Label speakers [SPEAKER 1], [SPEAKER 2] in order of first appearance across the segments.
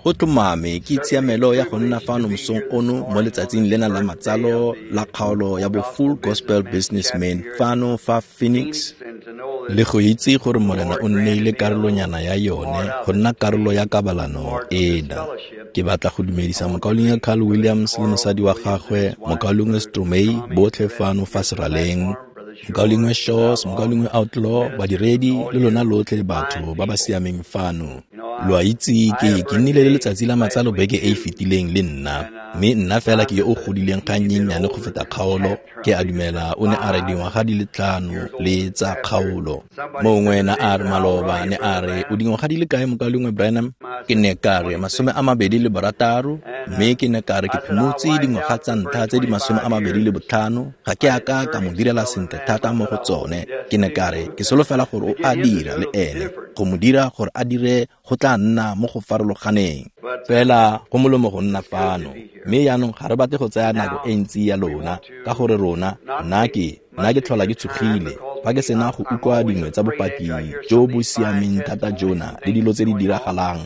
[SPEAKER 1] Go tlhomame ke tshiamelo ya go nna fano mosong ono mo letsatsing lena la matsalo la kgaolo ya bo Full Gospel Businessmen fano fa Phoenix, le go itse gore Morena o nneile karolonyana ya yone go nna karolo ya kabalano ena. Ke batla go dumedisa mokaulengwe Carl Williams le mosadi wa gagwe, mokaulengwe Stromei, botlhe fano fa seraleng, mokaulengwe Shaws, mokaulengwe Outlaw, badiredi le lona lotlhe batho ba ba siameng fano. Lo a itse ke nnile le letsatsi la matsalo beke e e fetileng le nna, mme nna fela ke yo o godileng ga nnyennyane go feta kgaolo. Ke a dumela o ne a re dingwaga di le 5 le tsa kgaolo. Mongwe na a re maloba ne a re o dingwaga di le kae mokaulengwe Branham? Ke ne ka re 26, mme ke ne ka re ke phimotse dingwaga tsa ntlha tse di 25, ga ke a ka ka mo direla sentle thata mo go tsone. Ke ne ka re ke solofela gore o a dira le ene, go mo dira gore a dire go tla nna mo go farologaneng. Fela go molemo go nna fano, mme jaanong ga re batle go tsaya nako e ntsi ya lona, ka gore rona, nna ke tlhola ke tshogile fa ke sena go utlwa dingwe tsa bopaki jo bo siameng thata jona le dilo tse di diragalang,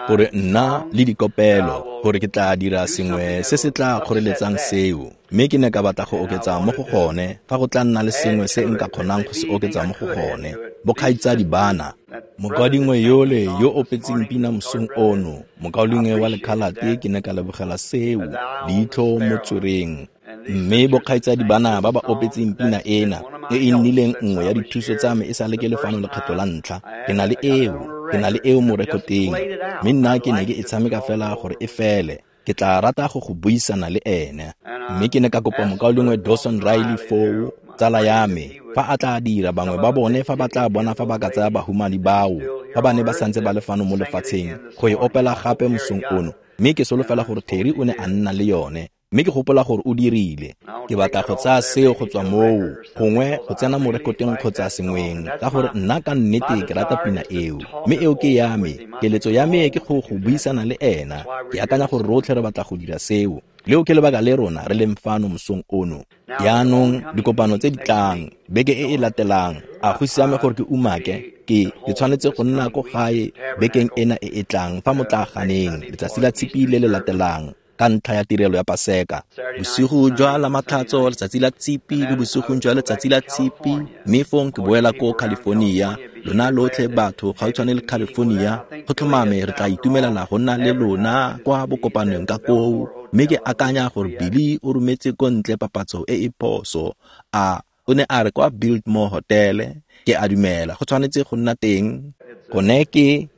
[SPEAKER 1] gore nna le dikopelo, gore ke tla dira sengwe se se tla kgoreletsang seo. Mme ke ne ka batla go oketsa mo go gone, fa go tla nna le sengwe se nka kgonang go se oketsa mo go gone. Bokgaitsadi bana, mokaulengwe yole yo opetseng pina mosong ono, mokaulengwe wa lekhalate, ke ne ka lebogela seo, leitlho mo tswereng. Mme bokgaitsadi bana ba ba opetseng pina ena, e e nnileng nngwe ya dithuso tsa me e sa le ke le fano lekgetho la ntlha, ke na le eo mo rekoteng, mme nna ke ne ke e tshameka fela gore e fele. Ke tla rata go buisana le ene. Mme ke ne ka kopa mokaulengwe Dawson Riley foo, tsala ya me, fa a tla dira bangwe ba bone fa ba tla bona fa ba ka tsaya bahumani bao, fa ba ne ba santse ba le fano mo lefatsheng, go e opela gape mosong ono. Mme ke solofela gore Terry o ne a nna le yone, mme ke gopola gore o dirile. Ke batla go tsaya seo go tswa moo, gongwe go tsena mo rekoteng kgotsa sengweng, ka gore nna ka nnete ke rata pina eo. Mme eo ke ya me, keletso ya me ke go buisana le ena. Ke akanya gore rotlhe re batla go dira seo. Leo ke lebaka le rona re leng fano mosong ono. Jaanong dikopano tse di tlang, beke e e latelang, a go siame gore ke umake, ke tshwanetse go nna ko gae bekeng ena e e tlang fa motlaganeng, letsatsi la Tshipi le le latelang, ka ntlha ya tirelo ya Paseka. Bosigo jwa la Matlhatso, letsatsi la Tshipi le bosigong jwa letsatsi la Tshipi, mme fong ke boela ko California. Lona lotlhe batho gautshwane le California, go tlhomame re tla itumelela go nna le lona kwa bokopanong ka koo. Mme ke akanya gore Billy o rometse ko ntle papatso e e phoso. A o ne a re kwa Biltmore Hotel, ke a dumela go tshwanetse go nna teng. Gone ke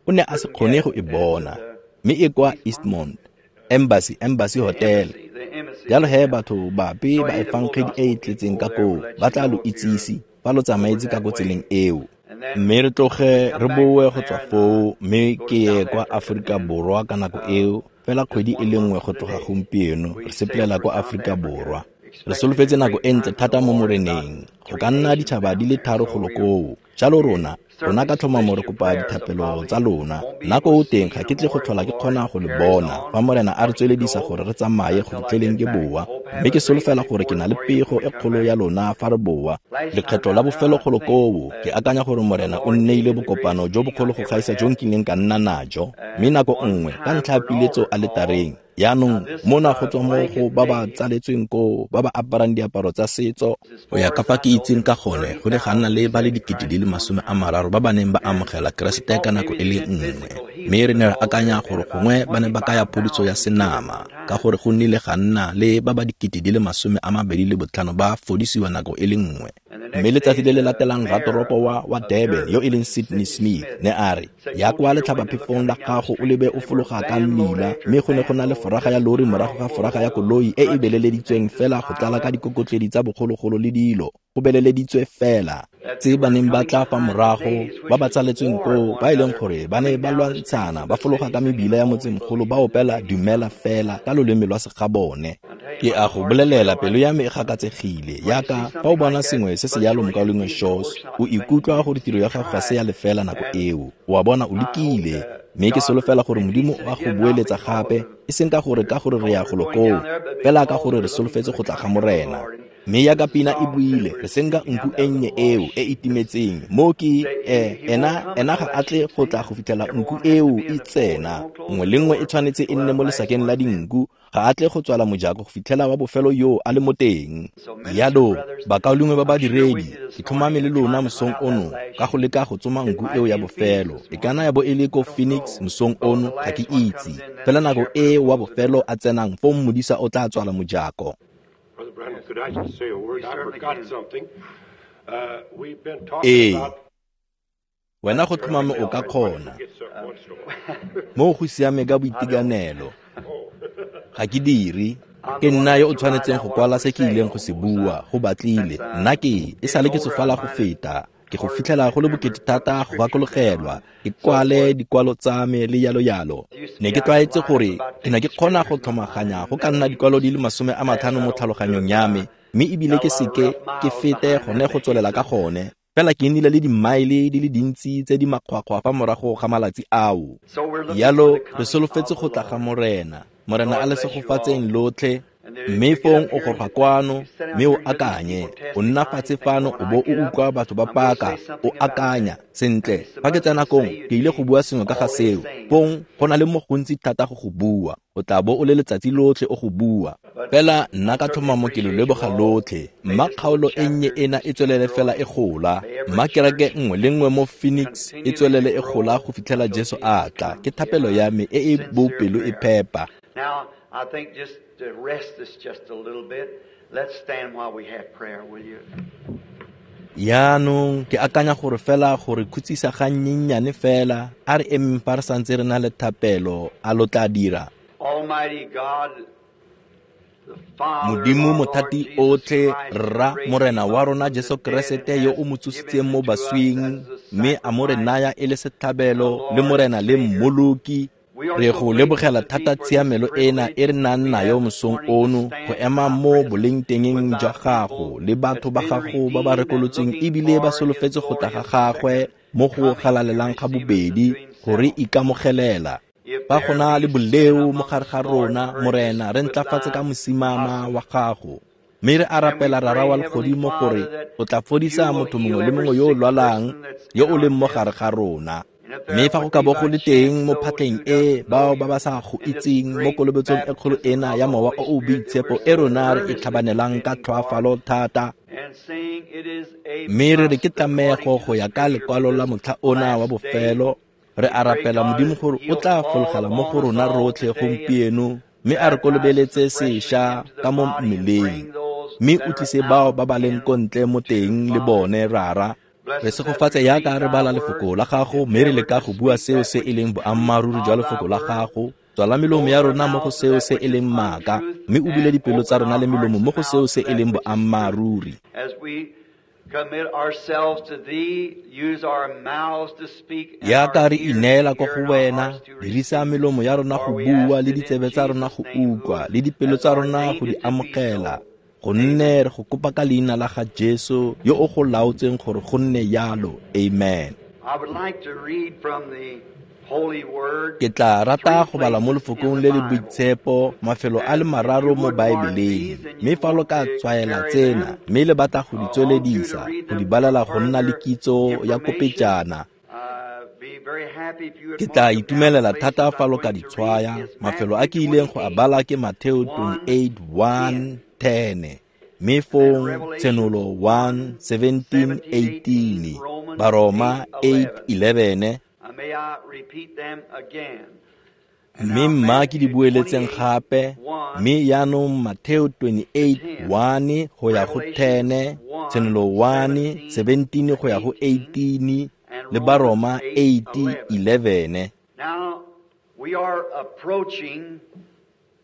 [SPEAKER 1] o ne a se kgone go e bona, mme e kwa Eastmont Embassy Hotel. Jalo he batho bape ba efangedi e e tletseng ka koo ba tla lo itsise fa lo tsamaetse ka ko tseleng eo. Mme re tloge re boe go tswa foo, mme ke ye kwa Aforika Borwa ka nako eo, fela kgwedi e le nngwe go tloga gompieno, re sepelela kwa Aforika Borwa. Re solofetse nako e ntle thata mo Moreneng, go ka nna ditšhaba di le 3 golo koo. Jalo rona ka tlhomamo re kopa dithapelo tsa lona. Nako o teng ga ke tle go tlhola ke kgona go le bona, fa Morena a re tsweledisa gore re tsamaye go fitlheleng ke boa. Mme ke solofela gore ke na le pego e kgolo ya lona fa re boa. Lekgetlo la bofelo golo koo, ke akanya gore Morena o nneile bokopano jo bogolo go gaisa jo nkileng ka nna najo. Mme nako nngwe, ka ntlha ya piletso aletareng, jaanong mona go tswa mo go ba ba tsaletsweng koo, ba ba aparang diaparo tsa setso. Go ya ka fa ke itseng ka gone, go ne ga nna le ba le 30,000 ba ba neng ba amogela Keresete ka nako e le nngwe. Mme re ne re akanya gore gongwe ba ne ba kaya phodiso ya senama, ka gore go nnile ga nna le ba ba 25,000 ba fodisiwa nako e le nngwe. Mme letsatsi le le latelang ratoropo wa Durban, yo e leng Sydney Smith, ne a re, ya kwa letlhabaphefong la gago o lebe o fologa ka mmila, mme go ne go na le foraga ya lori morago ga foraga ya koloi e e beleleditsweng fela go tlala ka dikokotledi tsa bogologolo le dilo, go beleleditswe fela. Tse ba neng ba tla fa morago, ba ba tsaletsweng koo, ba e leng gore ba ne ba lwantshana, ba fologa ka mebila ya motsemogolo, ba opela dumela fela ka loleme lwa segabone. Ke a go bolelela, pelo ya me e gakatsegile. Yaka fa o bona sengwe se se jalo mokaulengwe Shaws, o ikutlwa gore tiro ya gago ga se ya lefela nako eo. O a bona o lekile, mme ke solofela gore Modimo o a go boeletsa gape, e seng ka gore re ya golo koo, fela ka gore re solofetse go tla ga Morena. Mme yaka pina e buile, re senka nku e nnye eo e e timetseng. Mo ke ena ga a tle go tla go fitlhela nku eo e tsena. Nngwe le nngwe e tshwanetse e nne mo lesakeng la dinku. Ga a tle go tswala mojako go fitlhela wa bofelo yo a le mo teng. Yalo, bakaulengwe ba badiredi, ke tlhomame le lona mosong ono ka go leka go tsoma nku eo ya bofelo. E kana ya bo e le ko Phoenix mosong ono, ga ke itse. Fela nako e wa bofelo a tsenang, foo modisa o tla tswala mojako.
[SPEAKER 2] Brother Branham, could I just say a word? I forgot something. We've been talking about...
[SPEAKER 1] Wena go tlhomame o ka kgona. Mo go siame ka boitekanelo. Ga ke dire. Ke nna yo o tshwanetseng go kwala se ke ileng go se bua, go batlile. Nna ke e sale ke tsofala go feta. Ke go fitlhela go le bokete thata go gakologelwa. Ke kwale dikwalo tsa me le yalo yalo. Ne ke tlwaetse gore ke ne ke kgona go tlhomaganya go ka nna dikwalo di le 50 mo tlhaloganyong ya me, mme ebile ke seke ke fete gone go tswelela ka gone. Fela ke nnile le dimaele di le dintsi tse di makgwakgwa fa morago ga malatsi ao. Yalo re solofetse go tla ga Morena. Morena a le segofatseng lotlhe. Mme fong o goroga kwano, mme o akanye. O nna fatshe fano o bo o utlwa batho ba paka, o akanya. Sentle, fa ke tsena kong, ke ile go bua sengwe ka ga seo. Fong, go na le mo gontsi thata go go bua. O tla bo o le letsatsi lotlhe o go bua. Fela nna ka tlhomamo ke lo leboga lotlhe. Mma kgaolo e nnye ena e tswelele fela e gola. Mma kereke nngwe le nngwe mo Phoenix e tswelele e gola go fitlhela Jesu a tla. Ke thapelo ya me e e bopelo e phepa.
[SPEAKER 3] Now, I think just to rest this just a little bit, let's stand while we have prayer, will you?
[SPEAKER 1] Yaanong ke akanya gore fela gore khutsisa ga nnyenyane fela, a re emeng fa re santse re na le thapelo, a lo tla dira.
[SPEAKER 3] Almighty God, the Father,
[SPEAKER 1] Modimo mothati otlhe, Rra Morena wa rona Jesu Keresete yo o mo tsositseng mo baswing, mme a mo re naya e le setlhabelo le Morena le Mmoloki. Re go lebogela thata tshiamelo ena e re nang nayo mosong ono go ema mo bolengtengeng jwa gago le batho ba gago ba ba rekolotsweng ebile ba solofetse go tla ga gagwe mo go galalelang ga bobedi go re ikamogelela. Fa go na le boleo mo gare ga rona, Morena, re ntlafatse ka mosimama wa gago. Mme re a rapela Rara wa legodimo gore o tla fodisa motho mongwe le mongwe yo o lwalang yo o leng mo gare ga rona. Mme fa go ka bo go le teng mo phatleng e bao ba ba sa go itseng mo kolobetsong e kgolo ena ya mowa o o boitshepo e rona re e tlhabanelang ka tlhoafalo thata, mme re re ke tlamego go ya ka lekwalo la motlha ona wa bofelo, re a rapela Modimo gore o tla fologela mo go rona rotlhe gompieno, mme a re kolobeletse sešwa ka mo mmeleng, mme o tlise bao ba ba leng ko ntle mo teng le bone, Rara. Re segofatse yaka re bala lefoko la gago, mme re leka go bua seo se e leng boammaaruri jwa lefoko la gago. Tswala melomo ya rona mo go seo se e leng maaka, mme o bule dipelo tsa rona le melomo mo go seo se e leng boammaaruri. Yaka re ineela ko go wena, dirisa melomo ya rona go bua le ditsebe tsa rona go utlwa le dipelo tsa rona go di amogela. Gonne re go kopa ka leina la ga Jesu yo o go laotseng gore go nne yalo. Amen. Ke tla rata go bala mo lefokong le le boitshepo mafelo a le mararo mo Baebeleng, mme fa lo ka tswaela tsena mme le batla go di tsweledisa, go di balela go nna le kitso ya kopejana, ke tla itumelela thata fa lo ka di tshwaya. Mafelo a ke ileng go a bala ke Mateo 28:1-10, mme fong Tshenolo 1:17-18, Baroma 8:11. Mme mma ke di bueletseng gape, mme yaanong Mateo 28:1 go ya go 10, Tshenolo 1:17 go ya go 18, le Baroma 8:11.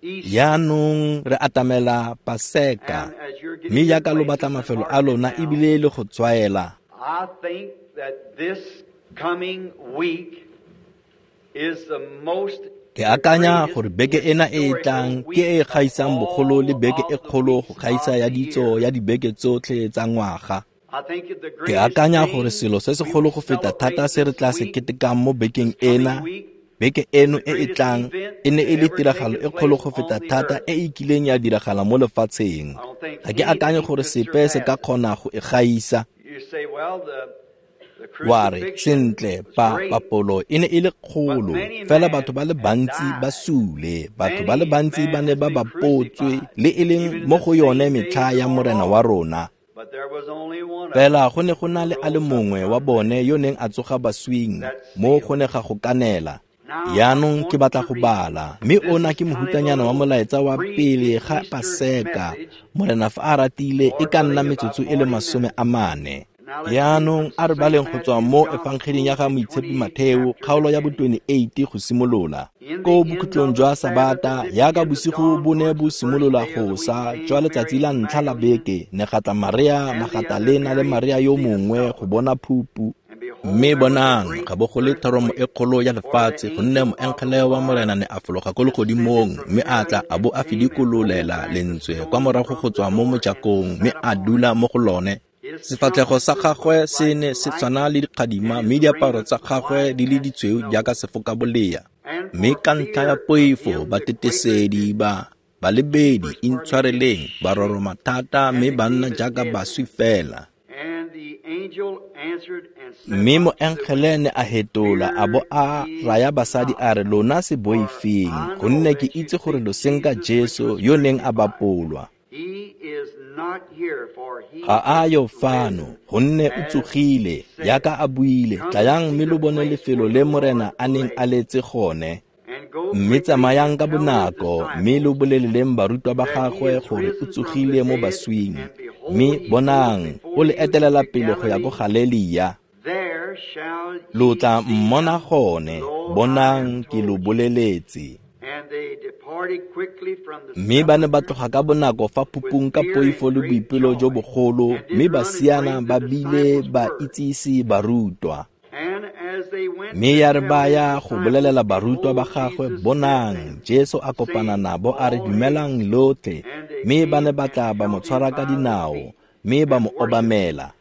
[SPEAKER 1] Yaanong re atamela Paseka, mme yaka lo batla mafelo a lona ebile le go tswaela. Ke akanya gore beke ena e e tlang ke e e gaisang bogolo le beke e kgolo go gaisa ya ditso ya dibeke tsotlhe tsa ngwaga. Ke akanya gore selo se segolo go feta thata se re tla se ketekang mo bekeng ena, beke eno e e tlang, E ne e le tiragalo e kgolo go feta thata e e kileng ya diragala mo lefatsheng. Ga ke akanye gore sepe se ka kgona go e gaisa. Wa re, sentle, papolo e ne e le kgolo, fela batho ba le bantsi ba sule, batho ba le bantsi ba ne ba bapotswe, le e leng mo go yone metlha ya Morena wa rona. Fela go ne go na le a le mongwe wa bone yo neng a tsoga baswing, mo go ne ga go kanela. Jaanong ke batla go bala, mme ona ke mohutanyana wa molaetsa wa pele ga Paseka. Morena fa a ratile e ka nna metsotso e le 40. Jaanong a re baleng go tswa mo efangeding ya ga Moitshepi Matheo, kgaolo ya bo 28 go simolola. Ko bokhutlong jwa Sabata, yaka bosigo bo ne bo simolola go sa jwa letsatsi la ntlha la beke, ne ga tla Maria Magatalena le Maria yo mongwe go bona phupu. Mme bonang, ga bo go le thoromo e kgolo ya lefatshe, gonne moengele wa Morena ne a fologa ko legodimong, mme a tla a bo a fidikololela lentswe kwa morago go tswa mo mojakong, mme a dula mo go lone. Sefatlhego sa gagwe se ne se tshwana le dikgadima, mme diaparo tsa gagwe di le ditshweu jaaka sefokabolea. Mme ka ntlha ya poifo batetesedi ba balebedi intshwareleng ba roroma thata, mme ba nna jaaka baswi fela. Mme moengele ne a hetola a bo a raya basadi a re, lona se boifeng, gonne ke itse gore lo senka Jesu yo neng a bapolwa. Ga a yo fano, gonne o tsogile, yaka a buile. Tlayang mme lo bone lefelo le Morena a neng a letse gone. Mme tsamayang ka bonako, mme lo boleleleng barutwa ba gagwe gore o tsogile mo baswing. Mme bonang, o le etelela pele go ya ko Galelia. Lo tla mmona gone, bonang ke lo boleletse. Mme ba ne ba tloga ka bonako fa phupung ka poifo le boipelo jo bogolo, mme ba siana ba bile ba itsise barutwa. Mme ya re ba ya go bolelela barutwa ba gagwe, bonang, Jesu a kopana nabo a re, dumelang lotlhe. Mme ba ne ba tla ba mo tshwara ka dinao, mme ba mo obamela.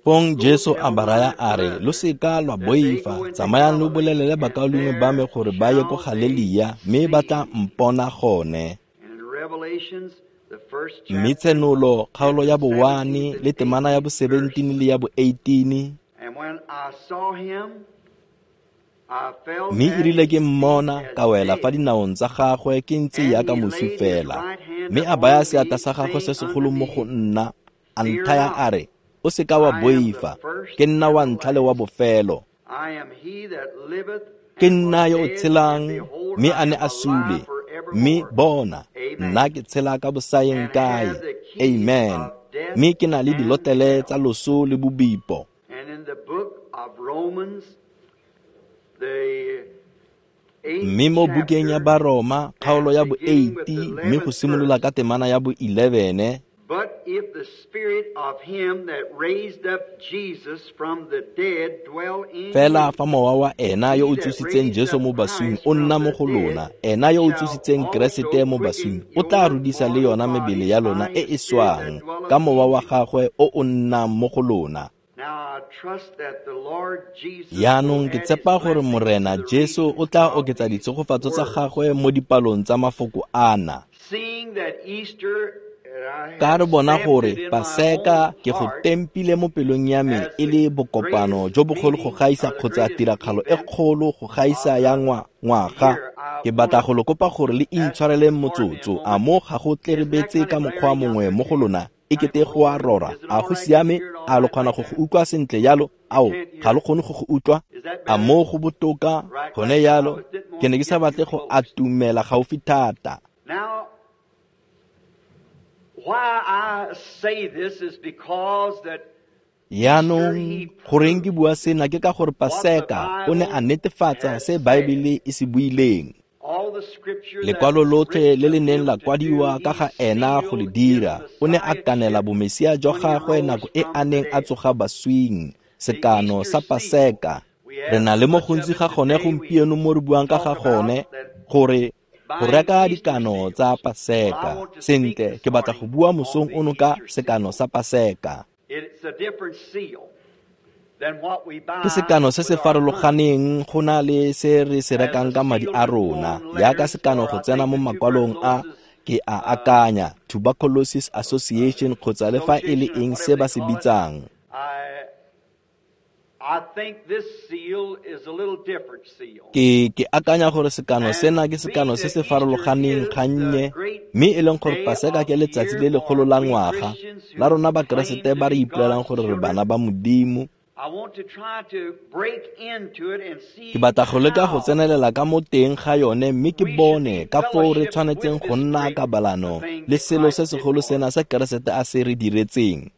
[SPEAKER 1] Fong Jesu a ba raya a re, lo seka lwa boifa, tsamayang lo bolelele bakaulengwe ba me gore ba ye ko Galelia, mme ba tla mpona gone. Mme Tshenolo, kgaolo ya bo 1 le temana ya bo 17 le ya bo 18. Mme e rile ke mmona, ka wela fa dinaong tsa gagwe ke ntse yaka moswi fela. Mme a baya seatla sa gagwe se segolo mo go nna, a nthaya a re, o seka wa boifa, ke nna wa ntlha le wa bofelo. Ke nna yo o tshelang, mme a ne a sule, mme bona, nna ke tshela ka bosaeng kae. Amen. Mme ke na le dilotlele tsa loso le bobipo. Mme mo bukeng ya Baroma, kgaolo ya bo 8, mme go simolola ka temana ya bo 11.
[SPEAKER 3] But if the spirit of him that raised up Jesus from the dead dwell in
[SPEAKER 1] Fela fa mowa wa ena yo o tsositseng Jesu mo baswing o nna mo go lona, ena yo o tsositseng Keresete mo baswing o tla rudisa le yona mebele ya lona e e swang ka mowa wa gagwe o o nnang mo go lona. Jaanong ke tshepa gore Morena Jesu o tla oketsa ditshegofatso tsa gagwe mo dipalong tsa mafoko ana. Ka re bona gore Paseka ke go tempile mo pelong ya me e le bokopano jo bogolo go gaisa kgotsa tiragalo e kgolo go gaisa ya ngwaga. Ke batla go lo kopa gore le intshwareleng motsotso, a mo ga go tlerebetse ka mokgwa mongwe mo go lona, e kete go a rora. A go siame? A lo kgona go go utlwa sentle yalo? Ao, ga lo kgone go go utlwa? A mo go botoka gone yalo? Ke ne ke sa batle go atumela gaufi thata.
[SPEAKER 3] Why I say this is because that
[SPEAKER 1] Jaanong goreng ke bua sena ke ka gore Paseka o ne a netefatsa se Baebele e se buileng. Lekwalo lotlhe le le neng la kwadiwa ka ga ena go le dira, o ne a kanela bomesia jwa gagwe nako e a neng a tsoga baswing, sekano sa Paseka. Re na le mo gontsi ga gone gompieno mo re buang ka ga gone, gore go reka dikano tsa Paseka. Sentle, ke batla go bua mosong ono ka sekano sa Paseka.
[SPEAKER 3] It's a different seal.
[SPEAKER 1] Ke sekano se se farologaneng go na le se re se rekang ka madi a rona, jaaka sekano go tsena mo makwalong a ke a akanya Tuberculosis Association kgotsa le fa e le eng se ba se bitsang. Ke akanya gore sekano sena ke sekano se se farologaneng gannye, mme e leng gore Paseka ke letsatsi le legolo la ngwaga la rona Bakeresete ba re ipolelang gore re bana ba Modimo. Ke batla go leka go tsenelela ka mo teng ga yone mme ke bone ka foo re tshwanetseng go nna kabalano le selo se segolo sena se Keresete a se re diretseng.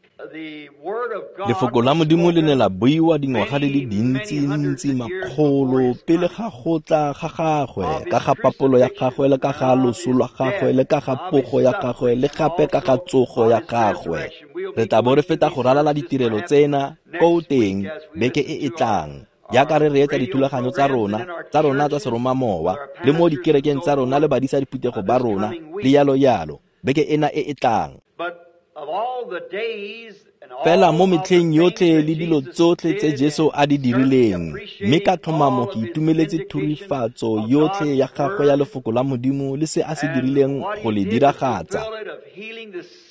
[SPEAKER 1] Lefoko la Modimo le ne la buiwa dingwaga di le dintsi-ntsi makgolo pele ga go tla ga gagwe, ka ga papolo ya gagwe le ka ga loso lwa gagwe le ka ga pogo ya gagwe le gape ka ga tsogo ya gagwe. Re tla bo re feta go ralala ditirelo tsena ko teng beke e e tlang, jaaka re reetsa dithulaganyo tsa rona tsa seromamowa le mo dikerekeng tsa rona le badisa diphuthego ba rona le yalo yalo beke ena e e tlang. Fela mo metlheng yotlhe le dilo tsotlhe tse Jesu a di dirileng, mme ka tlhomamo ke itumeletse thurifatso yotlhe ya gagwe ya lefoko la Modimo le se a se dirileng go le diragatsa,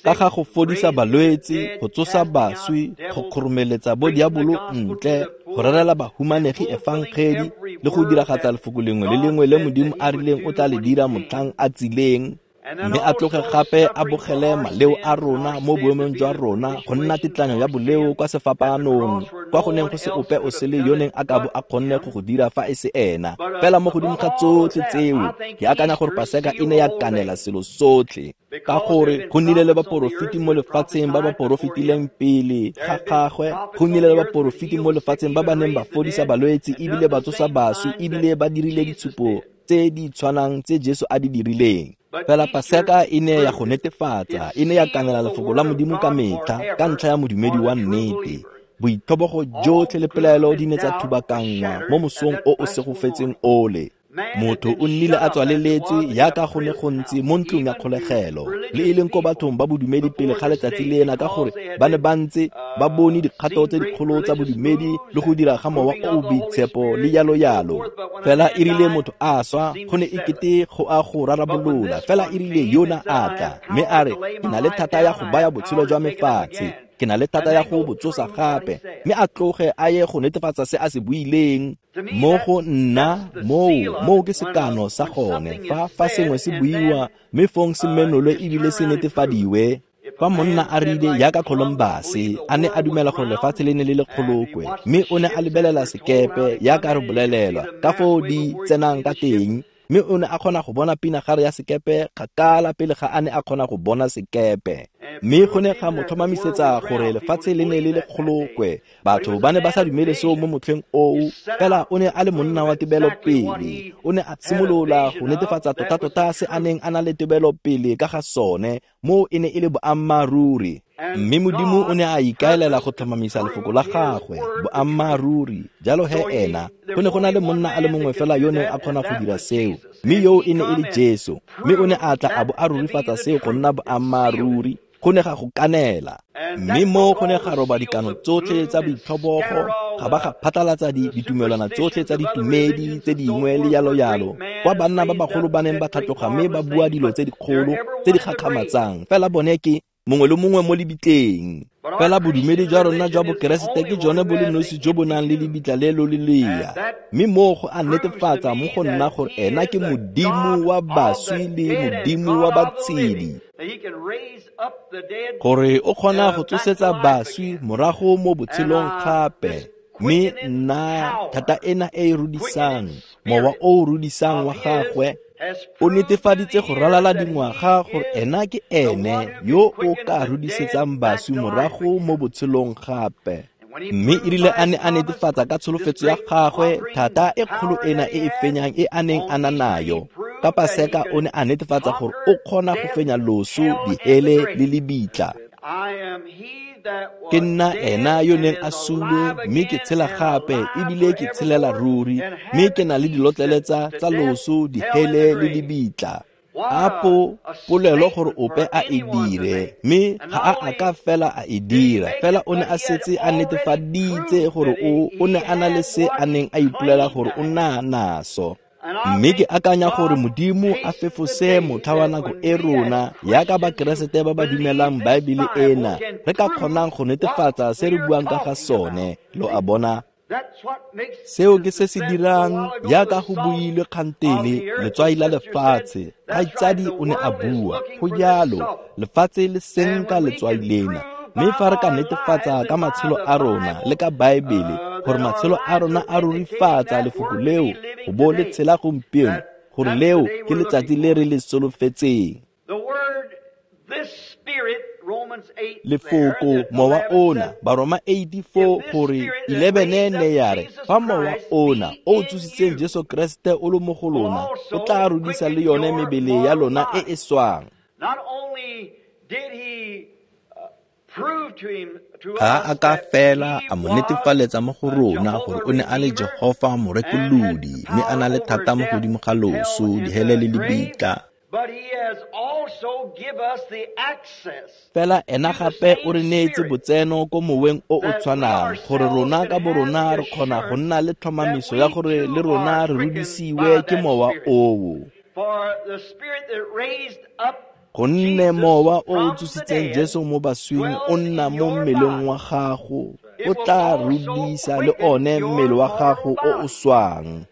[SPEAKER 1] ka ga go fodisa balwetse, go tsosa baswi, go kgoromeletsa bo diabolo ntle, go rerela bahumanegi efangedi le go diragatsa lefoko lengwe le lengwe le Modimo a rileng o tla le dira motlhang a tsileng, mme a tloge gape a bogele maleo a rona mo boemong jwa rona go nna tetlanyo ya boleo kwa sefapanong, kwa go neng go se ope o sele yo neng a ka bo a kgonne go go dira fa e se ena. Fela mo godimo ga tsotlhe tseo, ke akanya gore Paseka e ne ya kanela selo sotlhe, ka gore go nnile le baporofeti mo lefatsheng ba ba porofetileng pele ga gagwe, go nnile le baporofeti mo lefatsheng ba ba neng ba fodisa balwetse ebile ba tsosa baswi ebile ba dirile ditshupo tse di tshwanang tse Jesu a di dirileng. Fela Paseka e ne ya go netefatsa, e ne ya kanela lefoko la Modimo ka metlha ka ntlha ya modumedi wa nnete. Boitlhobogo jotlhe le pelaelo di ne tsa thubakanngwa mo mosong o o segofetseng ole. Motho o nnile a tswaleletswe jaaka go ne go ntse mo ntlong ya kgolegelo, le e leng ko bathong ba bodumedi pele ga letsatsi lena, ka gore ba ne ba ntse ba bone dikgato tse dikgolo tsa bodumedi le go dira ga mowa o o boitshepo le yalo yalo. Fela e rile motho a swa, go ne e kete go a go rarabolola. Fela e rile yona a tla, mme a re, ke na le thata ya go baya botshelo jwa me fatshe, ke na le thata ya go bo tsosa gape, mme a tloge a ye go netefatsa se a se buileng. Mo go nna moo ke sekano sa gone, fa sengwe se buiwa mme fong se menolwe ebile se netefadiwe. Fa monna a rile jaaka Columbus a ne a dumela gore lefatshe le ne le le kgolokwe, mme o ne a lebelela sekepe jaaka re bolelelwa ka foo di tsenang ka teng, mme o ne a kgona go bona pinagare ya sekepe kgakala pele ga a ne a kgona go bona sekepe. Mme go ne ga mo tlhomamisetsa gore lefatshe le ne le le kgolokwe. Batho ba ne ba sa dumele seo mo motlheng oo, fela o ne a le monna wa tebelopele. O ne a simolola go netefatsa tota-tota se a neng a na le tebelopele ka ga sone, moo e ne e le boammaaruri. Mme Modimo o ne a ikaelela go tlhomamisa lefoko la gagwe, boammaaruri. Jalo he ena, go ne go na le monna a le mongwe fela yo neng a kgona go dira seo, mme yoo e ne e le Jesu. Mme o ne a tla a bo a rurifatsa seo go nna boammaaruri, go ne ga go kanela. Mme mo go ne ga roba dikano tsotlhe tsa boitlhobogo, ga ba ga phatlalatsa ditumelwana tsotlhe tsa ditumedi tse dingwe le yalo yalo, kwa banna ba bagolo ba neng ba tlhatloga mme ba bua dilo tse dikgolo tse di gakgamatsang, fela bone ke mongwe le mongwe mo lebitleng. Fela bodumedi jwa rona jwa Bokeresete ke jone bo le nosi jo bo nang le lebitla le lo le lea, mme moo go a netefatsa mo go nna gore ena ke Modimo wa baswi le Modimo wa batshedi, gore o kgona go tsosetsa baswi morago mo botshelong gape. Mme nna thata ena e e rudisang, mowa o o rudisang wa gagwe, o netefaditse go ralala dingwaga gore ena ke ene yo o ka rudisetsang baswi morago mo botshelong gape. Mme e rile a ne a netefatsa ka tsholofetso ya gagwe thata e kgolo ena e e fenyang e a neng a na nayo, ka Paseka o ne a netefatsa gore o kgona go fenya loso, dihele le lebitla. Ke nna ena yo neng a sule, mme ke tshela gape ebile ke tshelela ruri, mme ke na le dilotlele tsa loso, dihele le lebitla. Apo polelo gore ope a e dire, mme ga a a ka fela a e dira, fela o ne a setse a netefaditse gore o ne a na le se a neng a ipolela gore o na naso. Mme ke akanya gore Modimo a fefose motlha wa nako e rona yaka Bakeresete ba ba dumelang Baebele ena re ka kgonang go netefatsa se re buang ka ga sone. Lo a bona? Seo ke se se dirang yaka go builwe kgantele letswai la lefatshe. Kgaitsadi o ne a bua go jalo, lefatshe le senka letswai lena. Mme fa re ka netefatsa ka matshelo a rona le ka Baebele gore matshelo a rona a rurifatsa lefoko leo go bo le tshela gompieno, gore leo ke letsatsi le re le solofetseng. Lefoko mowa ona, Baroma 84 gore 11 ne ya re fa mowa ona o tsositseng Jesu Kreste o le mo go lona o tla rudisa le yone mebele ya lona e e swang. Ga a ka fela a mo netefaletsa mo go rona gore o ne a le Jehofa morekolodi, mme a na le thata mo godimo ga loso, dihele le lebitla. Fela ena gape o re neetse botseno ko moweng o o tshwanang, gore rona ka borona re kgona go nna le tlhomamiso ya gore le rona re rudisiwe ke mowa oo. Gonne mowa o o tsositseng Jesu mo baswing o nna mo mmeleng wa gago, o tla rudisa le one mmele wa gago o o swang.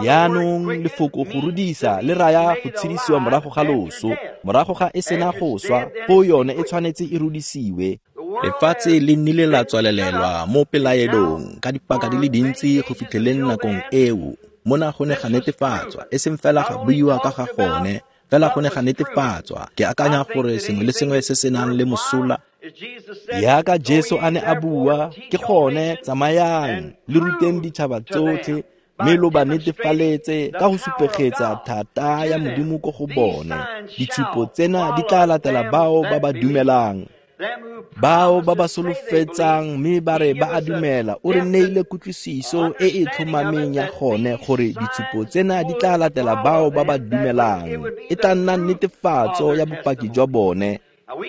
[SPEAKER 1] Yaanong lefoko go rudisa le raya go tshedisiwa morago ga loso, morago ga e sena go swa, foo yone e tshwanetse e rudisiwe. Lefatshe le nnile la tswalelelwa mo pelaelong ka dipaka di le dintsi go fitlheleng nakong eo. Mona go ne ga netefatswa, e seng fela ga buiwa ka ga gone, fela go ne ga netefatswa. Ke akanya gore sengwe le sengwe se se nang le mosola yaka Jesu a ne a bua, ke gone tsamayang le ruteng ditšhaba tsotlhe, mme lo ba netefaletse ka go supegetsa thata ya Modimo ko go bone. Ditshupo tsena di tla latela bao ba ba dumelang, bao ba ba solofetsang mme ba re ba a dumela. O re neile kutlwisiso e e tlhomameng ya gone gore ditshupo tsena di tla latela bao ba ba dumelang. E tla nna netefatso ya bopaki jwa bone.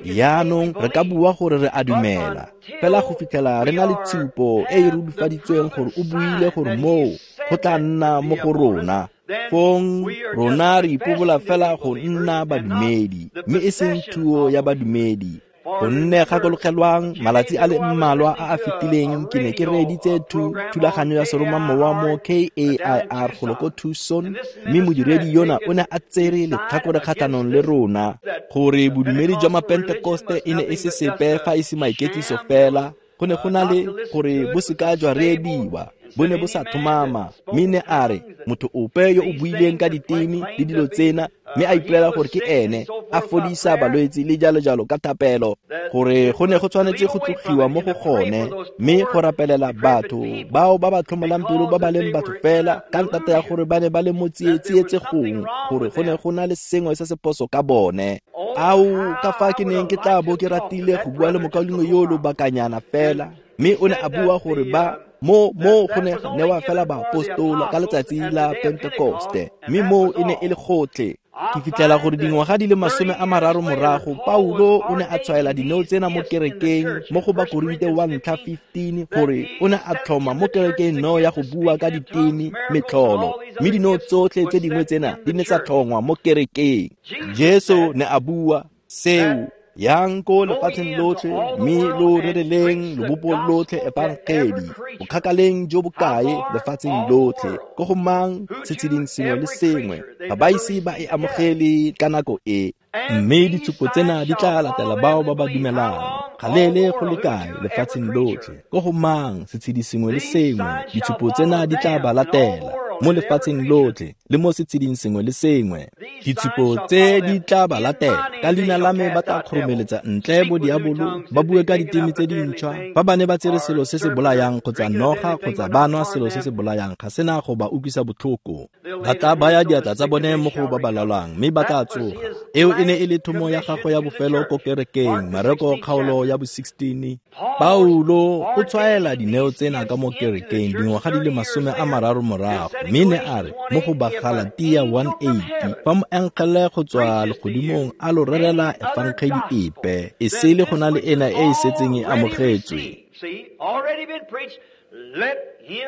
[SPEAKER 1] Yaanong re ka bua gore re a dumela, fela go fitlhela re na le tshupo e e rurifaditsweng gore o buile gore moo go tla nna mo go rona, fong rona re ipobola fela go nna badumedi, mme e seng thuo ya badumedi. Gonne gakologelwang, malatsi a le mmalwa a a fetileng ke ne ke reeditse thulaganyo ya seromamowa mo KAIR golo ko Tucson, mme modiredi yona o ne a tsere letlhakore kgatlhanong le rona gore bodumedi jwa Mapentekoste e ne e se sepe fa e se maiketliso fela. Go ne go na le gore bo seka jwa reediwa, bo ne bo sa tlhomama. Mme ne a re motho ope yo o buileng ka diteme le dilo tsena mme a ipolela gore ke ene a fodisa balwetse le jalo jalo ka thapelo, gore go ne go tshwanetse go tlogiwa mo go gone mme go rapelela batho bao ba ba tlhomolang pelo ba ba leng batho fela ka ntata ya gore ba ne ba le mo tsietsegong, gore go ne go na le sengwe se se phoso ka bone. Ao, ka fa ke neng ke tla bo ke ratile go bua le mokaulengwe yo lobakanyana fela, mme o ne a bua gore ba mo go ne ga newa fela baapostola ka letsatsi la Pentekoste, mme moo e ne e le gotlhe. Ke fitlhela gore dingwaga di le 30 morago, Paulo o ne a tshwaela dineo tsena mo kerekeng mo go Bakorinte wa ntlha 15, gore o ne a tlhoma mo kerekeng neo ya go bua ka diteme metlholo, mme dineo tsotlhe tse dingwe tsena di ne tsa tlhongwa mo kerekeng. Jesu ne a bua seo, yang ko lefatsheng lotlhe mme lo rereleng lobopo lotlhe efangedi, bokgakaleng jo bokae lefatsheng lotlhe, ko go mang setsheding sengwe le sengwe, ga ba ise ba e amogele ka nako e. Mme ditshupo tsena di tla latela bao ba ba dumelang, galeele go le kae lefatsheng lotlhe, ko go mang setshedi sengwe le sengwe, ditshupo tsena di tla ba latela mo lefatsheng lotlhe le mo setsheding sengwe le sengwe. Ditshupo tse di tla ba latela, ka leina la me ba tla kgoromeletsa ntle bo diabolo, ba bue ka diteme tse dintšhwa. Fa ba ne ba tsere selo se se bolayang kgotsa noga kgotsa ba nwa selo se se bolayang, ga sena go ba utlwisa botlhoko. Ba tla baya diatla tsa bone mo go ba ba lwalang, mme ba tla tsoga. Eo e ne e le thomo ya gagwe ya bofelo ko kerekeng, Mareko kgaolo ya bo 16. Paulo o tshwaela dineo tsena ka mo kerekeng dingwaga di le 30 morago, Mme ne a re mo go Bagalatia 1:8, fa moengele go tswa legodimong a lo rerela efangedi epe, e sele go na le ena e e setseng e amogetswe.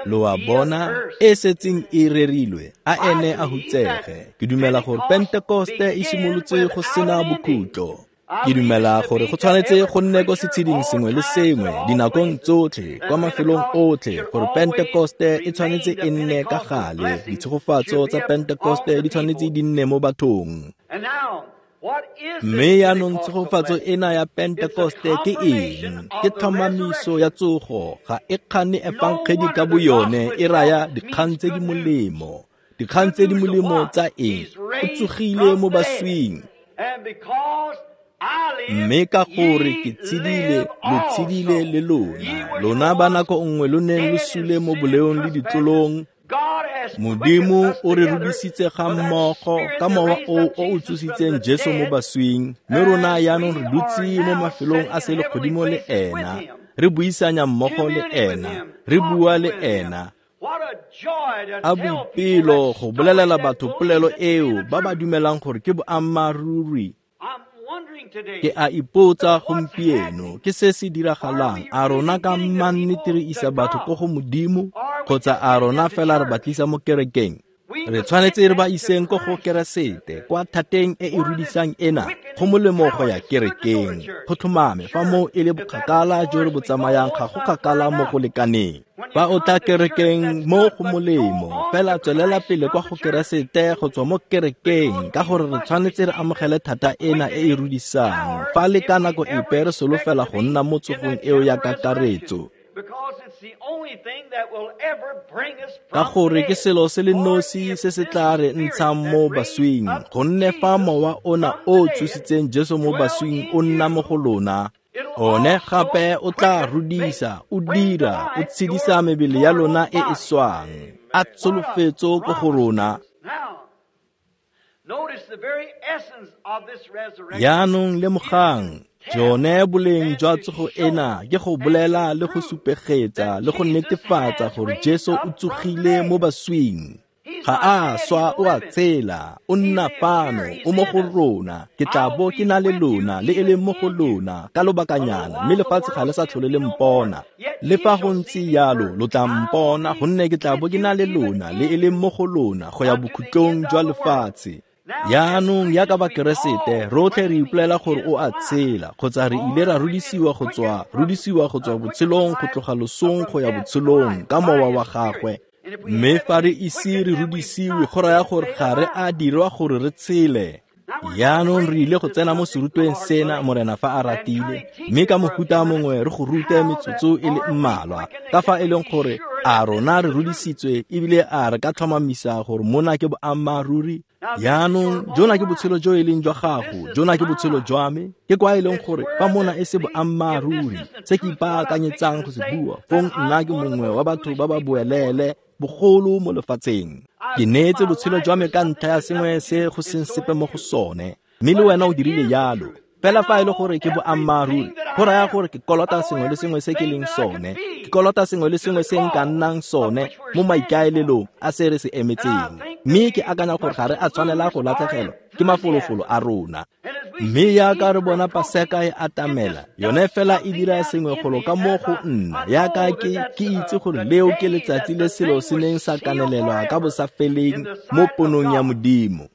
[SPEAKER 1] Lo a bona, e setseng e rerilwe, a ene a hutsege. Ke dumela gore Pentekoste e simolotse go sena bokhutlo. Ke dumela gore go tshwanetse go nne ko setsheding sengwe le sengwe, dinakong tsotlhe, kwa mafelong otlhe, gore Pentekoste e tshwanetse e nne ka gale. Ditshegofatso tsa Pentekoste di tshwanetse di nne mo bathong. Mme yaanong tshegofatso ena ya Pentekoste ke eng? Ke tlhomamiso ya tsogo. Ga e kgane efangedi ka boyone e raya dikgang tse di molemo. Dikgang tse di molemo tsa eng? O tsogile mo baswing. Mme ka gore ke tshedile, lo tshedile le lona. Lona ba nako nngwe lo neng lo sule mo boleong le ditlolong, Modimo o re rudisitse ga mmogo ka mowa o o tsositseng Jesu mo baswing, mme rona yaanong re dutse mo mafelong a selegodimo le ena, re buisanya mmogo le ena, re bua le ena. A boipelo go bolelela batho polelo eo ba ba dumelang gore ke boammaaruri. Ke a ipotsa gompieno, ke se se diragalang? A rona ka mannete re isa batho ko go Modimo, kgotsa a rona fela re ba tlisa mo kerekeng? Re tshwanetse re ba iseng ko go Keresete, kwa thateng e e rudisang ena. Go molemo go ya kerekeng, go tlhomame fa moo e le bokgakala jo re bo tsamayang, ga go kgakala mo go lekaneng. Fa o tla kerekeng, mo go molemo, fela tswelela pele kwa go Keresete go tswa mo kerekeng, ka gore re tshwanetse re amogele thata ena e e rudisang. Fa le ka nako epe re solofela go nna mo tsogong eo ya kakaretso, ka gore ke selo se le nosi se se tla re ntshang mo baswing, gonne fa mowa ona o tsositseng Jesu mo baswing o nna mo go lona, one gape o tla rudisa, o dira, o tshedisa mebele ya lona e e swang. A tsholofetso ko go rona. Yaanong lemogang, jone boleng jwa tsogo ena ke go bolela le go supegetsa le go netefatsa gore Jesu o tsogile mo baswing. Ga a swa, o a tshela, o nna fano, o mo go rona. Ke tla bo ke na le lona, le e leng mo go lona, ka lobakanyana, mme lefatshe ga le sa tlhole le mpona. Le fa go ntse jalo, lo tla mpona, gonne ke tla bo ke na le lona, le e leng mo go lona, go ya bokhutlong jwa lefatshe. Yaanong yaka Bakeresete, rotlhe re ipolela gore o a tshela, kgotsa re ile ra rudisiwa go tswa botshelong go tloga losong go ya botshelong ka mowa wa gagwe. Mme fa re ise re rudisiwe, go raya gore ga re a dirwa gore re tshele. Yaanong re ile go tsena mo serutweng sena, Morena fa a ratile, mme ka mohuta mongwe re go rute metsotso e le mmalwa, ka fa e leng gore a rona re rudisitswe ebile a re ka tlhomamisa gore mona ke boammaaruri. Yaanong jona ke botshelo jo e leng jwa gago, jona ke botshelo jwa me. Ke kwa e leng gore fa mona e se boammaaruri se ke ipaakanyetsang go se bua, fong nna ke mongwe wa batho ba ba boelele bogolo mo lefatsheng. Ke neetse botshelo jwa me ka ntlha ya sengwe se go seng sepe mo go sone, mme le wena o dirile jalo. Fela fa e le gore ke boammaaruri, go raya gore ke kolota sengwe le sengwe se ke leng sone, ke kolota sengwe le sengwe se nka nnang sone mo maikaelelong a se re se emetseng. Mme ke akanya gore ga re a tshwanela go latlhegelwa ke mafolofolo a rona. Mme yaka re bona Paseka e atamela, yone fela e dira sengwe golo ka mo go nna, yaka ke itse gore leo ke letsatsi le selo se neng sa kanelelwa ka bosafeleng mo ponong ya Modimo.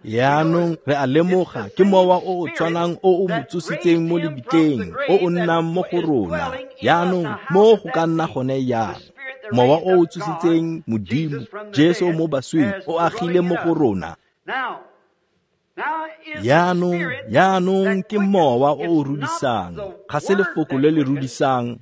[SPEAKER 1] Yaanong re a lemoga ke mowa o o tshwanang o o mo tsositseng mo lebitleng, o o nnang mo go rona. Yaanong mo go ka nna gone yang? Mowa o o tsositseng Modimo, Jesu mo baswing, o agile mo go rona. Yaanong ke mowa o o rudisang, ga se lefoko le le rudisang.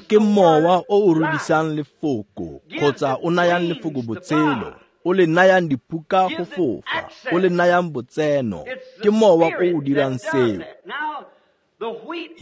[SPEAKER 1] Ke mowa o o rudisang lefoko, kgotsa o nayang lefoko botshelo, o le nayang diphuka go fofa, o le nayang botseno. Ke mowa o o dirang seo.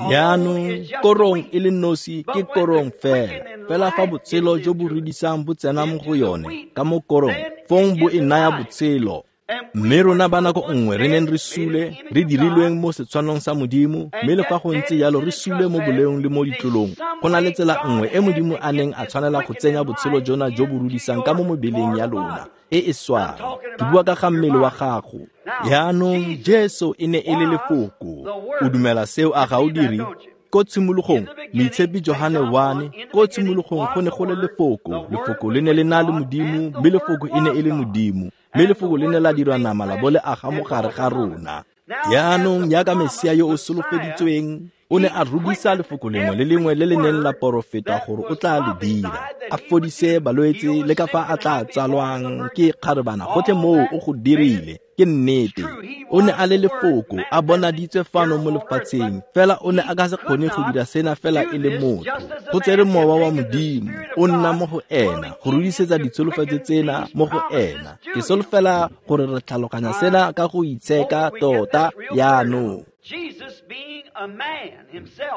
[SPEAKER 1] Yaanong korong e le nosi ke korong fela, fela fa botshelo jo bo rudisang bo tsena mo go yone ka mo korong, fong bo e naya botshelo. Mme rona ba nako nngwe re neng re sule, re dirilweng mo setshwanong sa Modimo, mme le fa go ntse jalo re sule mo boleong le mo ditlolong. Go na le tsela nngwe e Modimo a neng a tshwanela go tsenya botshelo jona jo bo rudisang ka mo mebeleng ya lona e e swang. Ke bua ka ga mmele wa gago. Jaanong Jesu e ne e le Lefoko. O dumela seo a ga o dire? Ko tshimologong, Moitshepi Johane 1, ko tshimologong go ne go le Lefoko. Lefoko le ne le na le Modimo, mme Lefoko e ne e le Modimo. Mme Lefoko le ne la dirwa nama la bo le aga mo gare ga rona. Jaanong jaaka Mesia yo o solofeditsweng, o ne a rudisa lefoko lengwe le lengwe le le neng la porofeta gore o tla le dira, a fodise balwetse le ka fa a tla tsalwang ke kgarebana, gotlhe moo o go dirile. Ke nnete. O ne a le Lefoko, a bonaditswe fano mo lefatsheng, fela o ne a ka se kgone go dira sena fela e le motho. Go tsere Mowa wa Modimo, o nna mo go ena, go rudisetsa ditsholofetso tsena mo go ena. Ke solofela gore re tlhaloganya sena ka go itsheka tota jaanong.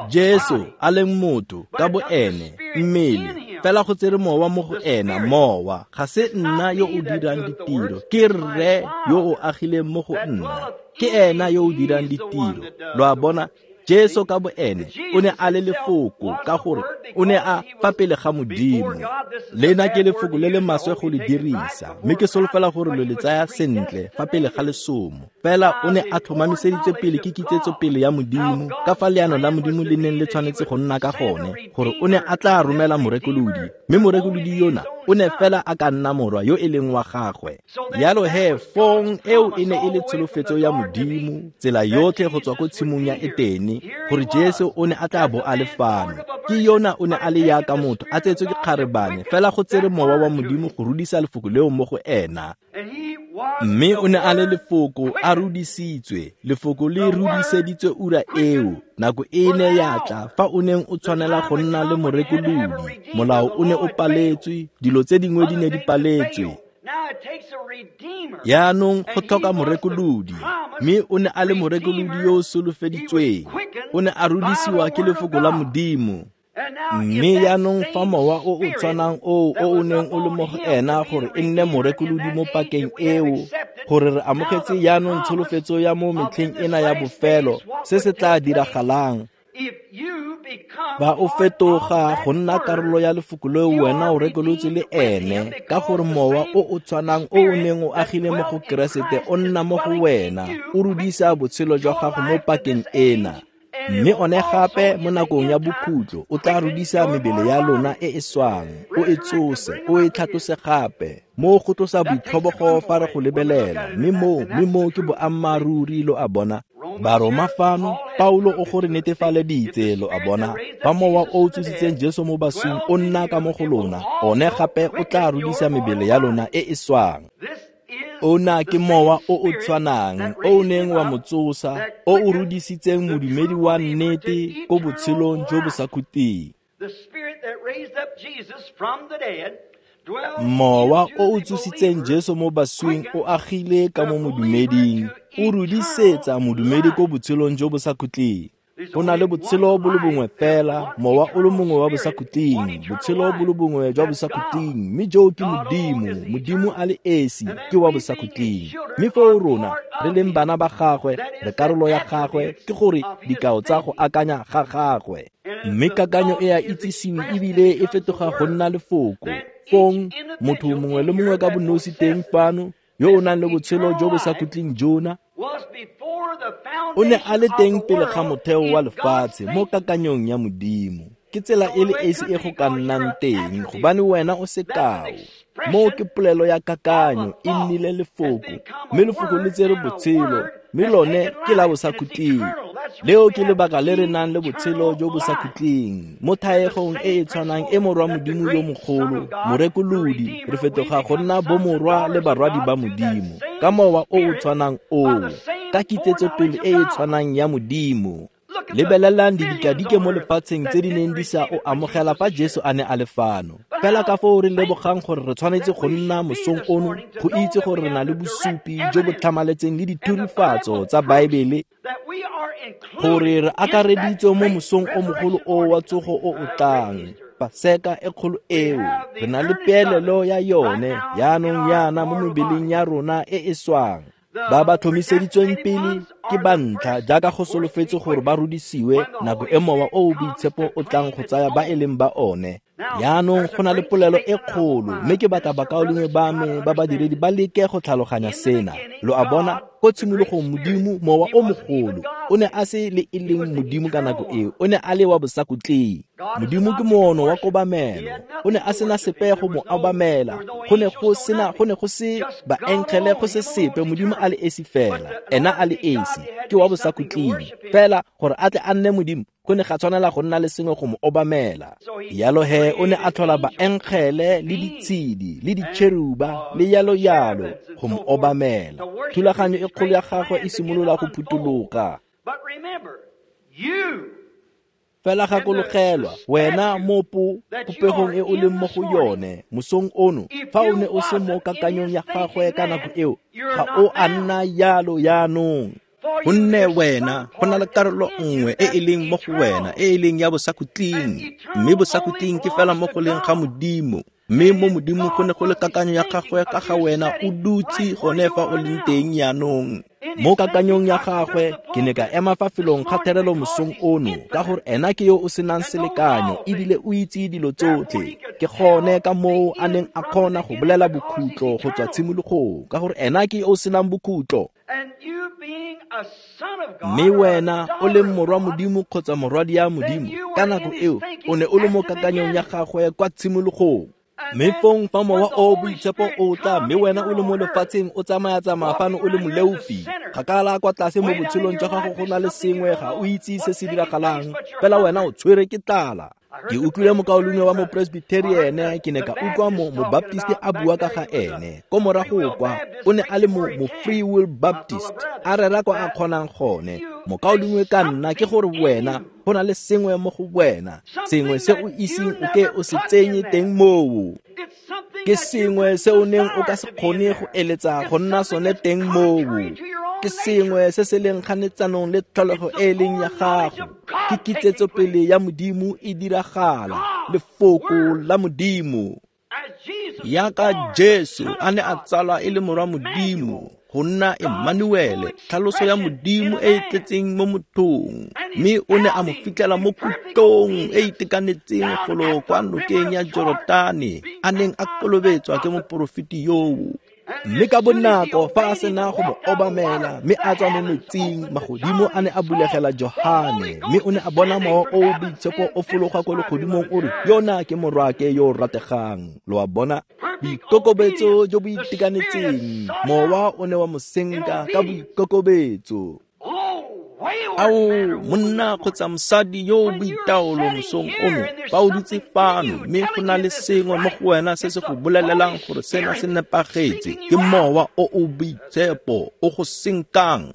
[SPEAKER 1] Jesu a leng motho ka bo ene, mmele, fela go tsere Mowa mo go ena. Mowa ga se nna yo o dirang ditiro, ke Rre yo o agileng mo go nna, ke ena yo o dirang ditiro. Lo a bona, Jesu ka bo ene o ne a le Lefoko, ka gore o ne a fa pele ga Modimo. Lena ke lefoko le le maswe go le dirisa, mme ke solofela gore lo le tsaya sentle fa pele ga lesomo. Fela o ne a tlhomamiseditswe pele ke kitsetso pele ya Modimo, ka fa leano la Modimo le neng le tshwanetse go nna ka gone, gore o ne a tla romela morekolodi, mme morekolodi yona o ne fela a ka nna morwa yo e leng wa gagwe. Jalo he fong eo e ne e le tsholofetso ya Modimo, tsela yotlhe go tswa ko tshimong ya Etene, gore Jesu o ne a tla bo a le fano. Ke yona o ne a le yaka motho, a tsetswe ke kgarebane, fela go tsere Mowa wa Modimo go rudisa lefoko leo mo go ena. Mme o ne a le Lefoko a rudisitswe, Lefoko le rudiseditswe ura eo. Nako e ne ya tla fa o neng o tshwanela go nna le morekolodi. Molao o ne o paletswe, dilo tse dingwe di ne di paletswe. Jaanong go tlhoka morekolodi, mme o ne a le morekolodi yo o solofeditsweng. O ne a rudisiwa ke Lefoko la Modimo. Mme jaanong fa Mowa o o tshwanang oo o o neng o le mo go ena gore e nne morekolodi mo pakeng eo, gore re amogetse jaanong tsholofetso ya mo metlheng ena ya bofelo, se se tla diragalang. Ba o fetoga go nna karolo ya lefoko leo wena o rekolotse le ene, ka gore Mowa o o tshwanang o o neng o agile mo go Keresete o nna mo go wena, o rudisa botshelo jwa gago mo pakeng ena. Mme one gape mo nakong ya bokhutlo o tla rudisa mebele ya lona e e swang, o e tsose, o e tlhatlose gape. Mo go tlosa boitlhobogo fa re go lebelela, mme moo ke boammaaruri, lo a bona. Baroma fano, Paulo o gore netefaleditse, lo a bona, fa Mowa o o tsositseng Jesu mo baswing o nna ka mo go lona, one gape o tla rudisa mebele ya lona e e swang. Ona ke Mowa o o tshwanang o o neng wa mo tsosa, o o rudisitseng modumedi wa nnete ko botshelong jo bo sa khutleng. Mowa o o tsositseng Jesu mo baswing o agile ka mo modumeding, o rudisetsa modumedi ko botshelong jo bo sa khutleng. Go na le botshelo bo le bongwe fela, Mowa o le mongwe wa bosakhutleng, botshelo bo le bongwe jwa bosakhutleng, mme joo ke Modimo. Modimo a le esi ke wa bosakhutleng. Mme foo rona re leng bana ba gagwe, re karolo ya gagwe, ke gore dikao tsa go akanya ga gagwe. Mme kakanyo e a itsisiwe ebile e fetoga go nna lefoko. Fong motho mongwe le mongwe ka bonosi teng fano, yo o nang le botshelo jo bo sa khutleng jona, o ne a le teng pele ga motheo wa lefatshe mo kakanyong ya Modimo. Ke tsela e le esi e go ka nnang teng, gobane wena o sekao. Moo ke polelo ya kakanyo, e nnile lefoko, mme lefoko le tsere botshelo, mme lone ke la bosakhutleng. Leo ke lebaka le re nang le botshelo jo bo sa khutleng mo thaegong e e tshwanang e morwa Modimo yo mogolo, morekolodi, re fetoga go nna bomorwa le barwadi ba Modimo ka mowa o o tshwanang oo, ka kitsetsopele e e tshwanang ya Modimo. Lebelelang didikadike mo lefatsheng tse di neng di sa o amogela fa Jesu a ne a le fano. Fela ka foo re lebogang gore re tshwanetse go nna mosong ono go itse gore re na le bosupi jo bo tlhamaletseng le dithurifatso tsa Baebele, gore re akareditswe mo mosong o mogolo o wa tsogo o o tlang. Paseka e kgolo eo, re na le peelelo ya yone yaanong yana mo mebeleng ya rona e e swang. Ba ba tlhomiseditsweng pele ke ba ntlha jaaka go solofetse gore ba rudisiwe nako e Mowa o o Boitshepo o tlang go tsaya ba e leng ba one. Yaanong go na le polelo e kgolo, mme ke batla bakaulengwe ba me ba badiredi ba leke go tlhaloganya sena. Lo a bona, ko tshimologong Modimo, Mowa o mogolo, o ne a se le e leng Modimo ka nako eo, o ne a le wa bosakhutleng. Modimo ke moono wa kobamelo, o ne a sena sepe go mo obamela, go ne go se baengele, go se sepe, Modimo a le esi fela, ena a le esi, ke wa bosakhutleng. Fela gore a tle a nne Modimo, go ne ga tshwanela go nna le sengwe go mo obamela. Yalo he o ne a tlhola baengele le ditshedi le ditšheruba le yalo yalo go mo obamela. Thulaganyo e kgolo ya gagwe e simolola go phutologa. Fela gakologelwa, wena mo popegong e o leng mo go yone mosong ono, fa o ne o se mo kakanyong ya gagwe ka nako eo, ga o a nna yalo yaanong. Gonne wena go na le karolo nngwe e e leng mo go wena e e leng ya bosakhutleng, mme bosakhutleng ke fela mo go leng ga Modimo. Mme mo Modimo go ne go le kakanyo ya gagwe ka ga wena o dutse gone fa o leng teng yaanong. Mo kakanyong ya gagwe ke ne ka ema fa felong ga therelo mosong ono, ka gore ena ke yo o senang selekanyo ebile o itse dilo tsotlhe. Ke gone ka moo a neng a kgona go bolela bokhutlo go tswa tshimologong, ka gore ena ke yo o senang bokhutlo. Mme wena o leng morwa Modimo kgotsa morwadi ya Modimo, ka nako eo o ne o le mo kakanyong ya gagwe kwa tshimologong. Mme fong fa Mowa o Boitshepo o tla, mme wena o le mo lefatsheng o tsamaya-tsamaya fano o le moleofi, kgakala kwa tlase mo botshelong jwa gago go na le sengwe, ga o itse se se diragalang, fela wena o tshwere ke tlala. Ke utlwile mokaulengwe wa mopresbyteriene, ke ne ka utlwa mobaptiste a bua ka ga ene. Ko morago kwa, o ne a le mo Free Will Baptist, a rera kwa a kgonang gone. Mokaulengwe ka nna ke gore wena go na le sengwe mo go wena, sengwe se o iseng o ke o se tsenye teng moo. Ke sengwe se o neng o ka se kgone go eletsa go nna sone teng moo. Ke sengwe se se leng kganetsanong le tlholego e leng ya gago. Ke kitsetsopele ya Modimo e diragala, lefoko la Modimo. Yaka Jesu a ne a tsalwa e le morwa Modimo, go nna Emmanuele, tlhaloso ya Modimo e e tletseng mo mothong. Mme o ne a mo fitlhela mo kutlong e itekanetseng golo kwa nokeng ya Jorotane, a neng a kolobetswa ke moporofeti yoo. Mme ka bonako fa a sena go mo obamela mme a tswa mo metsing, magodimo a ne a bulegela Johane, mme o ne a bona Mowa o o Boitshepo o fologa ko legodimong o re, yona ke morwake yo o rategang. Lo a bona, boikokobetso jo bo itekanetseng, Mowa o ne wa mo senka ka boikokobetso. Ao, monna kgotsa mosadi yo o boitaolo mosong ono, fa o dutse fano mme go na le sengwe mo go wena se se go bolelelang gore sena se nepagetse, ke Mowa o o Boitshepo o go senkang,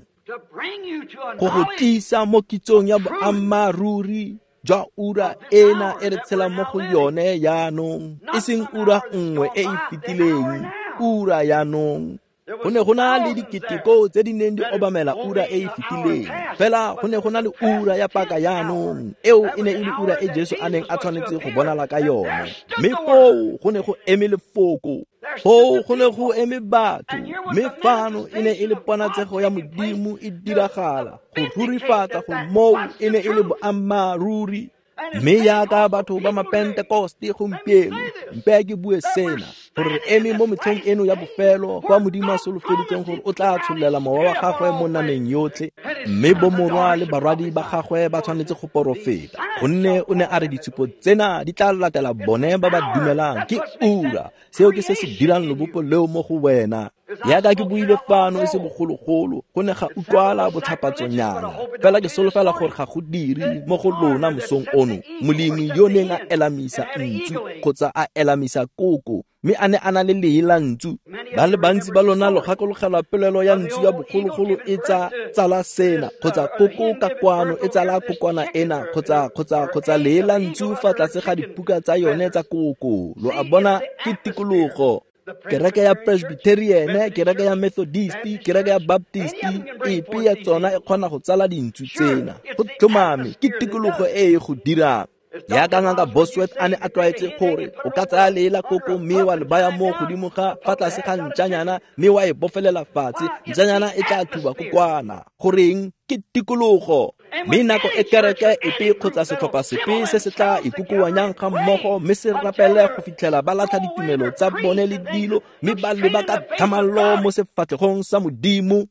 [SPEAKER 1] go go tlisa mo kitsong ya boammaaruri jwa ura ena e re tshelang mo go yone yaanong, e seng ura nngwe e e fetileng, ura yaanong. Go ne go na le diketeko tse di neng di obamela ura e e fetileng, fela go ne go na le ura ya paka yaanong. Eo e ne e le ura e Jesu a neng a tshwanetse go bonala ka yone. Mme foo go ne go eme lefoko, foo go ne go eme batho, mme fano e ne e le ponatsego ya Modimo e diragala, go rurifatsa gore moo e ne e le boammaaruri. Mme yaka batho ba mapentekoste gompieno, mpe ke bue sena, gore re eme mo metlheng eno ya bofelo kwa Modimo a solofeditseng gore o tla tshollela mowa wa gagwe mo nameng yotlhe, mme bomorwa le barwadi ba gagwe ba tshwanetse go porofeta, gonne o ne a re ditshupo tsena di tla latela bone ba ba dumelang. Ke ura, seo ke se se dirang lobopo leo mo go wena. Yaka ke buile fano e se bogologolo, go ne ga utlwala botlhapatsonyana, fela ke solofela gore ga go dire mo go lona mosong ono. Molemi yo neng a elamisa ntsu kgotsa a elamisa koko, mme a ne a na le lee la ntsu. Ba le bantsi ba lona lo gakologelwa polelo ya ntsu ya bogologolo e tsala sena, kgotsa koko ka kwano e tsala kokwana ena, kgotsa lee la ntsu fa tlase ga dipuka tsa yone tsa koko. Lo a bona, ke tikologo. Kereke ya Presbyterian, kereke ya Methodist, kereke ya Baptist, epe ya tsona e kgona go tsala dintsu tsena. Go tlhomame, ke tikologo e e go dirang. Jaaka Ngaka Bosworth a ne a tlwaetse gore o ka tsaya lee la koko mme wa le baya mo godimo ga fa tlase ga ntšanyana mme wa e bofelela fatshe, ntšanyana e tla thuba kokwana. Goreng? Ke tikologo. Mme nako e kereke epe kgotsa setlhopha sepe se se tla ikokoanyang ga mmogo mme se rapele go fitlhela ba latlha ditumelo tsa bone le dilo mme ba leba ka tlhamallo mo sefatlhegong sa Modimo,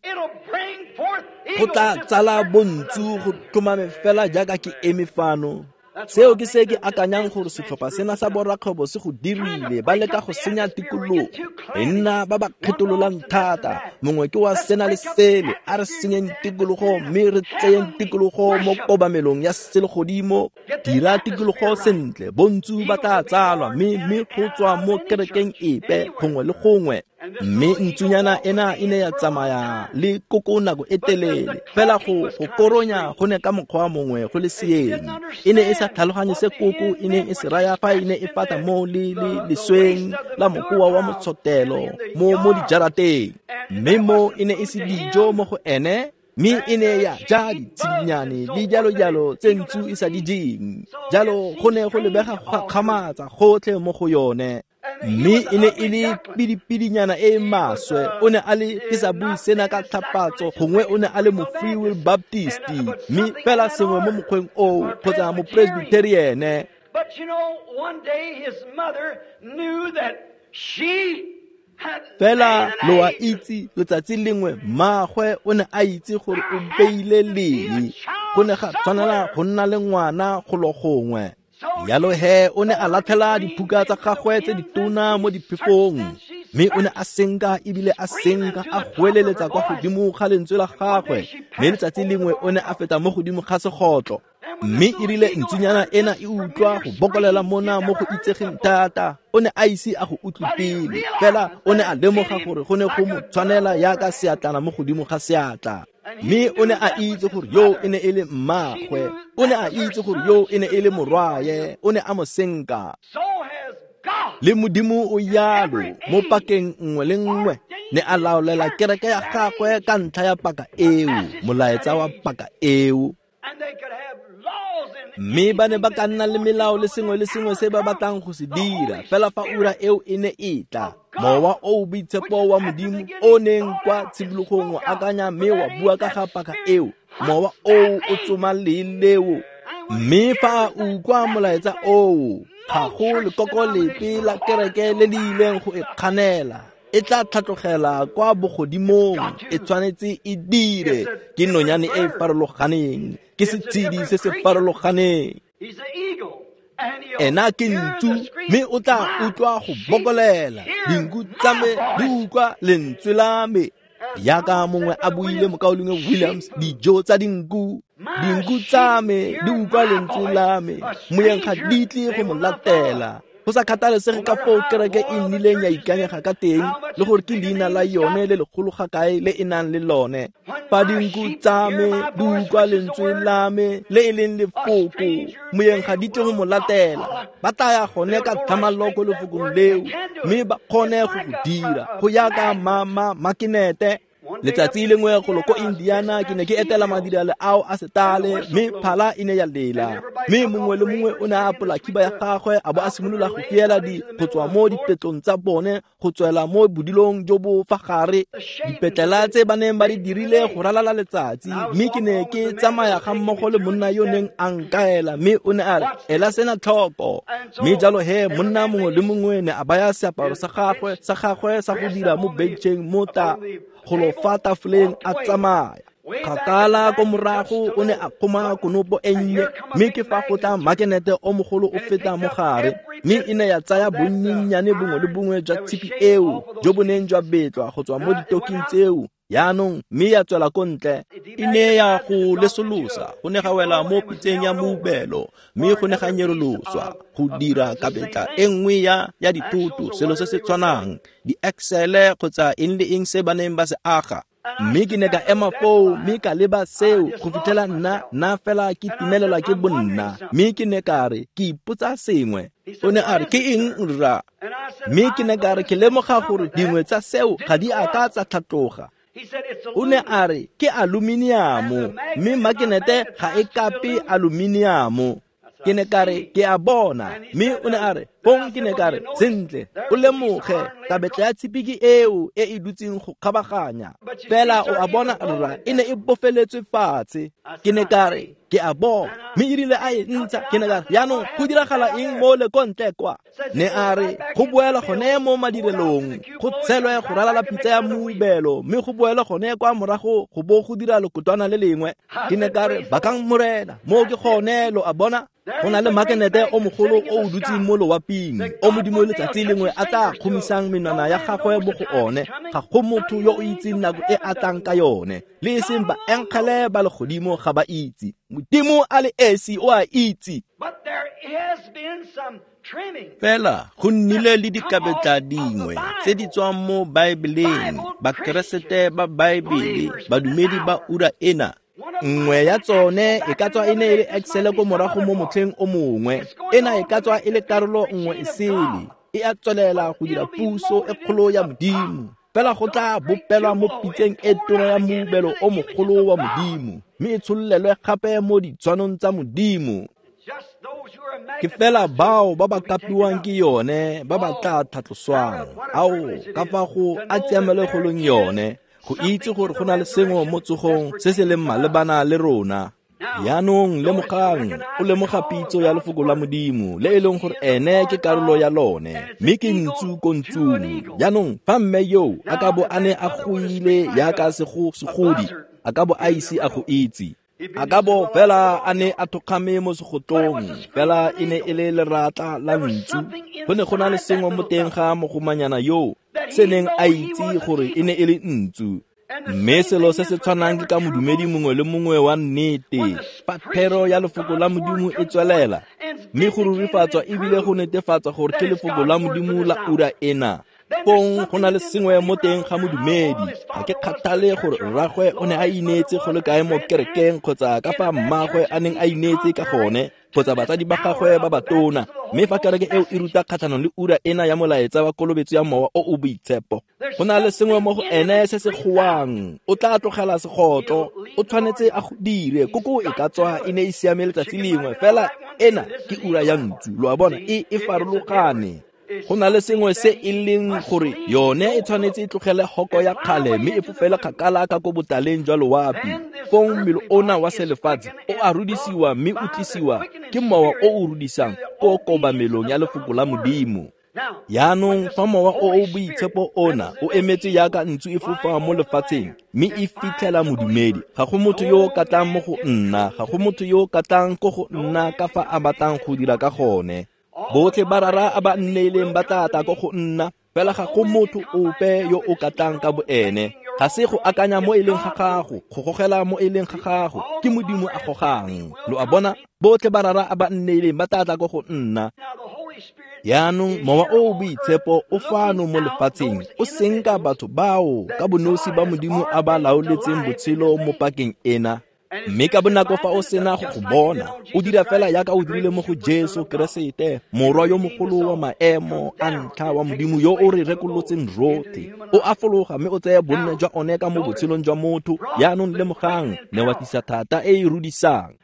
[SPEAKER 1] go tla tsala bontsu go tlhomame fela jaaka ke eme fano. Seo ke se ke akanyang gore setlhopha sena sa borakgwebo se go dirile, ba leka go senya tikologo. Re nna ba ba kgetololang thata, mongwe ke wa sena le sele, a re senyeng tikologo mme re tseyeng tikologo mo kobamelong ya selegodimo. Dira tikologo sentle, bontsu ba tla tsalwa mme go tswa mo kerekeng epe gongwe le gongwe. Mme ntsunyana ena e ne ya tsamaya le koko nako e telele, fela go koronya go ne ka mokgwa mongwe go le seeng. E ne e sa tlhaloganye se koko e neng e se raya fa e ne e fata mo le lesweng la mokoa wa motshotelo mo dijarateng. Mme mo e ne e se dijo mo go ene, mme e ne ya ja ditshidinyane le jalo-jalo tse ntsu e sa di jeng. Jalo go ne go lebega go gakgamatsa gotlhe mo go yone. Mme e ne e le pidipidinyana e maswe. O ne a le, ke sa bue sena ka tlhapatso, gongwe o ne a le mo Free Will Baptist, mme fela sengwe mo mokgweng oo, kgotsa mo Presbyterian.
[SPEAKER 3] But you know, one day his mother knew that she
[SPEAKER 1] Fela lo a itse, letsatsi lengwe mmaagwe o ne a itse gore o beile lee. Go ne ga tshwanela go nna le ngwana golo gongwe. Jalo he o ne a latlhela diphuka tsa gagwe tse ditona mo diphefong, mme o ne a senka ebile a senka a goeleletsa kwa godimo ga lentswe la gagwe. Mme letsatsi lengwe o ne a feta mo godimo ga segotlo, mme e rile ntsunyana ena e utlwa go bokolela mona mo go itsegeng thata. O ne a ise a go utlwe pele, fela o ne a lemoga gore go ne go mo tshwanela jaaka seatlana mo godimo ga seatla. Mme o ne a itse gore yo e ne e le mmaagwe, o ne a itse gore yo e ne e le morwaye, o ne a mo senka. Le Modimo o yalo mo pakeng nngwe le nngwe, ne a laolela kereke ya gagwe ka ntlha ya paka eo, molaetsa wa paka eo. Mme ba ne ba ka nna le melao le sengwe le sengwe se ba batlang go se dira, fela fa ura eo e ne e tla, mowa o boitshepo wa Modimo o neng kwa tshimologong wa akanya mme wa bua ka ga paka eo, mowa oo o tsoma lee leo. Mme fa a utlwa molaetsa oo, ga go lekoko lepe la kereke le le ileng go e kganela. E tla tlhatlogela kwa bogodimong, e tshwanetse e dire. Ke nonyane e e farologaneng, ke setshedi se se farologaneng. Ena ke ntsu, mme o tla utlwa go bokolela. Dinku tsa me di utlwa lentswe la me. Jaaka mongwe a buile mokaulengwe Williams, dijo tsa dinku, dinku tsa me di utlwa lentswe la me. Moyeng ga di tle go mo latela. Go sa kgathalesege ka foo kereke e nnileng ya ikanyega ka teng, le gore ke leina la yone le legolo ga kae le e nang le lone. Fa dinku tsa me di utlwa lentswe la me le e leng lefoko, moyeng ga di tle go mo latela. Ba tla ya gone ka tlhamallo ko lefokong leo, mme ba kgone go go dira go ya ka makinete. Letsatsi lengwe golo ko Indiana ke ne ke etela madirelo ao a setale, mme phala e ne ya lela. Mme mongwe le mongwe o ne a apola khiba ya gagwe a bo a simolola go fiela di go tswa mo dipetlong tsa bone go tswela mo bodilong jo bo fa gare, dipetlela tse ba neng ba di dirile go ralala letsatsi. Mme ke ne ke tsamaya ga mmogo le monna yo neng a nkaela, mme o ne a re, ela sena tlhoko. Mme jalo he monna mongwe le mongwe ne a baya seaparo sa gagwe sa go dira mo bencheng mo ta golo fa tafoleng a tsamaya. Kgakala ko morago o ne a kgoma konopo e nnye, mme ke fa go tla makenete o mogolo o feta mo gare, mme e ne ya tsaya bonnyennyane bongwe le bongwe jwa tshipi eo jo bo neng jwa betlwa go tswa mo ditoking tseo jaanong, mme ya tswela ko ntle. E ne ya go lesolosa, go ne ga wela mo pitseng ya moubelo, mme go ne ga nyeroloswa go dira kabetla e nngwe ya dithoto, selo se se tshwanang, di-axle kgotsa eng le eng se ba neng ba se aga. Mme ke ne ka ema foo mme ka leba seo go fitlhela nna fela ke timelelwa ke bonna. Mme ke ne ka re, ke ipotsa sengwe. O ne a re, ke eng rra? Mme ke ne ka re, ke lemoga gore dingwe tsa seo ga di a ka tsa tlhatloga. O ne a re, ke aluminiamo, mme makenete ga e kape aluminiamo. Ke ne ka re, ke a bona. Mme o ne a re, fong ke ne ka re, sentle, o lemoge, kabetla ya tshipi ke eo e e dutseng go kgabaganya. Fela o a bona rra, e ne e bofeletswe fatshe. Ke ne ka re, ke a bona. Mme erile a e ntsha, ke ne ka re, jaanong go diragala eng mo le ko ntle kwa? Ne a re, go boela gone mo madirelong, go tshelwe go ralala pitsa ya moubelo, mme go boela gone kwa morago go bo go dira lekotwana le lengwe. Ke ne ka re, bakang Morena, mo ke gone, lo a bona. Go na le makenete o mogolo o o dutseng mo loaping, o Modimo letsatsi lengwe a tla kgomisang menwana ya gagwe mo go one. Ga go motho yo o itseng nako e a tlang ka yone, le e seng baengele ba legodimo ga ba itse. Modimo a le esi o a itse. Fela go nnile le dikabetla dingwe tse di tswang mo Baebeleng, Bakeresete ba Baebele, badumedi ba ura ena. Nngwe ya tsone e ka tswa e ne e le Excel ko morago mo motlheng o mongwe, ena e ka tswa e le karolo nngwe e sele, e a tswelela go dira puso e kgolo ya Modimo. Fela go tla bopelwa mo pitseng e tona ya moubelo o mogolo wa Modimo, mme e tshololelwe gape mo ditshwanong tsa Modimo. Ke fela bao ba ba kapiwang ke yone ba ba tla tlhatloswang. Ao, ka fa go a tsiamelegolong yone, go itse gore go na le sengwe mo tsogong se se leng malebana le rona. Jaanong lemogang, o lemoga pitso ya lefoko la Modimo, le e leng gore ene ke karolo ya lone, mme ke ntsu ko ntsung. Jaanong fa mme yo a ka bo a ne a goile jaaka segodi, a ka bo a ise a go itse. A ka bo fela a ne a thokgame mo segotlong, fela e ne e le leratla la ntsu. Go ne go na le sengwe mo teng ga mogomanyana yo se neng a itse gore e ne e le ntsu. Mme selo se se tshwanang ke ka modumedi mongwe le mongwe wa nnete, fa thero ya lefoko la Modimo e tswelela, mme go rurifatswa ebile go netefatsa gore ke lefoko la Modimo la ura ena, fong go na le sengwe mo teng ga modumedi. Ga ke kgathale gore rragwe o ne a ineetse go le kae mo kerekeng, kgotsa ka fa mmagwe a neng a ineetse ka gone, kgotsa batsadi ba gagwe ba batona. Mme fa kereke eo e ruta kgatlhanong le ura ena ya molaetsa wa kolobetso ya mowa o o boitshepo, go na le sengwe mo go ene se se goang. O tla tlogela segotlo, o tshwanetse a go dire. Koko e ka tswa e ne e siame letsatsi lengwe, fela ena ke ura ya ntsu. Lo a bona, e farologane. Go na le sengwe se e leng gore yone e tshwanetse e tlogele hoko ya kgale mme e fofele kgakala ka ko botaleng jwa loapi. Fong mmele ona wa selefatshe o a rudisiwa mme o tlisiwa ke mowa o o rudisang ko kobamelong ya lefoko la Modimo. Jaanong fa mowa o o boitshepo ona o emetse jaaka ntsu e fofa mo lefatsheng mme e fitlhela modumedi, ga go motho yo o ka tlang mo go nna, ga go motho yo o ka tlang ko go nna ka fa a batlang go dira ka gone. Botlhe ba rara a ba nneileng ba tla tla ko go nna, fela ga go motho ope yo o ka tlang ka boene. Ga se go akanya mo e leng ga gago, go gogela mo e leng ga gago, ke Modimo a gogang. Lo a bona, botlhe ba rara a ba nneileng ba tla tla ko go nna. Jaanong mowa o o boitshepo o fano mo lefatsheng, o senka batho bao ka bonosi ba Modimo a ba laoletseng botshelo mo pakeng ena. Mme ka bonako fa o sena go go bona, o dira fela jaaka o dirile mo go Jesu Keresete, morwa yo mogolo wa maemo a ntlha wa Modimo yo o re rekolotseng rotlhe. O a fologa mme o tseye bonne jwa one ka mo botshelong jwa motho. Jaanong lemogang, ne wa tlisa thata e e rudisang.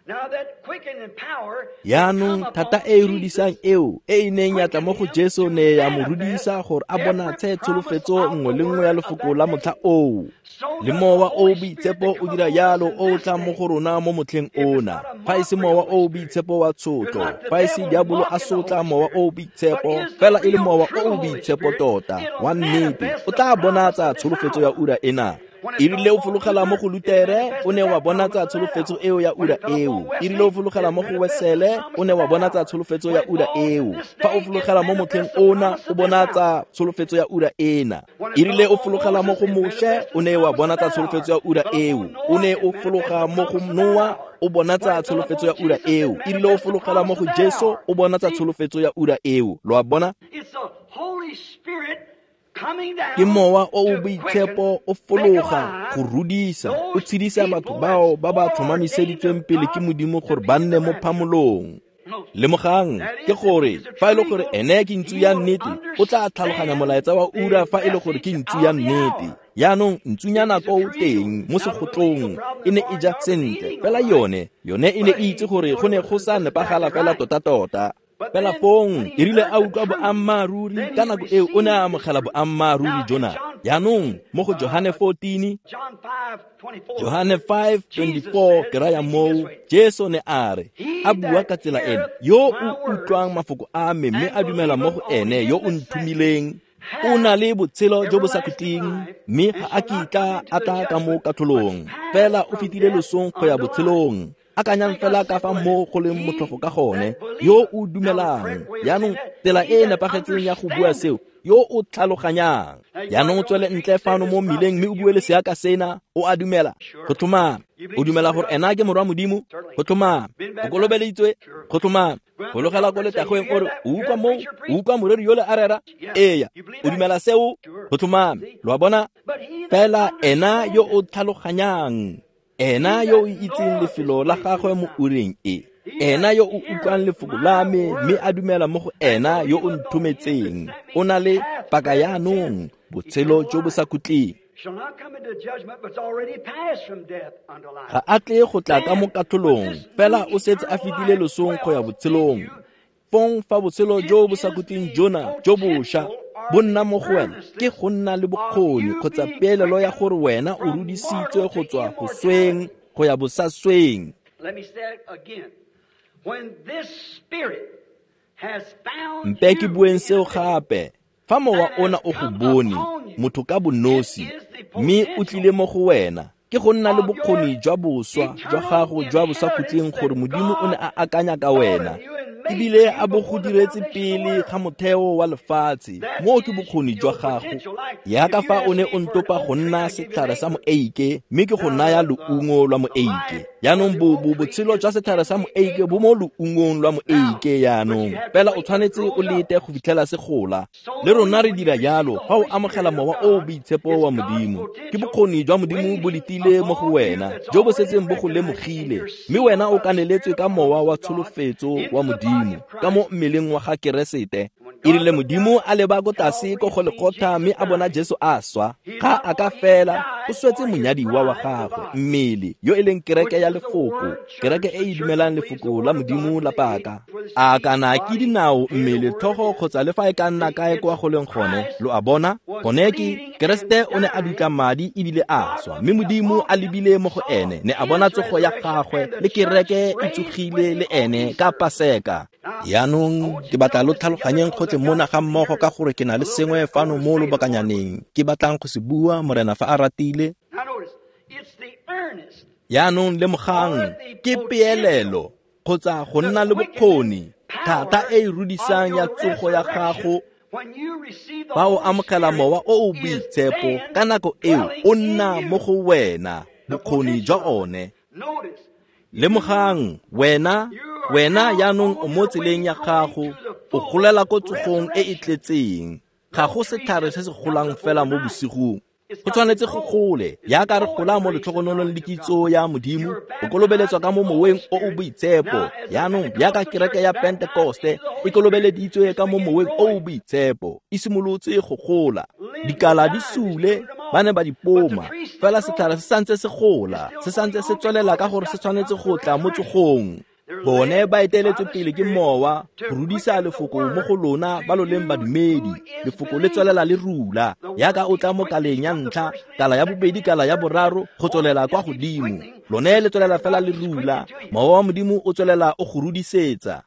[SPEAKER 1] Jaanong thata e e rudisang eo e e neng ya tla mo go Jesu ne ya mo rudisa gore a bonatshe tsholofetso nngwe le nngwe ya lefoko la motlha oo. Le mowa o o boitshepo o dira jalo o o tlang mo go rona mo motlheng ona. Fa e se mowa o o boitshepo wa tshotlo, fa e se diabolo a sotla mowa o o boitshepo, fela e le mowa o o boitshepo tota wa nnete, o tla bonatsa tsholofetso ya ura ena. Erile o fologela mo go Lutere, o ne wa bonatsa tsholofetso eo ya ura eo. Erile o fologela mo go Wesele, o ne wa bonatsa tsholofetso ya ura eo. Fa o fologela mo motlheng ona, o bonatsa tsholofetso ya ura ena. Erile o fologela mo go Moshe, o ne wa bonatsa tsholofetso ya ura eo. O ne o fologa mo go Noa, o bonatsa tsholofetso ya ura eo. Erile o fologela mo go Jesu, o bonatsa tsholofetso ya ura eo. Lo a bona? Ke mowa o o boitshepo o fologa go rudisa, o tshedisa batho bao ba ba tlhomamiseditsweng pele ke Modimo gore ba nne mo phamolong. Lemogang, ke gore fa e le gore ene ke ntsu ya nnete, o tla tlhaloganya molaetsa wa ura fa e le gore ke ntsu ya nnete. Jaanong ntsunyana ko o teng mo segotlong, e ne e ja sentle, fela yone e ne e itse gore go ne go sa nepagala fela tota-tota. Fela fong e rile a utlwa boammaaruri, ka nako eo o ne a amogela boammaaruri jona. Jaanong mo go Johane 14, Johane 5:24 ke raya moo, Jesu ne a re, a bua ka tsela ena, yo o utlwang mafoko a me mme a dumela mo go ene yo o nthomileng, o na le botshelo jo bo sa khutleng, mme ga a kitla a tla ka mo katlholong, fela o fetile losong go ya botshelong. Akanyang fela ka fa mo go leng motlhofo ka gone, yo o dumelang. Jaanong tsela e e nepagetseng ya go bua seo, yo o tlhaloganyang. Jaanong o tswele ntle fano mo mmileng mme o bue le seaka sena, o a dumela. Go tlhomame. O dumela gore ena ke morwa Modimo? Go tlhomame. O kolobeleditswe? Go tlhomame. Fologela ko letagweng o re, o utlwa moo? O utlwa moreri yole a rera? Eya. O dumela seo? Go tlhomame. Lo a bona? Fela ena yo o tlhaloganyang, ena yo o itseng lefelo la gagwe mo ureng e, ena yo o utlwang lefoko la me mme a dumela mo go ena yo o nthometseng, o na le paka yaanong botshelo jo bo sa khutleng. Ga a tle go tla ka mo katlholong, fela o setse a fetile losong go ya botshelong. Fong fa botshelo jo bo sa khutleng jona jo bošwa bo nna mo go wena, ke go nna le bokgoni kgotsa peelelo ya gore wena o rudisitswe go tswa go sweng go ya bosasweng. Mpe ke bueng seo gape. Fa mowa ona o go bone, motho ka bonosi, mme o tlile mo go wena, ke go nna le bokgoni jwa boswa jwa gago jwa bosakhutleng gore Modimo o ne a akanya ka wena, ebile a bo go diretse pele ga motheo wa lefatshe. Moo ke bokgoni jwa gago. Yaka fa o ne o ntopa go nna setlhare sa moeike, mme ke go naya loungo lwa moeike. Jaanong botshelo jwa setlhare sa moeike bo mo loungong lwa moeike jaanong, fela o tshwanetse o lete go fitlhela se gola. Le rona re dira jalo fa o amogela mowa o o boitshepo wa Modimo. Ke bokgoni jwa Modimo bo letile mo go wena, jo bo setseng bo go lemogile, mme wena o kaneletswe ka mowa wa tsholofetso wa Modimo ka mo mmeleng wa ga Keresete. E rile Modimo a leba ko tlase ko go lekgotla mme a bona Jesu a swa, ga a ka fela o swetse monyadiwa wa gagwe, mmele yo e leng kereke ya lefoko, kereke e e dumelang lefoko la Modimo la paka. A kana ke dinao, mmele, tlhogo kgotsa le fa e ka nna kae kwa go leng gone, lo a bona? Gone ke Keresete o ne a dutla madi ebile a swa, mme Modimo a lebile mo go ene, ne a bona tsogo ya gagwe le kereke e tsogile le ene ka Paseka. Jaanong ke batla lo tlhaloganyeng gotlhe mona ga mmogo, ka gore ke na le sengwe fano mo lobakanyaneng ke batlang go se bua, Morena fa a ratile. Jaanong lemogang, ke peelelo kgotsa go nna le bokgoni, thata e e rudisang ya tsogo ya gago. Fa o amogela mowa o o boitshepo, ka nako eo o nna mo go wena, bokgoni jwa one. Lemogang, wena jaanong o mo tseleng ya gago, o golela ko tsogong e e tletseng. Ga go setlhare se se golang fela mo bosigong. Go tshwanetse go gole, jaaka re gola mo letlhogonolong le kitso ya Modimo, o kolobeletswa ka mo moweng o o boitshepo. Jaanong jaaka kereke ya Pentekoste e kolobeleditswe ka mo moweng o o boitshepo, e simolotse go gola. Dikala di sule, ba ne ba di poma, fela setlhare se santse se gola, se santse se tswelela ka gore se tshwanetse go tla mo tsogong. Bone ba eteletswe pele ke mowa go rudisa lefoko mo go lona ba lo leng badumedi. Lefoko le tswelela le rula, jaaka o tla mo kaleng ya ntlha, kala ya bobedi, kala ya boraro, go tswelela kwa godimo. Lone le tswelela fela le rula, mowa wa Modimo o tswelela o go rudisetsa.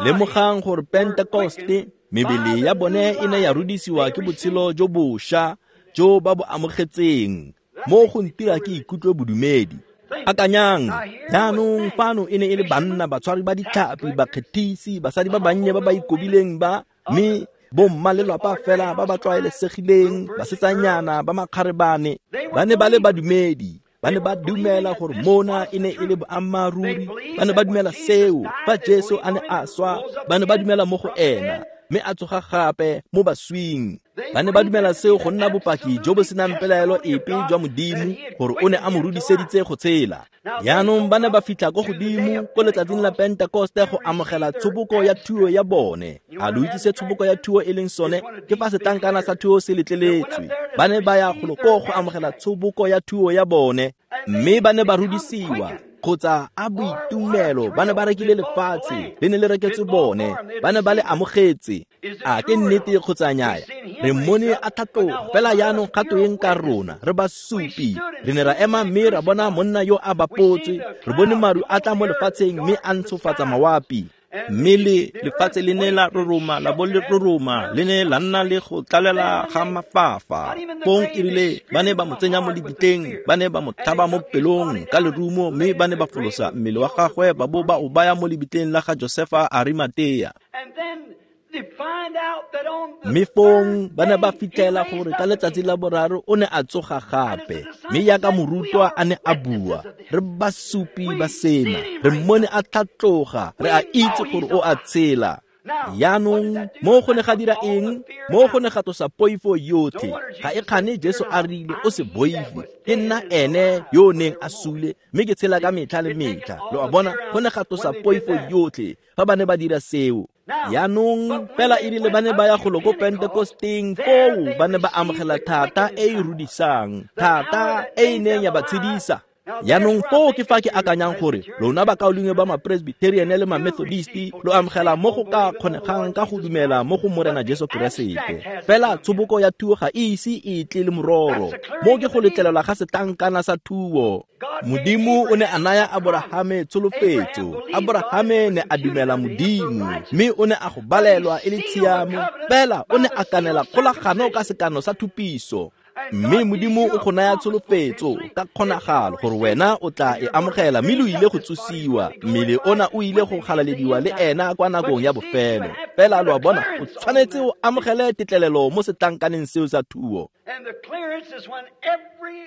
[SPEAKER 1] Lemogang gore Pentekoste, mebele ya bone e ne ya rudisiwa ke botshelo jo bošwa jo ba bo amogetseng. Mo go ntira ke ikutlwe bodumedi. Akanyang, jaanong fano e ne e le banna, batshwari ba ditlhapi, bakgethisi, basadi ba bannye ba ba ikobileng ba, mme bomma lelwapa fela ba ba tlwaelesegileng, basetsanyana ba makgarebane. Ba ne ba le badumedi, ba ne ba dumela gore mona e ne e le boammaaruri, ba ne ba dumela seo fa Jesu a ne a swa, ba ne ba dumela mo go ena. mme a tsoga gape mo baswing. Ba ne ba dumela seo go nna bopaki jo bo senang pelaelo epe jwa Modimo gore o ne a mo rudiseditse go tshela. Jaanong ba ne ba fitlha ko godimo ko letsatsing la Pentekoste go amogela tshoboko ya thuo ya bone. A lo itse se tshoboko ya thuo e leng sone? Ke fa setlankana sa thuo se letleletswe. Ba ne ba ya golo koo go amogela tshoboko ya thuo ya bone, mme ba ne ba rudisiwa kgotsa a boitumelo. Ba ne ba rekile lefatshe, le ne le reketswe bone, ba ne ba le amogetse. A ke nnete kgotsa nnyaya? Re mmone a tlhatloga, fela jaanong kgato eng ka rona? Re basupi. Re ne ra ema mme ra bona monna yo a bapotswe. Re bone maru a tla mo lefatsheng mme a ntshofatsa mawapi. Mme le lefatshe le ne la roroma, la bo le roroma, le ne la nna le go tlalela ga mafafa. Fong erile ba ne ba mo tsenya mo lebitleng, ba ne ba mo tlhaba mo pelong ka lerumo, mme ba ne ba folosa mmele wa gagwe ba bo ba o baya mo lebitleng la ga Josefa Arimatea. Mme fong ba ne ba fitlhela gore ka letsatsi la boraro o ne a tsoga gape, mme jaaka morutwa a ne a bua, re basupi ba sena, re mmone a tlhatloga, re a itse gore o a tshela. Jaanong mo go ne ga dira eng? Mo go ne ga tlosa poifo yotlhe. Ga e kgane Jesu a rile, o se boife, ke nna ene yo o neng a sule, mme ke tshela ka metlha le metlha. Lo a bona, go ne ga tlosa poifo yotlhe fa ba ne ba dira seo. Jaanong fela erile ba ne ba ya golo ko Pentekosteng, foo ba ne ba amogela thata e e rudisang, thata e e neng ya ba tshedisa. Jaanong foo ke fa ke akanyang gore lona bakaulengwe ba ma-Presbyterian le ma-Methodisti lo amogela mo go ka kgonegang ka go dumela mo go Morena Jesu Keresete. Fela tshoboko ya thuo ga e ise e tle le mororo. Mo ke go letlelelwa ga setlankana sa thuo. Modimo o ne a naya Aborahame tsholofetso. Aborahame ne a dumela Modimo, mme o ne a go balelwa e le tshiamo. Fela o ne a kanela kgolagano ka sekano sa thupiso. Mme Modimo o go naya tsholofetso ka kgonagalo gore wena o tla e amogela, mme lo ile go tsosiwa. Mmele ona o ile go galalediwa le ena kwa nakong ya bofelo. Fela lo a bona, o tshwanetse o amogele tetlelelo mo setlankaneng seo sa thuo.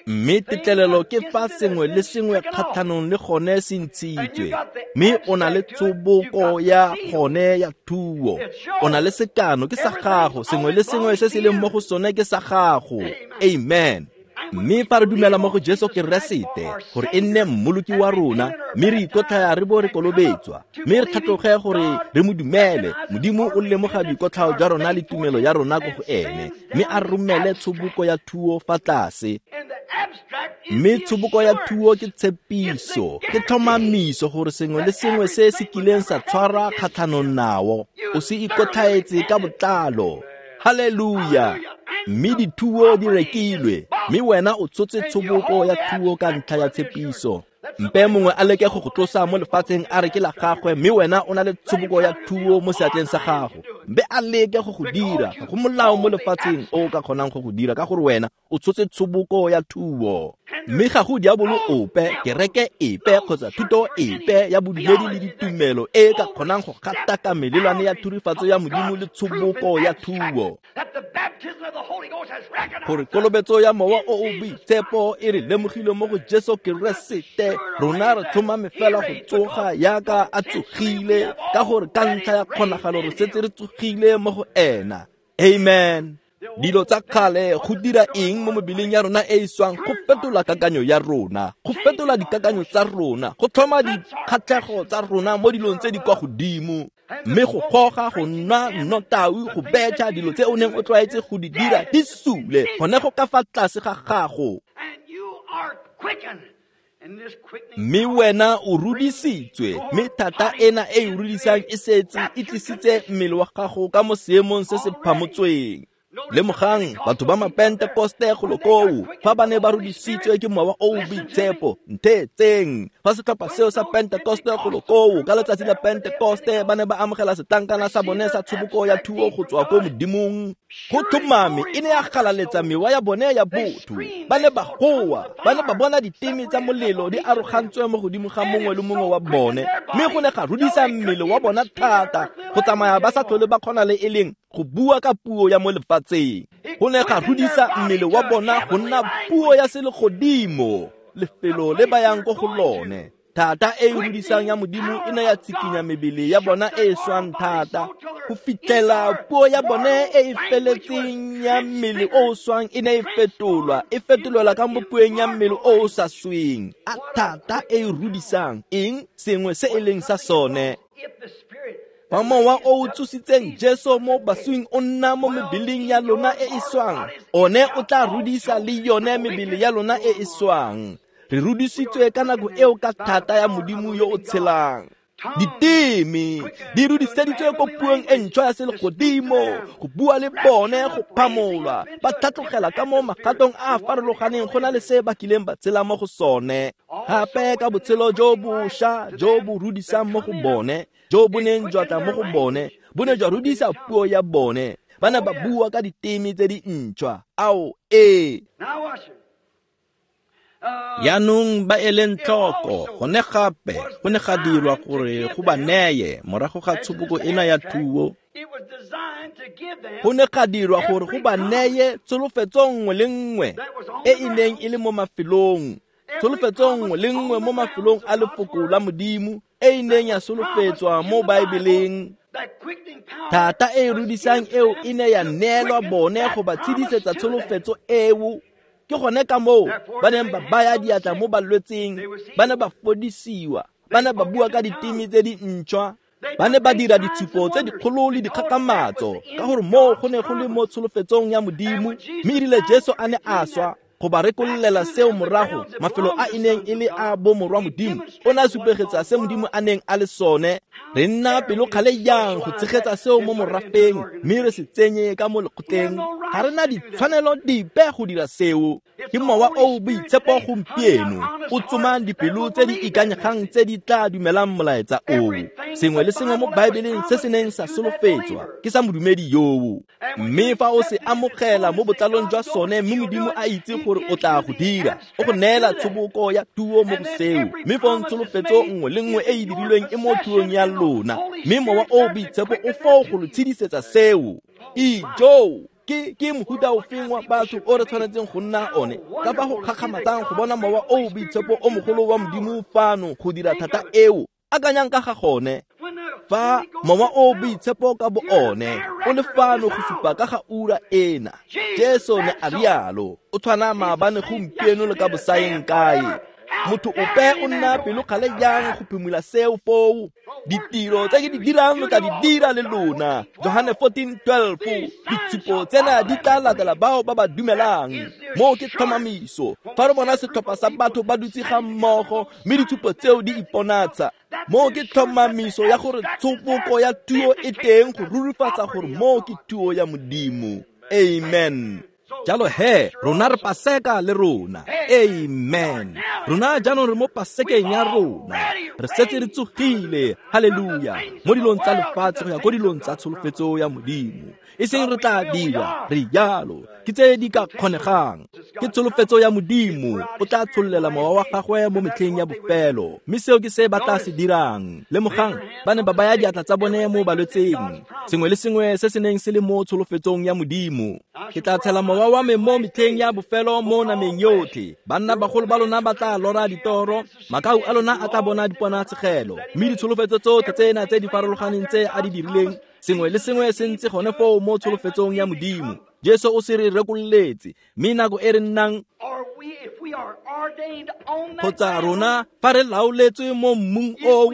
[SPEAKER 1] Mme tetlelelo ke fa sengwe le sengwe kgatlhanong le gone se ntshitswe, mme o na le tshoboko ya gone ya thuo. O na le sekano, ke sa gago. Sengwe le sengwe se se leng mo go sone ke sa gago. Amen. Mme fa re dumela mo go Jesu Keresete gore e nne mmoloki wa rona, mme re ikotlhaya re bo re kolobetswa, mme re tlhatloge gore re mo dumele, Modimo o lemoga boikotlhao jwa rona le tumelo ya rona ko go ene, mme a romele tshoboko ya thuo fa tlase. Mme tshoboko ya thuo ke tshepiso, ke tlhomamiso gore sengwe le sengwe se se kileng sa tshwara kgatlhanong nao, o se ikotlhaetse ka botlalo. Haleluya! Mme dithuo di rekilwe, mme wena o tshotse tshoboko ya thuo ka ntlha ya tshepiso. Mpe mongwe a leke go go tlosa mo lefatsheng a re ke la gagwe, mme wena o na le tshoboko ya thuo mo seatleng sa gago. Mpe a leke go go dira, ga go molao mo lefatsheng o ka kgonang go go dira, ka gore wena o tshotse tshoboko ya thuo. Mme ga go diabolo ope, kereke epe kgotsa thuto epe ya bodumedi le ditumelo e ka kgonang go gataka melelwane ya thurifatso ya Modimo le tshoboko ya thuo. Gore kolobetso ya Mowa o o Boitshepo e re lemogile mo go Jesu Keresete, rona re tlhomame fela go tsoga yaka a tsogile, ka gore ka ntlha ya kgonagalo re setse re tsogile mo go ena. Amen. Dilo tsa kgale go dira eng mo mebeleng ya rona e e swang? Go fetola kakanyo ya rona, go fetola dikakanyo tsa rona, go tlhoma dikgatlhego tsa rona mo dilong tse di kwa godimo, mme go goga, go nwa nnotau, go betšha, dilo tse o neng o tlwaetse go di dira di sule gone go ka fa tlase ga gago. Mme wena o rudisitswe, mme thata ena e e rudisang e setse e tlisitse mmele wa gago ka mo seemong se se phamotsweng. Lemogang batho ba ma-Pentekoste golo koo, fa ba ne ba rudisitswe ke Mowa o o Boitshepo, ntheetseng. Fa setlhopha seo sa Pentekoste golo koo ka letsatsi la Pentekoste ba ne ba amogela setlankana sa bone sa tshoboko ya thuo go tswa ko Modimong, go tlhomame e ne ya galaletsa mewa ya bone ya botho. Ba ne ba goa, ba ne ba bona diteme tsa molelo di arogantswe mo godimo ga mongwe le mongwe wa bone, mme go ne ga rudisa mmele wa bona thata go tsamaya ba sa tlhole ba kgona le e leng go bua ka puo ya mo lefatsheng. Go ne ga rudisa mmele wa bona go nna puo ya selegodimo, lefelo le ba yang ko go lone. Thata e e rudisang ya Modimo e ne ya tshikinya mebele ya bona e e swang thata go fitlhela puo ya bone e e feletseng ya mmele o o swang e ne e fetolwa, e fetolelwa ka mo pueng ya mmele o o sa sweng. A thata e e rudisang eng? Sengwe se e leng sa sone. Fa mowa o o tsositseng Jesu mo baswing o nna mo mebeleng ya lona e e swang, one o tla rudisa le yone mebele ya lona e e swang. Re rudisitswe ka nako eo ka thata ya Modimo yo o tshelang. Diteme di rudiseditswe ko puong e ntšhwa ya selegodimo, go bua le bone go phamolwa, ba tlhatlogela ka mo magatong a a farologaneng go na le se ba kileng ba tshela mo go sone. Gape ka botshelo jo bošwa jo bo rudisang mo go bone, jo bo neng jwa tla mo go bone, bo ne jwa rudisa puo ya bone. Ba ne ba bua ka diteme tse di ntšhwa. Ao, ee. Jaanong ba eleng tlhoko, gone gape go ne ga dirwa gore go ba neye morago ga tshoboko ena ya thuo. Go ne ga dirwa gore go ba neye tsholofetso nngwe le nngwe e e neng e le mo mafelong, tsholofetso nngwe le nngwe mo mafelong a lefoko la Modimo e e neng ya solofetswa mo Baebeleng. Thata e e rudisang eo e ne ya neelwa bone go ba tshedisetsa tsholofetso eo. Ke gone ka moo ba neng ba baya diatla mo balwetseng, ba ne ba fodisiwa, ba ne ba bua ka diteme tse di ntšhwa, ba ne ba dira ditshupo tse dikgolo le dikgakgamatso, ka gore moo go ne go le mo tsholofetsong ya Modimo. Mme erile Jesu a ne a swa go ba rekollela seo morago, mafelo a e neng e le a bomorwa Modimo, o ne a supegetsa se Modimo a neng a le sone. Re nna pelokgale jang go tshegetsa seo mo morafeng mme re se tsenye ka mo lekgotleng? Ga re na ditshwanelo dipe go dira seo. Ke mowa o o boitshepo gompieno o tsomang dipelo tse di ikanyegang tse di tla dumelang molaetsa oo. Sengwe le sengwe mo Baebeleng se se neng sa solofetswa ke sa modumedi yoo. Mme fa o se amogela mo botlalong jwa sone, mme Modimo a itse gore o tla go dira, o go neela tshoboko ya thuo mo go seo. Mme fong tsholofetso nngwe le nngwe e e dirilweng e mo thuong ya lona, mme mowa o boitshepo o foo go lo tshedisetsa seo. Ijoo! Ke mohuta ofeng wa batho o re tshwanetseng go nna one? Ka fa go kgakgamatsang go bona mowa o boitshepo o mogolo wa Modimo fano go dira thata eo. Akanyang ka ga gone. Fa mowa o boitshepo ka bo one o le fano go supa ka ga ura ena, Jesu ne a rialo, o tshwana maabane gompieno le ka bosaeng kae. Motho ope o nna pelokgale jang go phimola seo foo? Ditiro tse ke di dirang lo tla di dira le lona. Johane 14:12. Ditshupo tsena di tla latela bao ba ba dumelang. Moo ke tlhomamiso. Fa re bona setlhopha sa batho ba dutse ga mmogo mme ditshupo tseo di iponatsa, moo ke tlhomamiso ya gore tshoboko ya thuo e teng go rurifatsa gore moo ke thuo ya Modimo. Amen. Jalo he, rona re Paseka le rona. Amen. Rona jaanong re mo Pasekeng ya rona. Re setse re tsogile, haleluya, mo dilong tsa lefatshe go ya ko dilong tsa tsholofetso ya Modimo. E seng re tla dira, re jalo, ke tse di ka kgonegang. Ke tsholofetso ya Modimo, o tla tshollela mowa wa gagwe mo metlheng ya bofelo. Mme seo ke se ba tla se dirang. Lemogang, ba ne ba baya diatla tsa bone mo balwetseng. Sengwe le sengwe se se neng se le mo tsholofetsong ya Modimo. Ke tla tshela mowa wa me mo metlheng ya bofelo mo nameng yotlhe. Banna bagolo ba lona ba tla lora ditoro, makau a lona a tla bona diponatshegelo. Mme ditsholofetso tsotlhe tsena tse di farologaneng tse a di dirileng, sengwe le sengwe se ntse gone foo mo tsholofetsong ya Modimo. Jesu o se re rekololetse, mme nako e re nnang kgotsa rona fa re laoletswe mo mmung oo,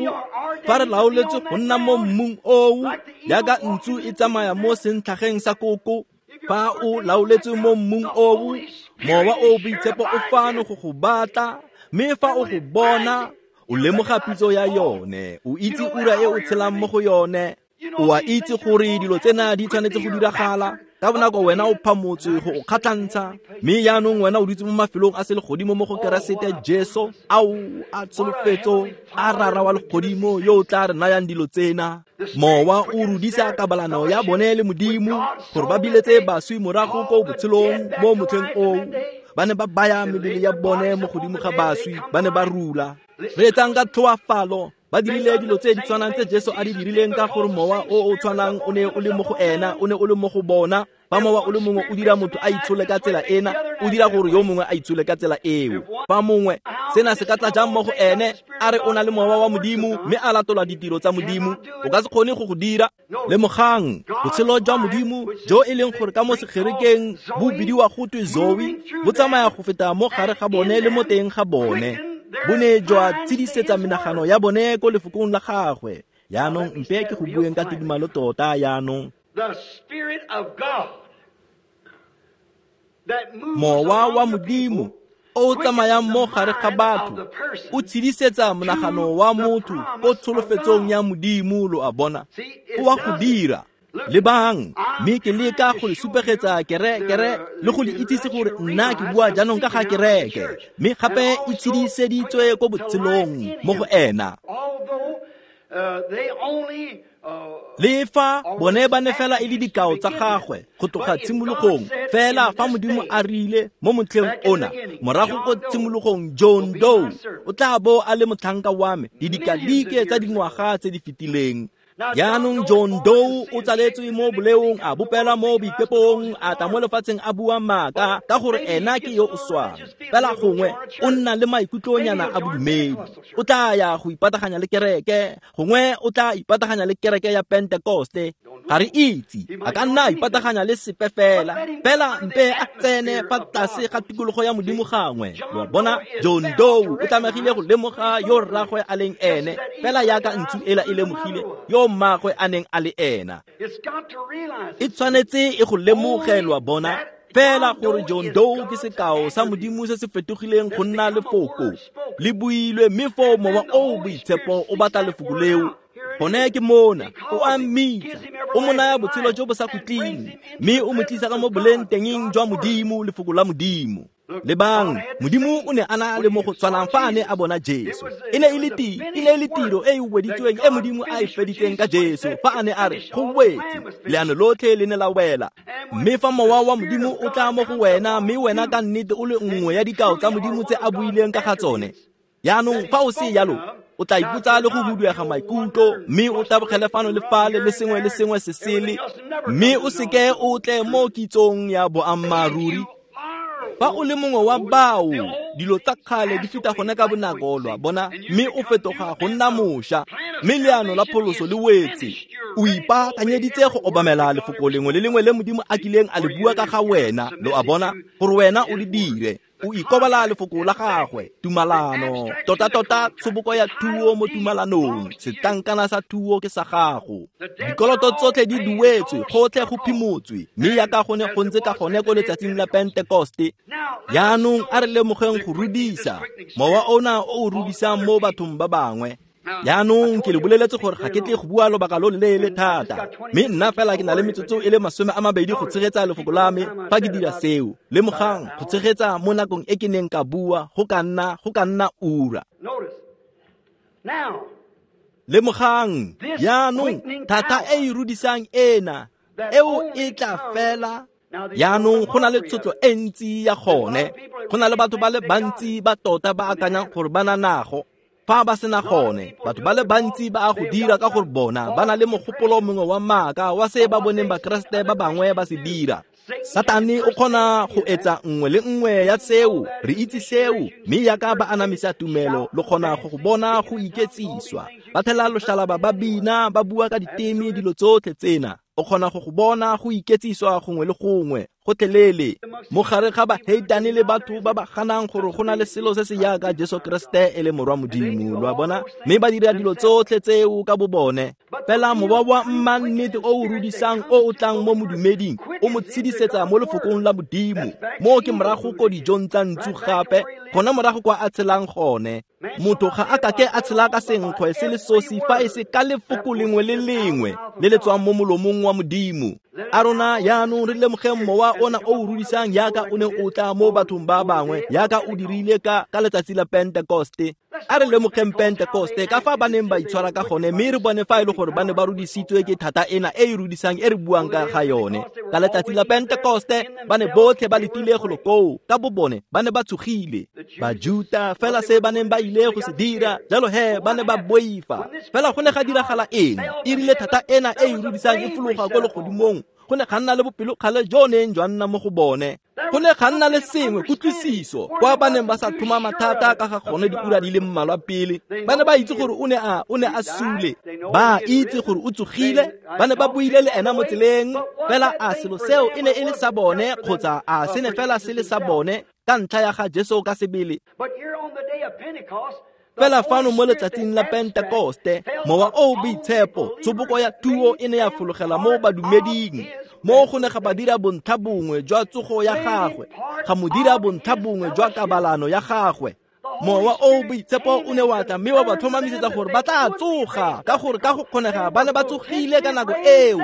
[SPEAKER 1] fa re laoletswe go nna mo mmung oo, jaaka ntsu e tsamaya mo sentlhageng sa koko, fa o laoletswe mo mmung oo, mowa o boitshepo o fano go go batla, mme fa o go bona, o lemoga pitso ya yone, o itse ura e o tshelang mo go yone. O a itse gore dilo tsena di tshwanetse go diragala. Ka bonako wena o phamotswe go o kgatlhantsha, mme jaanong wena o dutse mo mafelong a selegodimo mo go Keresete Jesu, ao a tsholofetso a Rara wa legodimo yo o tla re nayang dilo tsena. Mowa o rudisa kabalano ya bone le Modimo gore ba biletse baswi morago ko botshelong mo motlheng oo. Ba ne ba baya mebele ya bone mo godimo ga baswi, ba ne ba rula. Re etsang ka tlhoafalo, ba dirile dilo tse di tshwanang tse Jesu a di dirileng, ka gore mowa o o tshwanang o ne o le mo go ena, o ne o le mo go bona. Fa mowa o le mongwe o dira motho a itshole ka tsela ena, o dira gore yo mongwe a itshole ka tsela eo. Fa mongwe sena se ka tla jang mo go ene a re o na le mowa wa Modimo mme a latola ditiro tsa Modimo, o ka se kgone go go dira. Lemogang botshelo jwa Modimo jo e leng gore ka mo segerekeng bo bidiwa go twe Zoe, bo tsamaya go feta mo gare ga bone le mo teng ga bone. Bo ne jwa tsedisetsa menagano ya bone ko lefokong la gagwe. Yaanong mpe ke go bueng ka tidimalo tota yaanong. Mowa wa Modimo o tsamayang mo gare ga batho o tshedisetsa monagano wa motho ko tsholofetsong ya Modimo, lo a bona. O wa go dira. Lebang, mme ke leka go le supegetsa kere le go le itsise gore nna ke bua jaanong ka ga kereke, mme gape e tshediseditswe ko botshelong mo go ena. Le fa bone ba ne fela e le dikao tsa gagwe go tloga tshimologong, fela fa Modimo a rile mo motlheng ona morago ko tshimologong, John Doe o tla bo a le motlhanka wa me didikadike tsa dingwaga tse di fetileng. Jaanong John Doe o tsaletswe mo boleong, a bopelwa mo boikepong, a tla mo lefatsheng a bua maaka ka gore ena ke yo o swang. Fela gongwe o nna le maikutlonyana a bodumedi, o tla ya go ipataganya le kereke, gongwe o tla ipataganya le kereke ya Pentekoste. Ga re itse, a ka nna a ipataganya le sepe fela, fela mpe a tsene fa tlase ga tikologo ya Modimo gangwe. Lo bona, John Doe o tlamegile go lemoga yo rragwe a leng ene, fela yaka ntsu ela e lemogile yo mmagwe a neng a le ena. E tshwanetse e go lemogelwa bona fela gore John Doe ke sekao sa Modimo se se fetogileng go nna lefoko le builwe, mme foo mowa o boitshepo o batla lefoko leo. Gone ke mona, o a mmitsa, o mo naya botshelo jo bo sa khutleng, mme o mo tlisa ka mo boleng tengeng jwa Modimo, lefoko la Modimo. Lebang, Modimo o ne a na le mo go tshwanang fa a ne a bona Jesu. E ne e le tiro e e weditsweng e Modimo a e feditseng ka Jesu fa a ne a re go wetse, leano lotlhe le ne la wela. Mme fa mowa wa Modimo o tla mo go wena, mme wena ka nnete o le nngwe ya dikao tsa Modimo tse a buileng ka ga tsone, yaanong fa o se yalo, o tla ipotsa le go huduega maikutlo, mme o tabogele fano le fale le sengwe le sengwe se sele, mme o seke o tle mo kitsong ya boammaaruri. Fa o le mongwe wa bao, dilo tsa kgale di feta gone ka bonako, lo a bona, mme o fetoga go nna mošwa, mme leano la pholoso le wetse. O ipaakanyeditse go obamela lefoko lengwe le lengwe le Modimo a kileng a le bua ka ga wena, lo a bona, gore wena o le dire. O ikobela lefoko la gagwe, tumalano, tota-tota tshoboko ya thuo mo tumalanong, setlankana sa thuo ke sa gago. Dikoloto tsotlhe di duetswe, gotlhe go phimotswe, mme yaka go ne go ntse ka gone ko letsatsing la Pentekoste. Yaanong a re lemogeng go rudisa, mowa ona o o rudisang mo bathong ba bangwe. Yaanong ke le boleletse gore ga ke tle go bua lobaka lo leele thata, mme nna fela ke na le metsotso e le 20 go tshegetsa lefoko la me fa ke dira seo. Lemogang go tshegetsa mo nakong e ke neng ka bua go ka nna ura. Lemogang yaanong thata e e rudisang ena eo e tla fela. Yaanong go na le tshotlo e ntsi ya gone, go na le batho ba le bantsi ba tota ba akanyang gore ba na nago. Fa ba sena gone, batho ba le bantsi ba a go dira ka gore bona ba na le mogopolo mongwe wa maaka wa se ba boneng Bakeresete ba bangwe ba se dira. Satane o kgona go etsa nngwe le nngwe ya seo, re itse seo, mme yaka ba anamisa tumelo, lo kgona go go bona go iketsiswa. Ba thela loshalaba ba bina, ba bua ka diteme, dilo tsotlhe tsena. O kgona go go bona go iketsiswa gongwe le gongwe, gotlhelele. Mo gare ga baheitane le batho ba ba ganang gore go na le selo se se yaka Jesu Kriste e le morwa Modimo, lo a bona, mme ba dira dilo tsotlhe tseo ka bo bone. Fela mowa wa mmannete o o rudisang o o tlang mo modumeding o mo tshedisetsa mo lefokong la Modimo. Mo ke morago ko dijong tsa ntsu gape, gona morago kwa a tshelang gone. Motho ga a kake a tshela ka senkgwe se le sosi fa e se ka lefoko lengwe le lengwe le le tswang mo molomong wa Modimo. A rona yaanong re lemogeng mowa ona o o rudisang yaka o ne o tla mo bathong ba bangwe, yaka o dirile ka letsatsi la Pentekoste. A re lemogeng Pentekoste ka fa ba neng ba itshwara ka gone, mme re bone fa e le gore ba ne ba rudisitswe ke thata ena e e rudisang e re buang ka ga yone. Ka letsatsi la Pentekoste ba ne botlhe ba letile go lokoo, ka bo bone ba ne ba tshogile. Bajuta fela se ba neng ba ile go se dira, jalo he ba ne ba boifa. Fela go ne ga diragala eng? E rile thata ena e e rudisang e fologa ko legodimong, go ne ga nna le bopelokgale jo neng jwa nna mo go bone. Go ne ga nna le sengwe kutlwisiso kwa ba neng ba sa tlhomama thata ka ga gone diura di le mmalwa pele. Ba ne ba itse gore o ne a sule, ba itse gore o tsogile, ba ne ba buile le ena mo tseleng. Fela a selo seo e ne e le sa bone kgotsa a se ne fela se le sa bone ka ntlha ya ga Jesu ka sebele. Fela fano mo letsatsing la Pentekoste, mowa o boitshepo, tshoboko ya thuo e ne ya fologela mo badumeding. Mo go ne ga ba dira bontlha bongwe jwa tsogo ya gagwe, ga mo dira bontlha bongwe jwa kabalano ya gagwe. Mowa o boitshepo o ne wa tla mme wa ba tlhomamisetsa gore ba tla tsoga, ka gore ka go kgonega ba ne ba tsogile ka nako eo,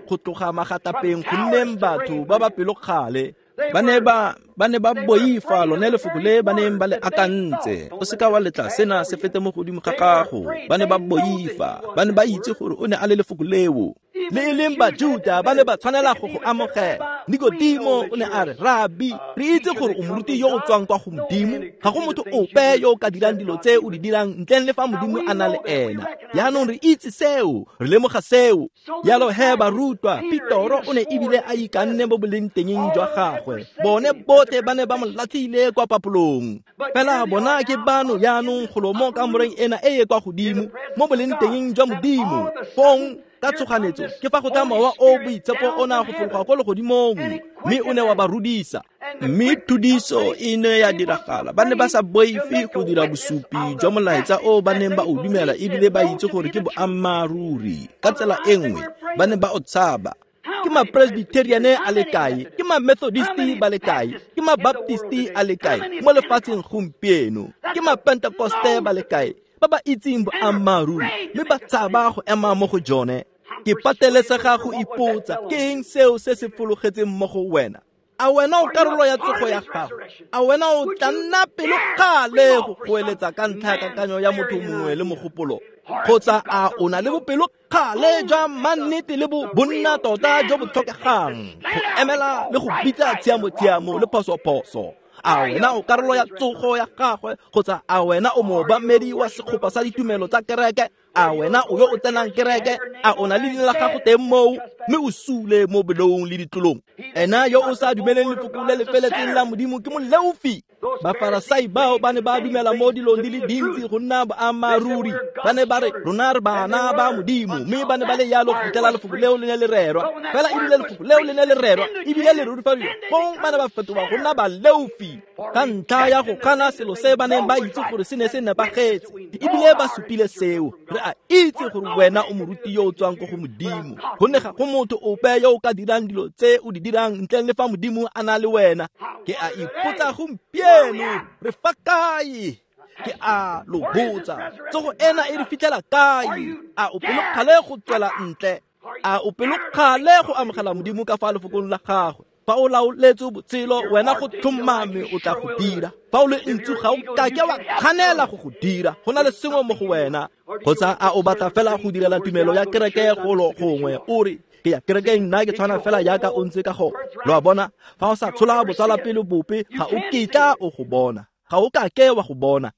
[SPEAKER 1] go tloga magatapeng go nneng batho ba ba pelokgale. Ba ne ba boifa lone lefoko le ba neng ba le akantse. O seka wa letla sena se fete mo godimo ga gago. Ba ne ba boifa, ba ne ba itse gore o ne a le lefoko leo. Le e leng Bajuta ba ne ba tshwanela go go amogela. Nikodimo o ne a re, Rabi, re itse gore o moruti yo o tswang kwa go Modimo. Ga go motho ope yo o ka dirang dilo tse o di dirang ntleng le fa Modimo a na le ena. Jaanong re itse seo, re lemoga seo. Jalo he barutwa, Petoro o ne ebile a ikanne mo boleng tengeng jwa gagwe. Bone botlhe ba ne ba mo latlhile kwa papolong. Fela bona ke bano jaanong golo mo kamoreng ena e e kwa godimo, mo boleng tengeng jwa Modimo. Fong ka tshoganetso ke fa go tla mowa o boitshepo o na go fologa ko legodimong, mme o ne wa ba rudisa. Mme thudiso e ne ya diragala. Ba ne ba sa boife go dira bosupi jwa molaetsa o ba neng ba o dumela, ebile ba itse gore ke boammaaruri. Ka tsela e nngwe ba ne ba o tshaba. Ke ma-Presbyteriane a le kae, ke ma-Methodisti ba le kae, ke ma-Baptisti a le kae mo lefatsheng gompieno, ke ma-Pentekoste ba le kae ba ba itseng boammaaruri mme ba tshaba go ema mo go jone. Ke patelesega go ipotsa, ke eng seo se se fologetseng mo go wena? A wena o karolo ya tsogo ya gago? A wena o tla nna pelokgale go goeletsa ka ntlha ya kakanyo ya motho mongwe le mogopolo? Kgotsa a o na le bopelokgale jwa mannete le bonna tota jo bo tlhokegang go emela le go bitsa tshiamo-tshiamo le phoso-phoso? A wena o karolo ya tsogo ya gagwe kgotsa a wena o moobamedi wa sekgopa sa ditumelo tsa kereke? A wena o yo o tsenang kereke? A o na le leina la gago teng moo mme o sule mo beleong le ditlolong? Ena yo o sa dumeleng lefoko le le feletseng la Modimo ke moleofi. Bafarasai bao ba ne ba dumela mo dilong di le dintsi go nna boammaaruri. Ba ne ba re rona re bana ba Modimo, mme ba ne ba le yalo go fitlhela lefoko leo le ne le rerwa. Fela ebile lefoko leo le ne le rerwa ebile le rurifadiwa, fong ba ne ba fetoga go nna baleofi ka ntlha ya go gana selo se ba neng ba itse gore se ne se nepagetse, ebile ba supile seo. Re a itse gore wena o moruti yo o tswang ko go Modimo, gonne ga go motho ope yo o ka dirang dilo tse o di dirang ntleng le fa Modimo a na le wena. Ke a ipotsa gompieno, re fa kae? Ke a lo botsa, tsogo ena e re fitlhela kae? A o pelokgale go tswela ntle? A o pelokgale go amogela Modimo ka fa lefokong la gagwe? Fa o laoletse botshelo, wena go tlhomame o tla go dira. Fa o le ntsu ga o kake wa kganela go go dira. Go na le sengwe mo go wena. Kgotsa a o batla fela go direla tumelo ya kereke golo gongwe, o re ke ya kerekeng nna ke tshwana fela jaaka o ntse ka gone. Lo a bona, fa o sa tshola botsalwapele bope ga o kitla o go bona, ga o kake wa go bona.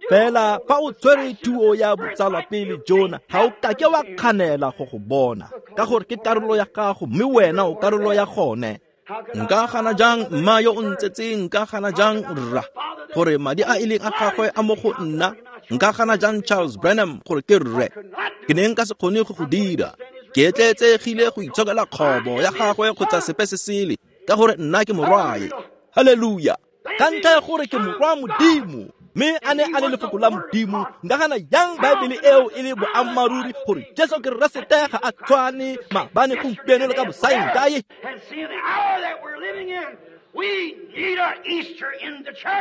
[SPEAKER 1] Fela fa o tshwere thuo ya botsalwapele jona, ga o kake wa kganela go go bona, ka gore ke karolo ya gago mme wena o karolo ya gone. Nka gana jang mma yo o ntsetseng? Nka gana jang rra gore madi a e leng a gagwe a mo go nna? Nka gana jang Charles Branham gore ke rre? Ke ne nka se kgone go go dira. Ke etleetsegile go itshokela kgobo ya gagwe kgotsa sepe se sele, ka gore nna ke morwae. Haleluya! Ka ntlha ya gore ke morwa Modimo, mme a ne a le lefoko la Modimo, nka gana jang Baebele eo e le boammaaruri gore Jesu Keresete ga a tshwane maabane, gompieno le ka bosaengkae?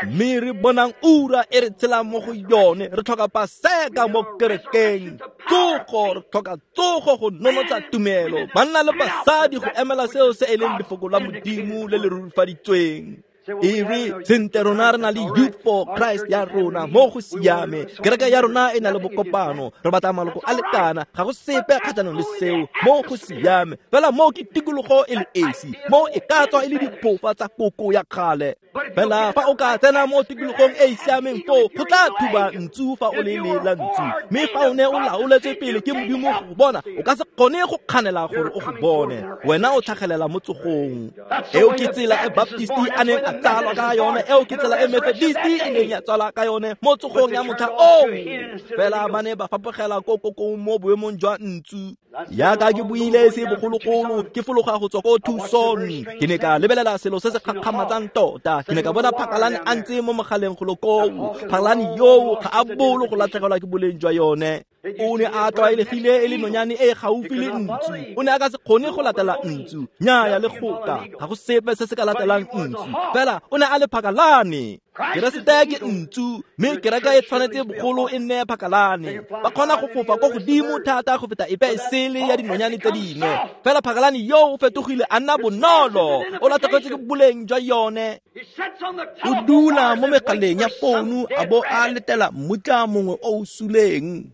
[SPEAKER 1] Mme re bonang ura e re tshelang mo go yone, re tlhoka Paseka mo kerekeng. Tsogo, re tlhoka tsogo go nonotsa tumelo, banna le basadi go emela seo se e leng lefoko la Modimo le le rurifaditsweng. E re sentle rona re na le Youth for Christ ya rona mo go siame, kereke ya rona e na le bokopano, re batla maloko a lekana, ga go sepe kgatlhanong le seo, mo go siame. Fela mo ke tikologo e le esi, mo e ka tswa e le diphofa tsa koko ya kgale. Fela fa o ka tsena mo tikologong e e siameng foo, go tla thuba ntsu fa o le la ntsu. Mme fa o ne o laoletswe pele ke Modimo go bona, o ka se kgone go kganela gore o go bone. Wena o tlhagelela mo tsogong. Eo ke tsela e Baptisti a neng a tsalwa ka yone, eo ke tsela e Methodisti e neng ya tswalwa ka yone mo tsogong ya motlha oo. Fela ba ne ba fapogela ko kokong mo boemong jwa ntsu. Yaka ke buile se bogologolo, ke fologa go tswa ko Tucson, ke ne ka lebelela selo se se kgakgamatsang tota. Ke ne ka bona phakalane a ntse mo mogaleng golo koo. Phakalane yoo ga a bolo go latlhegelwa ke boleng jwa yone. O ne a tlwaelegile e le nonyane e gaufi le ntsu. O ne a ka se kgone go latela ntsu, nnyaya le goka, ga go sepe se se ka latelang ntsu. Fela o ne a le phakalane. Keresete ke ntsu, mme kereke e tshwanetse bogolo e nne phakalane. Ba kgona go fofa ko godimo thata go feta epe e sele ya dinonyane tse dingwe. Fela phakalane yoo o fetogile a nna bonolo, o latlhegetswe ke boleng jwa yone. O dula mo megaleng ya founu a bo a letela mmutla mongwe o o suleng.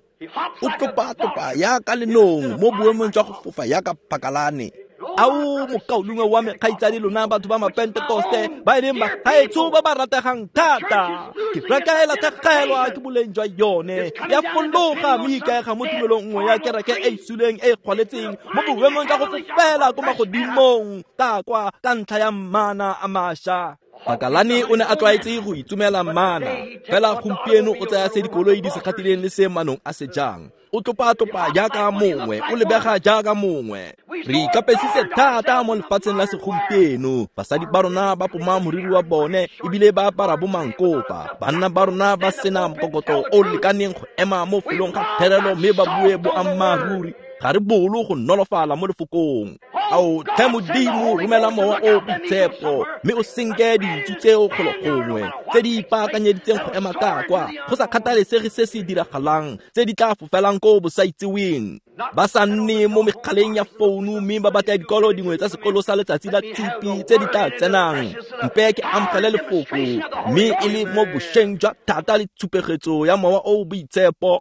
[SPEAKER 1] O tlopa-tlopa yaka lenong mo boemong jwa go fofa yaka phakalane. Ao mokaulengwe wa me, kgaitsadi lona batho ba Mapentekoste ba e leng bagaetsho ba ba rategang thata, kereke e latlhegelwa ke boleng jwa yone, ya fologa mme ikaega mo tumelong nngwe ya kereke e e suleng e e gwaletseng mo boemong jwa go fofela ko magodimong ka kwa ka ntlha ya mana a mašwa. Phakalane o ne a tlwaetse go itsomela mana, fela gompieno o tsaya se dikoloi di se kgatileng le se manong a se jang. O tlopa-tlopa jaaka mongwe, o lebega jaaka mongwe. Re ikapesitse thata mo lefatsheng la segompieno. Basadi ba rona ba poma moriri wa bone ebile ba apara bo mankopa. Banna ba rona ba sena mokokotlo o lekaneng go ema mo felong ga therelo mme ba bue boammaaruri. Ga re bolo go nolofala mo lefokong. Ao tlhe Modimo, romela mowa o boitshepo mme o senke dintsu tseo golo gongwe tse di ipaakanyeditseng go ema ka kwa, go sa kgathalesege se se diragalang, tse di tla fofelang ko bosaitseweng. Ba sa nne mo megaleng ya founu mme ba batla dikolo dingwe tsa sekolo sa letsatsi la tshipi tse di tla tsenang. Mpe ke amogele lefoko mme e le mo bošweng jwa thata le tshupegetso ya mowa o boitshepo.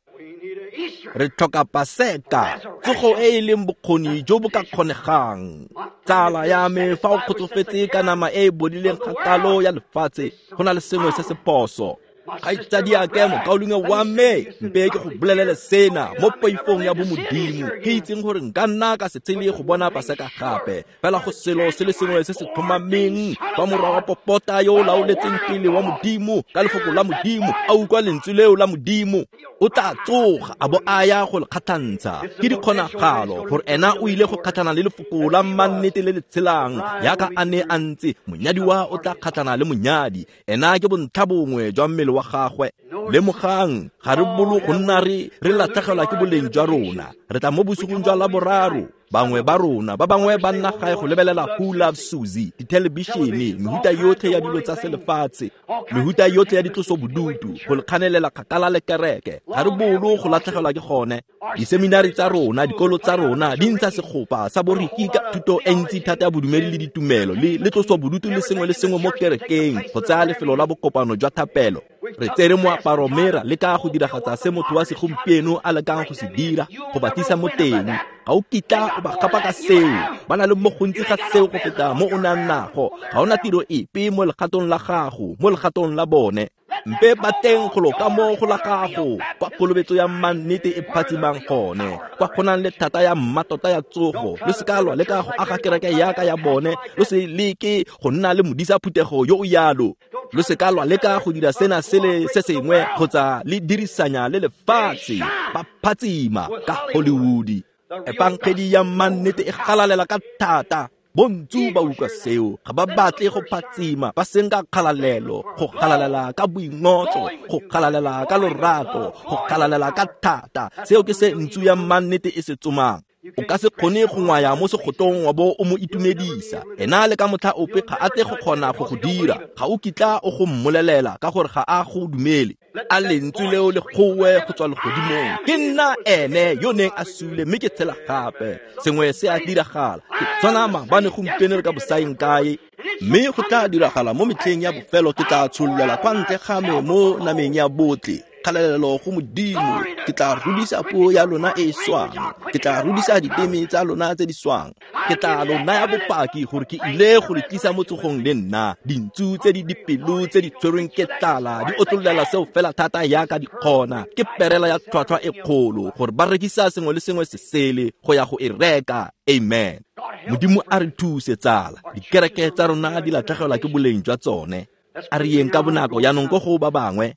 [SPEAKER 1] Re tlhoka Paseka, tsogo e e leng bokgoni jo bo ka kgonegang. Tsala ya me, fa o kgotsofetse ka nama e e bodileng kgakalo ya lefatshe, go na le sengwe se se phoso. Kgaitsadiake, mokaulengwe wa me, mpe ke go bolelele sena mo poifong ya bomodimo, ke itseng gore nka nna ka se tshele go bona Paseka gape. Fela go selo se le sengwe se se tlhomameng, fa morwa wa popota yo o laoletseng pele wa Modimo ka lefoko la Modimo a utlwa lentswe leo la Modimo, o tla tsoga a bo a ya go le kgatlhantsha. Ke dikgonagalo gore ena o ile go kgatlhana le lefoko la mannete le le tshelang yaka a ne a ntse. Monyadiwa o tla kgatlhana le monyadi, ena ke bontlha bongwe jwa mmele wa gagwe. Lemogang, ga re bolo go nna re latlhegelwa ke boleng jwa rona. Re tla mo bosigong jwa Laboraro, bangwe ba rona, ba bangwe ba nna gae go lebelela Who Loves Susie, dithelebišene, mehuta yotlhe ya dilo tsa selefatshe, mehuta yotlhe ya ditlosobodutu, go le kganelela kgakala le kereke. Ga re bolo go latlhegelwa ke gone. Diseminari tsa rona, dikolo tsa rona di ntsha segopa sa boriki ka thuto e ntsi thata ya bodumedi le ditumelo le tlosobodutu le sengwe le sengwe mo kerekeng go tsaya lefelo la bokopano jwa thapelo. Re tsere moaparo mme ra leka go diragatsa se motho wa segompieno a lekang go se dira, go ba tlisa mo teng. Ga o kitla o ba gapa ka seo, ba na le mo gontsi ga seo go feta mo o nang nago. Ga ona tiro epe mo legatong la gago, mo legatong la bone. Mpe ba teng golo ka mo go la gago, kwa kolobetso ya mannete e phatsimang gone, kwa go nang le thata ya mmatota ya tsogo. Lo se ka lwa leka go aga kereke yaka ya bone, lo se leke go nna le modisa phuthego yo o yalo. Lo se ka lwa leka go dira sena sele se sengwe kgotsa le dirisanya le lefatshe. Ba phatsima ka Hollywood. Efangedi ya mannete e galalela ka thata. Bontsu ba utlwa seo, ga ba batle go phatsima, ba senka kgalalelo, go galalela ka boingotlo, go galalela ka lorato, go galalela ka thata. Seo ke se ntsu ya mannete e se tsomang. O ka se kgone go ngwaya mo segotong wa bo o mo itumedisa. Ena le ka motlha ope ga a tle go kgona go go dira. Ga o kitla o go mmolelela ka gore ga a go dumele. A lentswe leo le goe go tswa legodimong, ke nna ene yo neng a sule mme ke tshela gape. Sengwe se a diragala, ke tshwana maabane gompieno re ka bosaeng kae. Mme go tla diragala mo metlheng ya bofelo, ke tla tshollela kwa ntle ga me mo nameng ya botlhe. Kgalalelo go Modimo, ke tla rudisa puo ya lona e e swang, ke tla rudisa diteme tsa lona tse di swang, ke tla lo naya bopaki gore ke ile go le tlisa mo tsogong le nna. Dintsu tse di dipelo tse di tshwerweng ke tlala di otlollela seo fela thata yaka di kgona, ke perela ya tlhwatlhwa e kgolo gore ba rekisa sengwe le sengwe se sele go ya go e reka. Amen. Modimo a re thuse tsala, dikereke tsa rona di latlhegelwa ke boleng jwa tsone. A re yeng ka bonako jaanong ko go ba bangwe.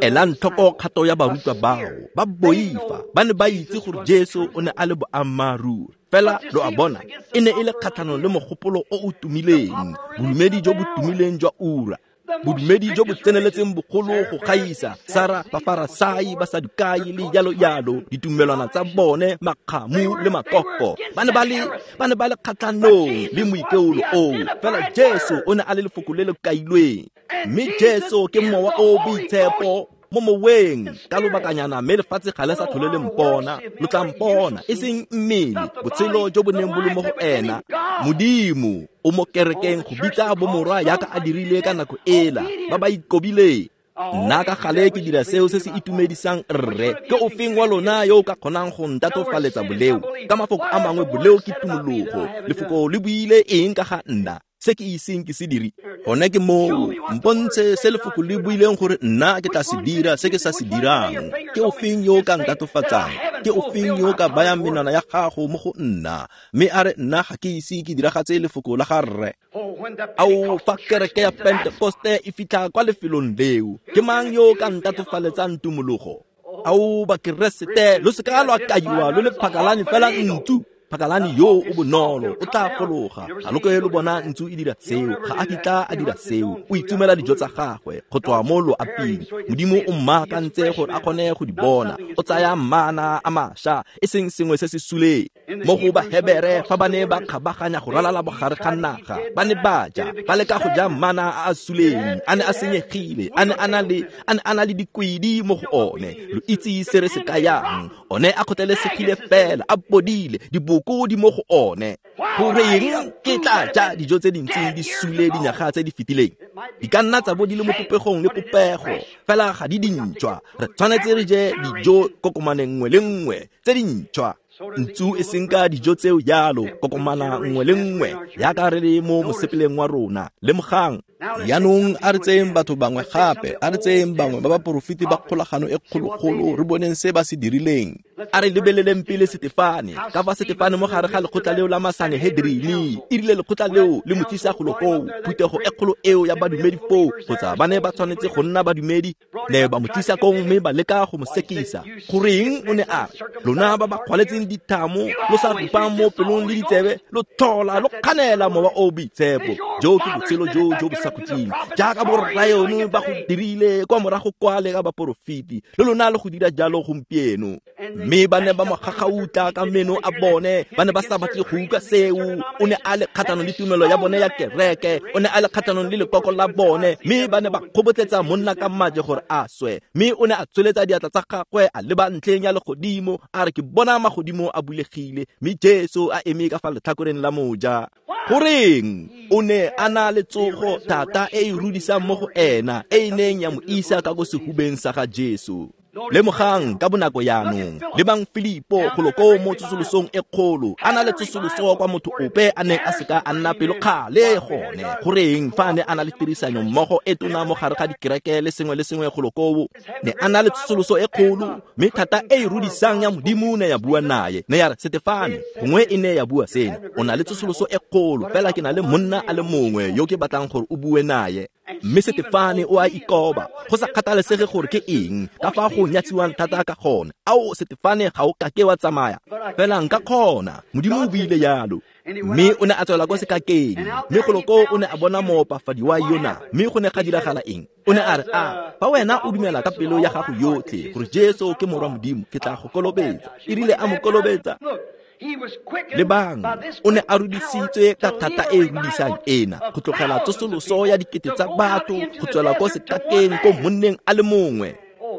[SPEAKER 1] Elang tlhoko kgato ya barutwa bao, ba boifa, ba ne ba itse gore Jesu o ne a le boammaaruri. Fela lo a bona, e ne e le kgatlhanong le mogopolo o o tumileng, bodumedi jo bo tumileng jwa ura, bodumedi jo bo tseneletseng bogolo go gaisa, Sara, Bafarasai, Basadukai le jalo jalo, ditumelwana tsa bone, makgamu le makoko. Ba ne ba le kgatlhanong le moikeolo oo. Fela Jesu o ne a le lefoko le le kailweng, mme Jesu ke mowa o boitshepo mo moweng ka lobakanyana, mme lefatshe ga le sa tlhole le mpona, lo tla mpona, e seng mmele, botshelo jo bo neng bo le mo go ena. Modimo o mo kerekeng go bitsa bomorwa yaka a dirile ka nako ela, ba ba ikobileng. Nna ka gale ke dira seo se se itumedisang rre. Ke ofeng wa lona yo o ka kgonang go ntatofaletsa boleo? Ka mafoko a mangwe, boleo ke tumologo. Lefoko le buile eng ka ga nna? Se ke iseng ke se dire. Gone ke moo, mpontshe se lefoko le buileng gore nna ke tla se dira se ke sa se dirang. Ke ofeng yo o ka ntatofatsang? Ke ofeng yo o ka bayang menwana ya gago mo go nna? Mme a re nna ga ke ise ke diragatse lefoko la ga rre. Ao, fa kereke ya Pentekoste e fitlha kwa lefelong leo, ke mang yo o ka ntatofaletsang tumologo? Ao, Bakeresete, lo se ka lwa kaiwa lo le phakalane fela ntsu. Phakalane yo o bonolo o tla fologa. Ga lo ke lo bona ntsu e dira seo, ga a kitla a dira seo. O itumela dijo tsa gagwe go tswa mo loaping. Modimo o mmaakantse gore a kgone go di bona. O tsaya mana a mašwa, e seng sengwe se se suleng. Mo go Bahebere, fa ba ne ba kgabaganya go ralala bogare ga naga, ba ne ba ja, ba leka go ja mana a a suleng, a ne a senyegile, a ne a na le dikwedi mo go one. Lo itse se re se kayang. One a kgotlelesegile fela, a bodile, diboko di mo go one. Goreng ke tla ja dijo tse dintsi di sule dinyaga tse di fetileng? Di ka nna tsa bo di le mo popegong le popego, fela ga di dintšhwa. Re tshwanetse re je dijo kokomaneng nngwe le nngwe tse dintšhwa. Ntsu e senka dijo tseo jalo, kokomana nngwe le nngwe, yaka re le mo mosepeleng wa rona. Lemogang. Jaanong a re tseyeng batho bangwe gape, a re tseyeng bangwe ba baporofeti ba kgolagano e kgologolo, re boneng se ba se dirileng. A re lebeleleng pele Setefane, ka fa Setefane mo gare ga lekgotla leo la Masanehedrini, e rile lekgotla leo le mo tlisa golo koo, phuthego e kgolo eo ya badumedi foo, kgotsa ba ne ba tshwanetse go nna badumedi, ne ba mo tlisa kong mme ba leka go mo sekisa. Goreng o ne a re, lona ba ba kgwaletseng dithamo, lo sa rupang mo pelong le ditsebe, lo tlhola lo kganela mowa o boitshepo. Jo ke botshelo jo jo bo sa khutleng, jaaka borraeno ba go dirile kwa morago kwale ka baporofeti, le lona le go dira jalo gompieno. Mme ba ne ba mo gagautla ka meno a bone, ba ne ba sa batle go utlwa seo. O ne a le kgatlhanong le tumelo ya bone ya kereke, o ne a le kgatlhanong le lekoko la bone, mme ba ne ba kgobotletsa monna ka maje gore a swe. Mme o ne a tsholetsa diatla tsa gagwe a leba ntlheng ya legodimo, a re ke bona magodimo a bulegile, mme Jesu a eme ka fa letlhakoreng la moja. Goreng o ne a na le tsogo thata e e rudisang mo go ena, e e neng ya mo isa ka ko sehubeng sa ga Jesu. Lemogang ka bonako jaanong, lebang Filipo golo koo mo tsosolosong e kgolo, a na le tsosoloso kwa motho ope a neng a seka a nna pelokgale gone. Goreng fa a ne a na le tirisanyo mmogo e tona mo gare ga dikereke le sengwe le sengwe golo koo, ne a na le tsosoloso e kgolo, mme thata e e rudisang ya Modimo ne ya bua naye, ne ya re, Setefane, gongwe e ne ya bua sena, o na le tsosoloso e kgolo, fela ke na le monna a le mongwe yo ke batlang gore o bue naye. Mme Setefane o a ikoba, go sa kgathalesege gore ke eng, ka fa go nyatsiwang thata ka gone. Ao, Setefane, ga o kake wa tsamaya, fela nka kgona, Modimo o buile jalo. Mme o ne a tswela kwa sekakeng, mme golo koo o ne a bona moopafadi wa yona. Mme go ne ga diragala eng? O ne a re, a fa wena o dumela ka pelo ya gago yotlhe gore Jesu ke morwa Modimo, ke tla go kolobetsa. E rile a mo kolobetsa, Lebang, o ne a rudisitswe ka thata e rudisang ena go tlogela tsosoloso ya dikete tsa batho go tswela ko sekakeng ko monneng a le mongwe.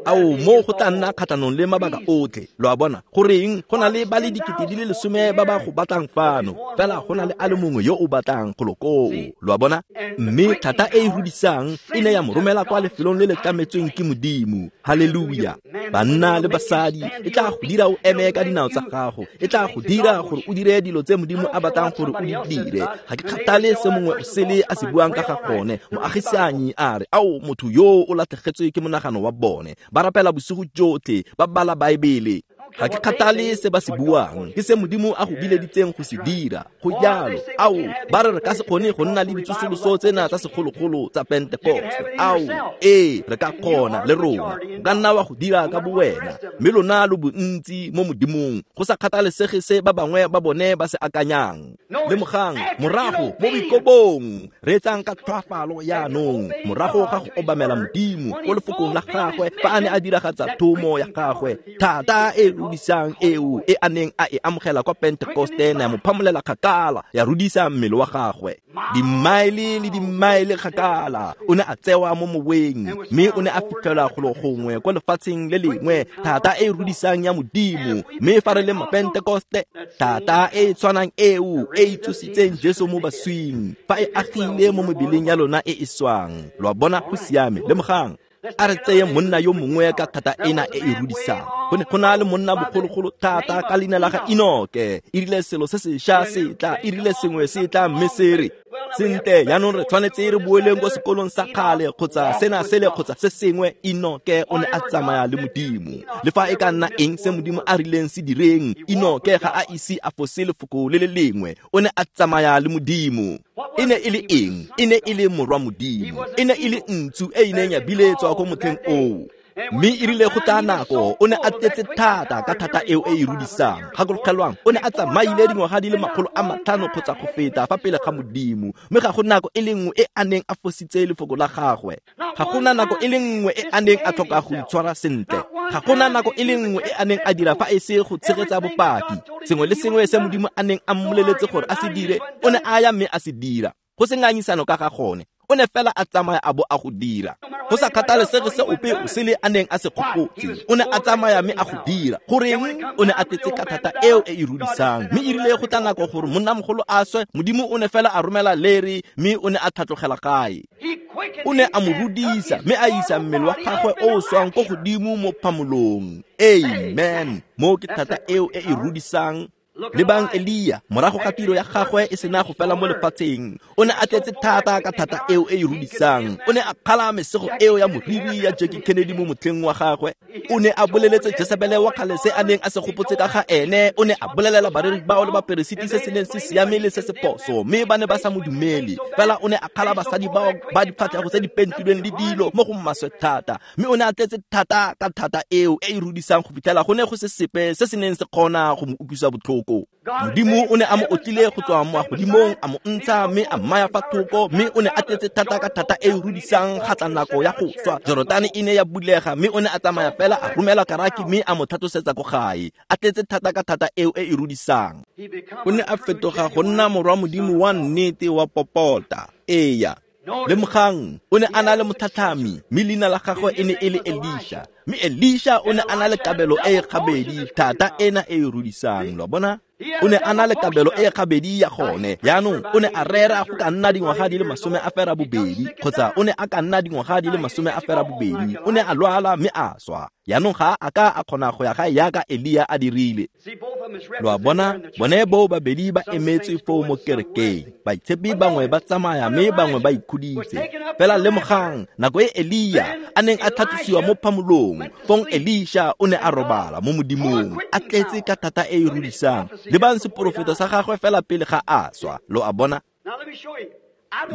[SPEAKER 1] Ao, mo go tla nna kgatlhanong le mabaka otlhe. Lo a bona, goreng go na le ba le 10,000 ba ba go batlang fano, fela go na le a le mongwe yo o batlang golo koo. Lo a bona? Mme thata e e rudisang e ne ya mo romela kwa lefelong le le tlametsweng ke Modimo. Haleluya! Banna le basadi, e tla go dira o eme ka dinao tsa gago, e tla go dira gore o dire dilo tse Modimo a batlang gore o di dire. Ga ke kgathale se mongwe o sele a se buang ka ga gone. Moagisanyi a re, ao, motho yo o latlhegetswe ke monagano wa bone. Ba rapela bosigo jotlhe, ba bala Baebele. Ga ke kgathale se ba se buang, ke se Modimo a go bileditseng go se dira. Go jalo. Ao, ba re re ka se kgone go nna le ditsosoloso tsena tsa segologolo tsa Pentecost. Ao, ee, re ka kgona le rona. O ka nna wa go dira ka bowena, mme lona lo bontsi mo Modimong, go sa kgathalesege se ba bangwe ba bone ba se akanyang. Lemogang, morago mo boikobong, reetsang ka tlhoafalo jaanong, morago ga go obamela Modimo ko lefokong la gagwe fa a ne a diragatsa thomo ya gagwe, thata e rudisang eo e a neng a e amogela kwa Pentecoste ya mo phamolela kgakala, ya rudisa mmele wa gagwe dimmaele le dimmaele kgakala. O ne a tsewa mo moweng, mme o ne a fitlhelwa golo gongwe kwa lefatsheng le lengwe, thata e rudisang ya Modimo. Mme fa re le Mapentekoste, thata e tshwanang eo e e tsositseng Jesu mo baswing, fa e agile mo mebeleng ya lona e e swang. Lo a bona? Go siame. Lemogang, a re tseye monna yo mongwe ka thata ena e e rudisang. Go ne go na le monna bogologolo thata ka leina la ga Enoke. E rile selo se sešwa se tla, e rile sengwe se tla, mme se re, sentle, jaanong re tshwanetse re boeleng ko sekolong sa kgale, kgotsa sena sele, kgotsa se sengwe. Enoke o ne a tsamaya le Modimo. Le fa e ka nna eng se Modimo a rileng se direng, Enoke ga a ise a fose lefoko le le lengwe. O ne a tsamaya le Modimo. E ne e le eng? E ne e le morwa Modimo. E ne e le ntsu e e neng ya biletswa ko motlheng oo. Mme e rile go tla nako, o ne a tletse thata ka thata eo e e rudisang. Gakologelwang, o ne a tsamaile dingwaga di le 500 kgotsa go feta fa pele ga Modimo, mme ga go nako e le nngwe e a neng a fositse lefoko la gagwe. Ga gona nako e le nngwe e a neng a tlhoka go itshwara sentle. Ga gona nako e le nngwe e a neng a dira fa e se go tshegetsa bopaki. Sengwe le sengwe se Modimo a neng a mmoleletse gore a se dire, o ne a ya mme a se dira. Go se ngangisano ka ga gone. O ne fela a tsamaya a bo a go dira. Go sa kgathalesege se ope o sele a neng a se gopotse, o ne a tsamaya mme a go dira. Goreng? O ne a tletse ka thata eo e e rudisang. Mme e rile go tla nako gore monnamogolo a swe, Modimo o ne fela a romela leri, mme o ne a tlhatlogela gae. O ne a mo rudisa mme a isa mmele wa gagwe o o swang ko godimo mo phamolong. Amen. Mo ke thata eo e e rudisang. Lebang Elia, morago ga tiro ya gagwe e sena go fela mo lefatsheng, o ne a tletse thata ka thata eo e e rudisang. O ne a kgala mesego eo ya moriri ya Jackie Kennedy mo motlheng wa gagwe. O ne a boleletse Jezebele wa kgale se a neng a se gopotse ka ga ene. O ne a bolelela bareri bao le baperesiti se se neng se siame le se se phoso, mme ba ne ba sa mo dumele. Fela o ne a kgala basadi bao ba difatlhego tse di pentilweng le dilo mo go maswe thata, mme o ne a tletse thata ka thata eo e e rudisang go fitlhela go ne go se sepe se se neng se kgona go mo utlwisa botlhoko. Modimo o ne a mo otlile go tswa mo godimong, a mo ntsha mme a mmaya fa thoko, mme o ne a tletse thata ka thata e e rudisang. Ga tla nako ya go swa, Jorodane e ne ya bulega, mme o ne a tsamaya fela a romela karaki mme a mo tlhatlosetsa ko gae, a tletse thata ka thata eo e e rudisang. O ne a fetoga go nna morwa Modimo wa nnete wa popota. Eya. Lemogang, o ne a na le motlhatlhami, mme leina la gagwe e ne e le Elisha. Mme Elisha o ne a na le kabelo e e gabedi, thata ena e e rudisang. Lo bona? O ne a na le kabelo e gabedi ya gone. Jaanong o ne a rera go ka nna dingwaga di le 28, kgotsa o ne a ka nna dingwaga di le 28. O ne a lwala mme a swa. Jaanong ga a ka a kgona go ya gae jaaka Elia a dirile. Lo a bona, bone boo babedi ba emetswe foo mo kerekeng. Baitshepi bangwe ba tsamaya mme bangwe ba ikhuditse. Fela lemogang, nako e Elia a neng a tlhatlosiwa mo phamolong, fong Elisha o ne a robala mo Modimong, a tletse ka thata e e rudisang. Lebang seporofeto sa gagwe fela pele ga a swa. Lo a bona?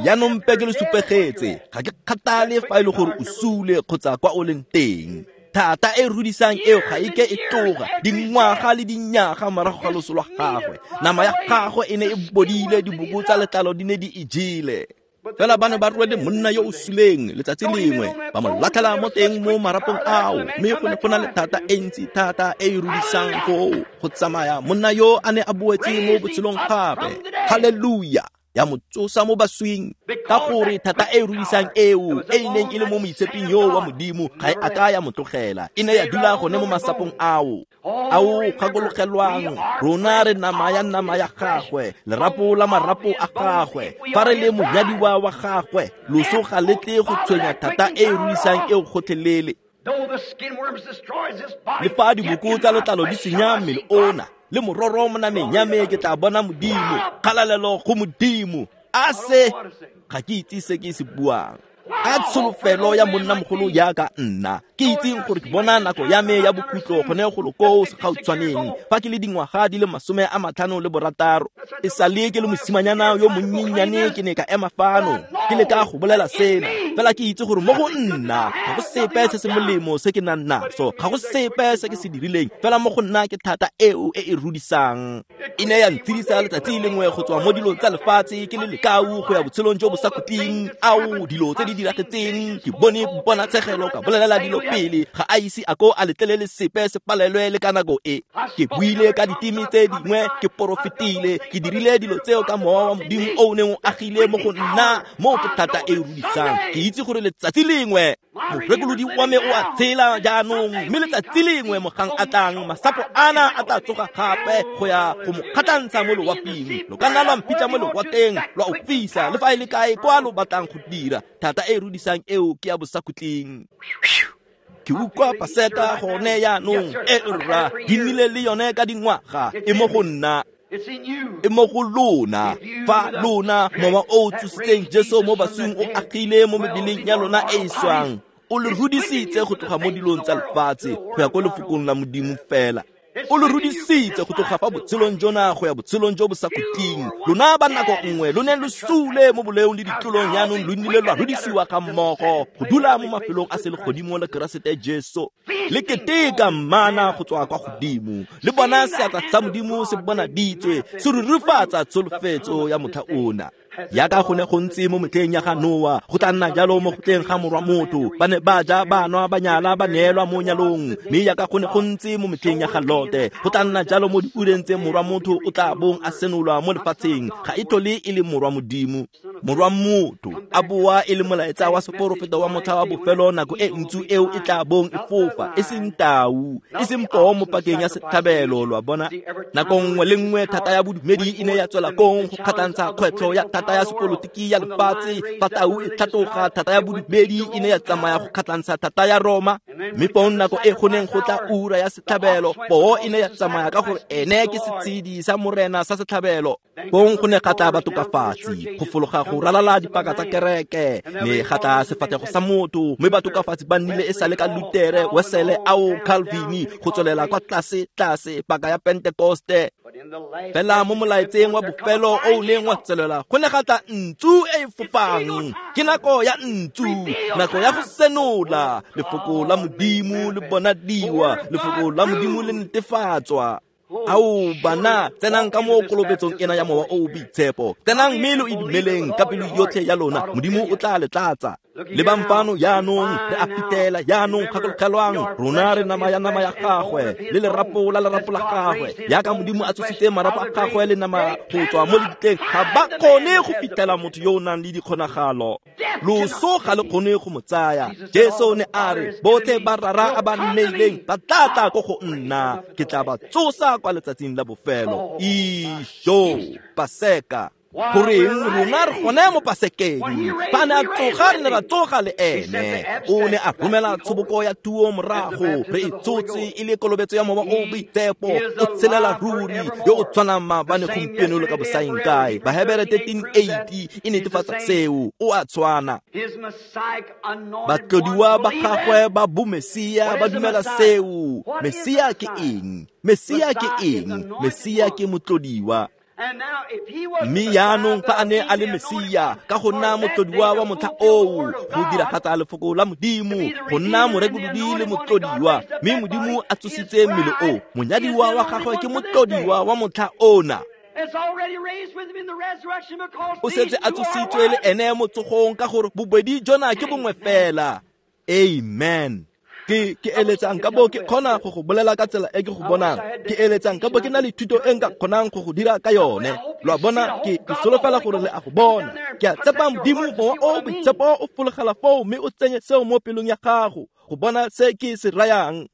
[SPEAKER 1] Jaanong mpe ke le supegetse, ga ke kgathale fa e le gore o sule kgotsa kwa o leng teng. Thata e rudisang eo ga e ke e tloga dingwaga le dinyaga morago ga loso lwa gagwe. Nama ya gagwe e ne e bodile, diboko tsa letlalo di ne di e jele. Fela ba ne ba rwele monna yo o suleng letsatsi lengwe, ba mo latlhela mo teng mo marapong ao, mme go ne go na le thata e ntsi thata e e rudisang foo go tsamaya monna yo a ne a boetse mo botshelong gape. Haleluya! Ya mo tsosa mo baswing, ka gore thata e e rudisang eo e e neng e le mo moitsheping yo wa Modimo ga e a ka ya mo tlogela, e ne ya dula gone mo masapong ao. Ao gakologelwang, rona re nama ya nama ya gagwe, lerapo la marapo a gagwe. Fa re le monyadiwa wa gagwe, loso ga le tle go tshwenya thata e e rudisang eo gotlhelele. Le fa diboko tsa letlalo di senya mmele ona, le mororo mo nameng ya me ke tla bona Modimo. Kgalalelo go Modimo. A se ga ke itse se ke se buang. A tsholofelo ya monnamogolo jaaka nna, ke itseng gore ke bona nako ya me ya bokhutlo gone golo koo segautshwaneng, fa ke le dingwaga di le 56. E sale ke le mosimanyana yo monnyenyane ke ne ka ema fano ke leka go bolela sena, fela ke itse gore mo go nna ga go sepe se se molemo se ke nang naso, ga go sepe se ke se dirileng, fela mo go nna ke thata eo e e rudisang. E ne ya ntshedisa letsatsi lengwe go tswa mo dilong tsa lefatshe ke le lekau go ya botshelong jo bo sa khutleng. Ao, dilo tse di diragetseng, ke bone ponatshegelo, ka bolelela dilo pele, ga a ise a ko a letlelele sepe se palelwe le ka nako e. Ke buile ka diteme tse dingwe, ke porofetile, ke dirile dilo tseo ka mowa wa Modimo o o neng o agile mo go nna. Moo ke thata e e rudisang. Ke itse gore letsatsi lengwe morekolodi wa me o a tshela jaanong, mme letsatsi lengwe mogang a tlang, masapo ana a tla tsoga gape go ya go mo kgatlhantsha mo loaping. Lo ka nna lwa mpitla mo lewatleng, lwa o fisa, le fa e le kae kwa lo batlang go dira. Thata e e rudisang eo ke ya bosakhutleng. Ke utlwa Paseka gone jaanong, e rra, di nnile le yone ka dingwaga, e mo go nna, e mo go lona. Fa lona mowa o o tsositseng Jesu mo baswing o agile mo mebeleng ya lona e e swang, o le rudisitse go tloga mo dilong tsa lefatshe go ya ko lefokong la Modimo fela. O le rudisitse go tloga fa botshelong jona go ya botshelong jo bo sa khutleng. Lona ba nako nngwe lo ne lo sule mo boleong le ditlolong, jaanong lo nnile lwa rudisiwa ga mmogo go dula mo mafelong a selegodimo le Keresete Jesu. Le keteka mana go tswa kwa godimo, le bona seatla sa Modimo se bonaditswe, se rurifatsa tsholofetso ya motlha ona. Yaka go ne go ntse mo metlheng ya ga Noa, go tla nna jalo mo go tleng ga morwa motho. Ba ne ba ja, ba nwa, ba nyala, ba neelwa mo nyalong. Mme yaka go ne go ntse mo metlheng ya ga Lote, go tla nna jalo mo diureng tse morwa motho o tla bong a senolwa mo lefatsheng. Ga e tlhole e le morwa Modimo, morwa motho a boa e le molaetsa wa seporofeto wa motlha wa bofelo, nako e ntsu eo e tla bong e fofa, e seng tau, e seng poo mo pakeng ya setlhabelo. Lo a bona, nako nngwe le nngwe thata ya bodumedi e ne ya tswela kong go kgatlhantsha kgwetlho ya thata ya sepolotiki ya lefatshe. Fa tau e tlhatloga, thata ya bodumedi e ne ya tsamaya go kgatlhantsha thata ya Roma. Mme fong nako e go neng go tla ura ya setlhabelo, poo e ne ya tsamaya ka gore ene ke setshedi sa morena sa setlhabelo. Fong go ne ga tla batokafatsi go fologa go ralala dipaka tsa kereke, mme ga tla sefatlhego sa motho, mme batokafatsi ba nnile e sale ka Lutere, Wesele, ao Calvini, go tswelela kwa tlase tlase paka ya Pentekoste. Fela mo molaetseng wa bofelo o o neng wa tswelela, go ne ga tla ntsu e e fofang. Ke nako ya ntsu, nako ya go senola lefoko la Modimo le bonadiwa, lefoko la Modimo le netefatswa. Ao bana, tsenang ka mo kolobetsong ena ya mowa o o boitshepo, tsenang mme lo e dumeleng ka pelo yotlhe ya lona, Modimo o tla le tlatsa. Lebang fano jaanong, re a fitela jaanong, gakologelwang, rona re nama ya nama ya gagwe le lerapo la lerapo la gagwe. Yaka Modimo a tsositse marapo a gagwe le nama go tswa mo lebitleng, ga ba kgone go fitela motho yo o nang le dikgonagalo. Loso ga le kgone go mo tsaya. Jesu ne a re, botlhe ba rara a ba nneileng ba tla tla ko go nna, ke tla ba tsosa kwa letsatsing la bofelo. Isho, Paseka. Goreng rona re gone mo Pasekeng? Fa ne a tsoga, re ne ra tsoga le ene. O ne a romela tshoboko ya tuo morago, re e tsotse e le kolobetso ya mowa o boitshepo. O tshelela ruri, yo o tshwanang maabane, gompieno le ka bosaeng kae. Bahebere 13:8 e netefatsa seo, o a tshwana. Batlodiwa ba gagwe ba bomesia ba dumela seo. Mesia ke eng? Mesia ke eng? Mesia ke motlodiwa. Mme jaanong fa a ne a le Mesia, ka go nna motlodiwa wa motlha oo, go diragatsa lefoko la Modimo, go nna morekolodi le motlodiwa, mme Modimo a tsositse mmele o, monyadiwa wa gagwe ke motlodiwa wa motlha ona. O setse a tsositswe le ene mo tsogong ka gore bobedi jona ke bongwe fela. Amen. Ke eletsang ka bo ke kgona go go bolela ka tsela e ke go bonang. Ke eletsang ka bo ke na le thuto e nka kgonang go go dira ka yone. Lo a bona, ke solofela gore le a go bona. Ke a tshepa Modimo Mowa o Boitshepo o fologela foo mme o tsenye seo mo pelong ya gago go bona se ke se rayang.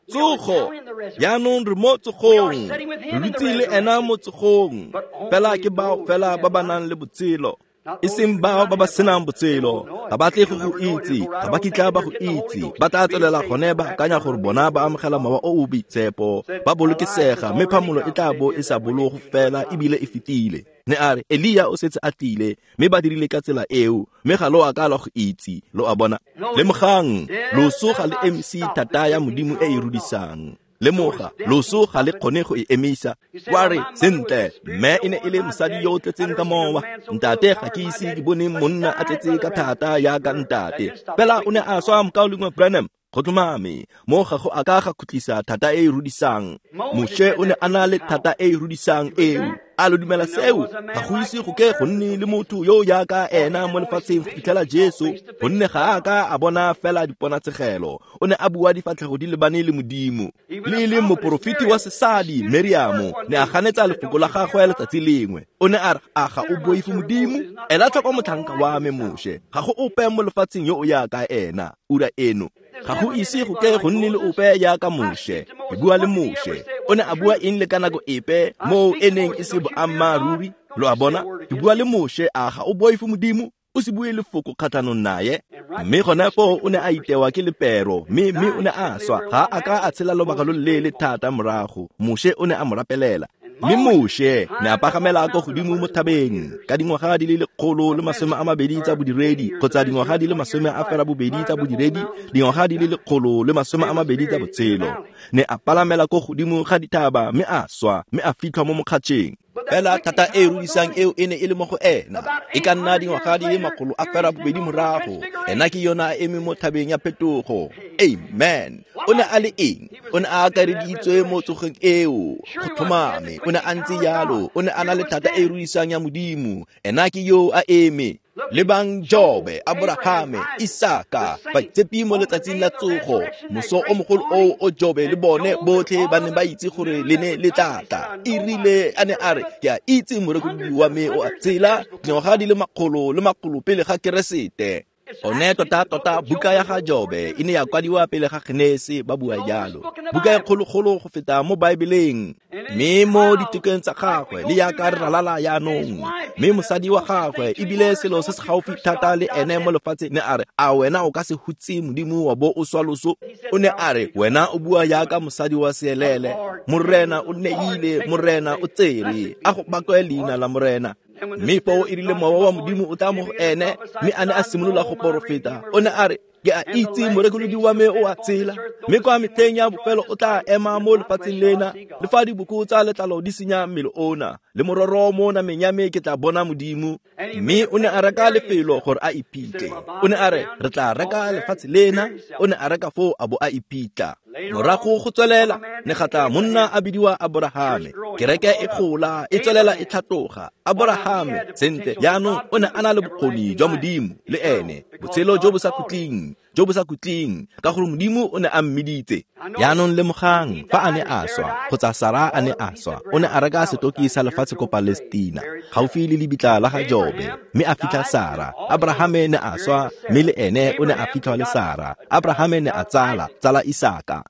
[SPEAKER 1] Tsogo. Jaanong re mo tsogong. Re dutse le ena mo tsogong. Fela ke bao fela ba ba nang le botshelo. E seng bao ba ba senang botshelo. Ga ba tle go go itse, ga ba kitla ba go itse. Ba tla tswelela gone ba akanya gore bona ba amogela Mowa o o Boitshepo, ba bolokesega, mme phamolo e tla bo e sa bologo fela ebile e fetile. Ne a re Elia o setse a tlile, mme ba dirile ka tsela eo, mme ga lo a ka lwa go itse. Lo a bona. Lemogang, loso ga le emise thata ya Modimo e e rudisang. Lemoga, loso ga le kgone go e emisa. Wa re, sentle, mme e ne e le mosadi yo o tletseng ka mowa. Ntate ga ke ise ke bone monna a tletse ka thata jaaka ntate. Fela o ne a swa mokaulengwe Branham. Go tlhomame, mo ga go a ka ga khutlisa thata e e rudisang. Moshe o ne a na le thata e e rudisang eo. A lo dumela seo? Ga go ise go ke go nne le motho yo jaaka ena mo lefatsheng go fitlhela Jesu, gonne ga a ka a bona fela diponatshegelo. O ne a bua difatlhego di lebane le Modimo. Le e leng moporofeti wa sesadi Miriamo ne a ganetsa lefoko la gagwe letsatsi lengwe. O ne a re, a ga o boife Modimo? Ela tlhoko motlhanka wa me Moshe. Ga go ope mo lefatsheng yo o jaaka ena ura eno. Ga go ise go ke go nne le ope jaaka Moshe. Ke bua le Moshe. O ne a bua eng le ka nako epe moo e neng e se boammaaruri? Lo a bona? Ke bua le Moshe, a ga o boife Modimo? O se bue lefoko kgatlhanong naye. Mme gone foo o ne a itewa ke lepero, mme o ne a swa. Ga a ka a tshela lobaka lo leele thata morago. Moshe o ne a mo rapelela. Mme Moshe ne a pagamela ko godimo mo thabeng ka dingwaga di le 120 tsa bodiredi, kgotsa dingwaga di le 80 tsa bodiredi, dingwaga di le 120 tsa botshelo. Ne a palamela ko godimo ga dithaba mme a swa, mme a fitlhwa mo mokgatšheng. Fela thata e rudisang eo e ne e le mo go ena. E ka nna dingwaga di le 800 morago. Ena ke yona a eme mo thabeng ya phetogo. Amen. O ne a le eng? O ne a akareditswe mo tsogeng eo. Go tlhomame, o ne a ntse jalo. O ne a na le thata e rudisang ya Modimo. Ena ke yo a eme. Lebang Jobe, Abrahame, Isaka, baitshepi mo letsatsing la tsogo. Moso o mogolo oo o Jobe le bone botlhe ba ne ba itse gore le ne le tla tla. E rile a ne a re, ke a itse morekolodi wa me o a tshela dingwaga di le makgolo le makgolo pele ga Keresete. One tota-tota buka ya ga Jobe e ne ya kwadiwa pele ga Genese, ba bua jalo. Buka e kgologolo go feta mo Baebeleng. Mme mo ditekong tsa gagwe le yaka re ralala jaanong. Mme mosadi wa gagwe ebile selo se se gaufi thata le ene mo lefatsheng ne a re, a wena o ka se hutse Modimo wa bo o swa loso? O ne a re, wena o bua yaka mosadi wa seelele. Morena o neile, Morena o tsere. A go bakwe leina la Morena. Mme foo e rile mowa wa Modimo o tla mo go ene, mme a ne a simolola go porofeta. O ne a re, ke a itse morekolodi wa me o a tshela, mme kwa metlheng ya bofelo o tla ema mo lefatsheng lena, le fa diboko tsa letlalo di senya mmele ona, le mororo mo nameng ya me ke tla bona Modimo. Mme o ne a reka lefelo gore a iphitlhe. O ne a re, re tla reka lefatshe lena. O ne a reka foo a bo a iphitlha. Morago go tswelela ne ga tla monna a bidiwa Aborahame. Kereke e gola, e tswelela e tlhatloga. Aborahame, sentle, jaanong o ne a na le bokgoni jwa Modimo le ene, botshelo jo bo sa khutleng, jo bo sa khutleng, ka gore Modimo o ne a mmiditse. Jaanong lemogang, fa a ne a swa, kgotsa Sara a ne a swa, o ne a reka setoki sa lefatshe ko Palestina, gaufi le lebitla la ga Jobe, mme a fitlha Sara. Abrahame ne a swa, mme le ene o ne a fitlhwa le Sara. Abrahame ne a tsala Isaka.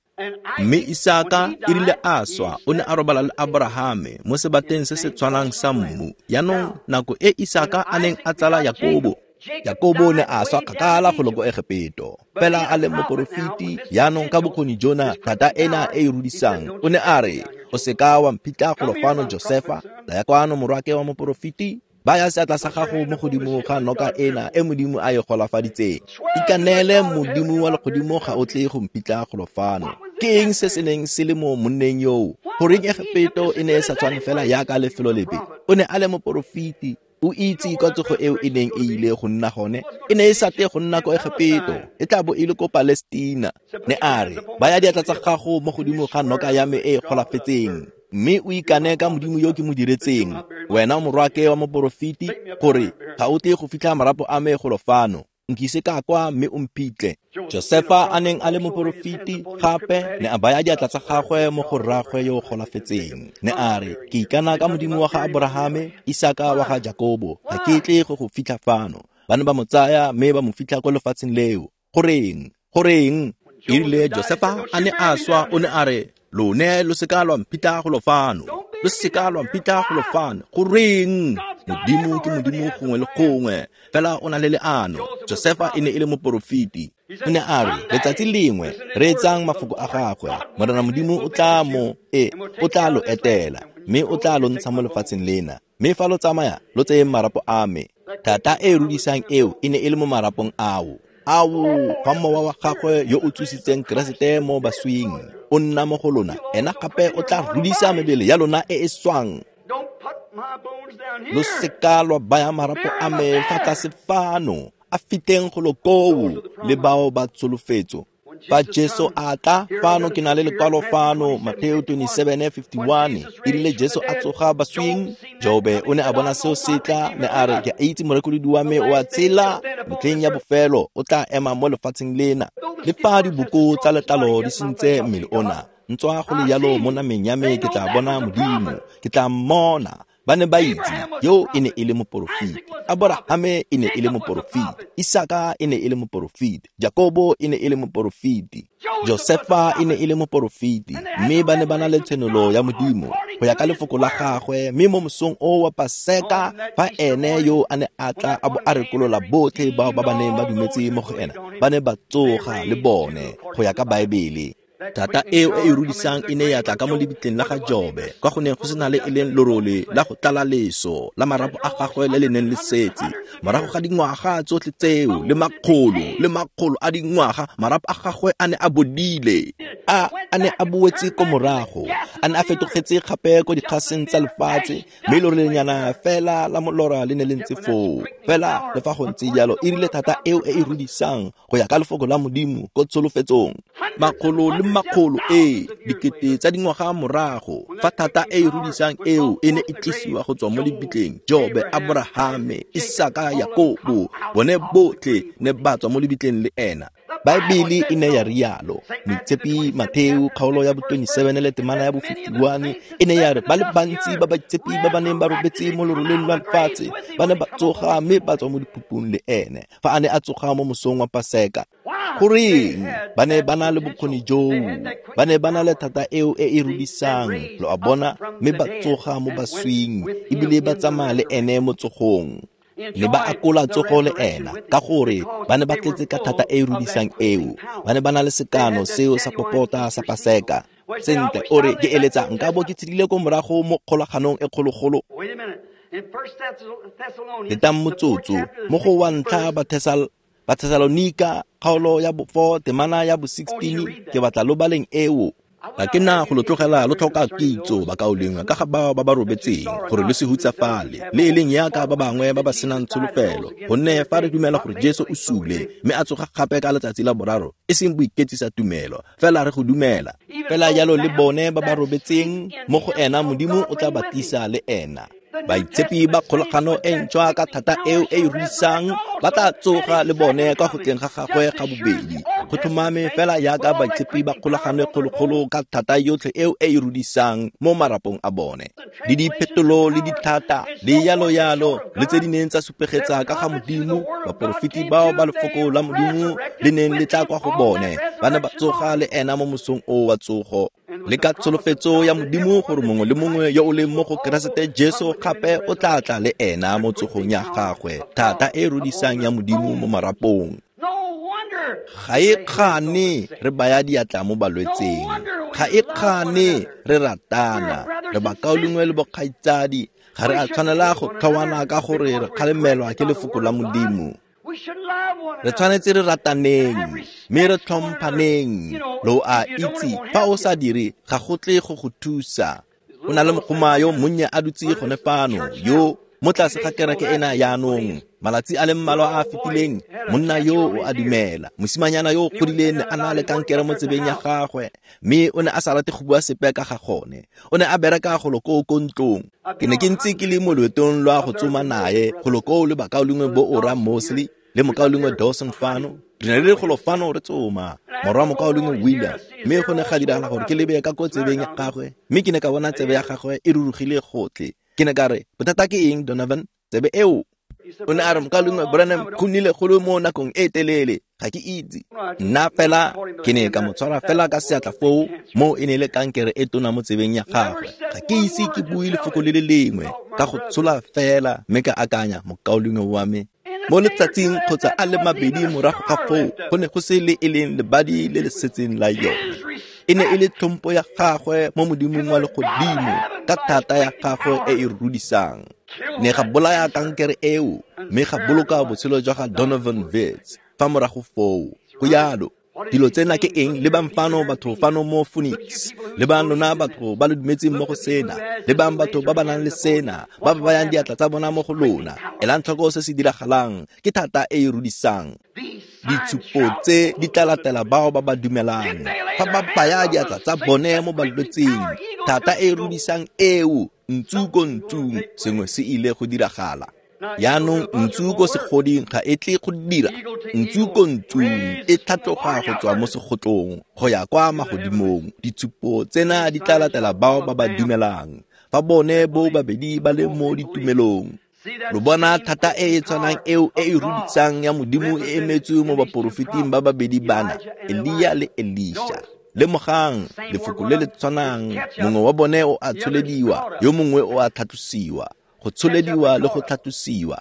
[SPEAKER 1] Mme Isaka e rile a swa, o ne a robala le Abrahame mo sebateng se se tshwanang sa mmu. Jaanong nako e Isaka a neng a tsala Jakobo, Jakobo ne a swa kgakala go loko Egepeto. Fela a le moporofeti, jaanong ka bokgoni jona, thata ena e e rudisang, o ne a re, o seka wa mphitlha golo fano Josefa, tlaya kwano morwake wa moporofeti, baya seatla sa gago mo godimo ga noka ena e Modimo a e golafaditseng. Ikanele Modimo wa legodimo ga o tle go mphitlha golo fano. Ke eng se se neng se le mo monneng yoo? Goreng Egepeto e ne e sa tshwane fela jaaka lefelo lepe? O ne a le moporofeti. O itse kwa tsogo eo e neng e ile go nna gone. E ne e sa tle go nna ko Egepeto, e tla bo e le ko Palestina. Ne a re, baya diatla tsa gago mo godimo ga noka ya me e golafetseng. Mme o ikane ka Modimo yo ke mo diretseng, wena morwaake wa moporofeti, gore ga o tle go fitlha marapo a me golo fano. Nkise ka kwa mme o mphitlhe. Josefa a neng a le moporofeti gape ne a baya diatla tsa gagwe mo go rraagwe yo o golafetseng. Ne a re, ke ikana ka Modimo wa ga Aborahame, Isaka wa ga Jakobo, ga ke tle go go fitlha fano. Ba ne ba mo tsaya mme ba mo fitlha ko lefatsheng leo. Goreng? Goreng? E rile Josefa a ne a swa, o ne a re, lone lo seka lwa mphitlha golo fano. Lo seka lwa mphitlha golo fano. Goreng? Modimo ke Modimo gongwe le gongwe, fela o na le leano. Josefa e ne e le moporofeti. O ne a re, letsatsi lengwe, reetsang mafoko a gagwe. Morena Modimo o tla o tla lo etela, mme o tla lo ntsha mo lefatsheng lena. Mme fa lo tsamaya, lo tseyeng marapo a me. Thata e rudisang eo e ne e le mo marapong ao. Ao, fa mowa wa gagwe yo o tsositseng Keresete mo baswing o nna mo go lona, ena gape o tla rudisa mebele ya lona e e swang. Lo seka lwa baya marapo a me fa tlase fano, a fiteng go lo koo le bao ba tsholofetso. Fa Jesu a tla fano, ke na le lekwalo fano, Mateo 27:51. E rile Jesu a tsoga baswing, Jobe o ne a bona seo se tla, ne a re, ke a itse morekolodi wa me o a tshela, metlheng ya bofelo o tla ema mo lefatsheng lena. Le fa diboko tsa letlalo di sentse mmele ona, ntswa go le jalo mo nameng ya me ke tla bona Modimo, ke tla mmona. Ba ne ba itse yo e ne e le moporofeti. Aborahame e ne e le moporofeti, Isaka e ne e le moporofeti, Jakobo e ne e le moporofeti, Josefa e ne e le moporofeti. Mme ba ne ba na le tshenolo ya Modimo go ya ka lefoko la gagwe. Mme mo mosong o wa Paseka, fa ene yo a ne a tla a bo a rekolola botlhe bao ba ba neng ba dumetse mo go ena, ba ne ba tsoga le bone go ya ka Baebele. Thata eo e e rudisang e ne ya tla ka mo lebitleng la ga Jobe, kwa go neng go sena le e leng lorole la go tlala leso la marapo a gagwe le le neng le setse. Morago ga dingwaga tsotlhe tseo le makgolo a dingwaga, marapo a gagwe a ne a bodile, a ne a boetse ko morago, a ne a fetogetse gape ko dikgaseng tsa lefatshe, mme lorelenyana fela la molora le ne le ntse foo. Fela le fa go ntse jalo, e rile thata eo e e rudisang go ya ka lefoko la Modimo ko tsholofetsong. Makgolo le makgolo dikete tsa dingwaga morago, fa thata e e rudisang eo e ne e tlisiwa go tswa mo lebitleng, Jobe, Aborahame, Isaka, Jakobo, bone botlhe ne ba tswa mo lebitleng le ena. Baebele e ne ya rialo. Moitshepi Mateo kgaolo ya bo 27 le temana ya bo 51 e ne ya re, ba le bantsi ba baitshepi ba ba neng ba robetse mo loroleng lwa lefatshe ba ne ba tsoga mme ba tswa mo diphupung le ene fa a ne a tsoga mo mosong wa Paseka. Goreng? Ba ne ba na le bokgoni joo, ba ne ba na le thata eo e e rudisang, lo a bona, mme ba tsoga mo baswing ebile ba tsamaya le ene mo tsogong. Ne ba akola tsogo le ena ka gore ba ne ba tletse ka thata e e rudisang eo. Ba ne ba na le sekano seo sa popota sa Paseka. Sentle, o re, ke eletsa nka bo ke tshedile ko morago mo kgolaganong e kgologolo. Letang motsotso, mo go wa ntlha Bathesalonika kgaolo ya bo 4 temana ya bo 16, ke batla lo baleng eo. Ga ke na go lo tlogela lo tlhoka kitso bakaulengwe ka ga bao ba ba robetseng, gore lo se hutsafale le e leng yaka ba bangwe ba ba senang tsholofelo. Gonne fa re dumela gore Jesu o sule mme a tsoga gape ka letsatsi la boraro, e seng boiketsisa tumelo, fela re go dumela. Fela jalo le bone ba ba robetseng mo go ena, Modimo o tla ba tlisa le ena. Baitshepi ba kgolagano e ntšhwa ka thata eo e e ruisang ba tla tsoga le bone kwa go tleng ga gagwe ga bobedi. Go tlhomame fela yaka baitshepi ba kgolagano e kgologolo ka thata yotlhe eo e e rudisang mo marapong a bone. Le diphetolo le dithata le yalo yalo le tse di neng tsa supegetsa ka ga Modimo, baporofeti bao ba lefoko la Modimo le neng le tla kwa go bone, ba ne ba tsoga le ena mo mosong o wa tsogo. Le ka tsholofetso ya Modimo gore mongwe le mongwe yo o leng mo go Keresete Jesu gape o tla tla le ena mo tsogong ya gagwe, thata e rudisang ya Modimo mo marapong. Ga e kgane re baya diatla mo balwetseng, ga e kgane re ratana, re bakaulengwe le bokgaitsadi, ga re a tshwanela go tlhoana ka gore re kgalemelwa ke lefoko la Modimo. Re tshwanetse re rataneng mme re tlhomphaneng. Lo a itse, fa o sa dire ga go tle go go thusa. O na le mogoma yo monnye a dutse gone fano yo Mo tlase ga kereke ena jaanong, malatsi a le mmalwa a a fetileng, monna yo o a dumela. Mosimanyana yo o godileng ne a na le kankere mo tsebeng ya gagwe, mme o ne a sa rate go bua sepe ka ga gone. O ne a bereka golo koo ko ntlong. Ke ne ke ntse ke le mo loetong lwa go tsoma nae golo koo le bakaulengwe bo Ora Mosley le mokaulengwe Dawson fano. Re ne re le golo fano re tsoma morwa mokaulengwe William, mme go ne ga diragala gore ke lebe ka ko tsebeng ya gagwe, mme ke ne ka bona tsebe ya gagwe e rurugile gotlhe. Ke ne ka re, bothata ke eng, Donovan? Tsebe eo? O ne a re, mokaulengwe Branham, go nnile go le mo nakong e telele, ga ke itse. Nna fela ke ne ka mo tshwara fela ka seatla foo, mo e ne le kankere e tona mo tsebeng ya gagwe. Ga ke ise ke bue lefoko le le lengwe, ka go tshola fela, mme ka akanya, mokaulengwe wa me. Mo letsatsing kgotsa a le mabedi morago ga foo, go ne go se le e leng lebadi le le setseng la yone. E ne e le tlhompo ya gagwe mo Modimong wa legodimo ka thata ya gagwe e e rudisang. Ne ga bolaya kankere eo, mme ga boloka botshelo jwa ga Donovan Wits fa morago foo. Go jalo. Dilo tsena ke eng? Lebang fano batho fano mo Phoenix. Lebang lona batho ba lo dumetseng mo go sena. Lebang batho ba ba nang le sena, ba ba bayang diatla tsa bona mo go lona. Elang tlhoko se se diragalang. Ke thata e e rudisang. Ditshupo tse di tla latela bao ba ba dumelang. Fa ba baya diatla tsa bone mo balwetseng, thata e e rudisang eo, ntsu ko ntsung, sengwe se ile go diragala. Jaanong ntsu ko segoding ga e tle go dira. Ntsu ko ntsung e tlhatloga go tswa mo segotlong go ya kwa magodimong. Ditshupo tsena di tla latela bao ba ba dumelang, fa bone bo babedi ba le mo ditumelong. Lo bona thata e e tshwanang eo e e rudisang ya Modimo e emetswe mo baporofeting ba babedi bana, Elia le Elisha. Lemogang lefoko le le tshwanang, mongwe wa bone o a tsholediwa, yo mongwe o a tlhatlosiwa. Go tsholediwa le go tlhatlosiwa.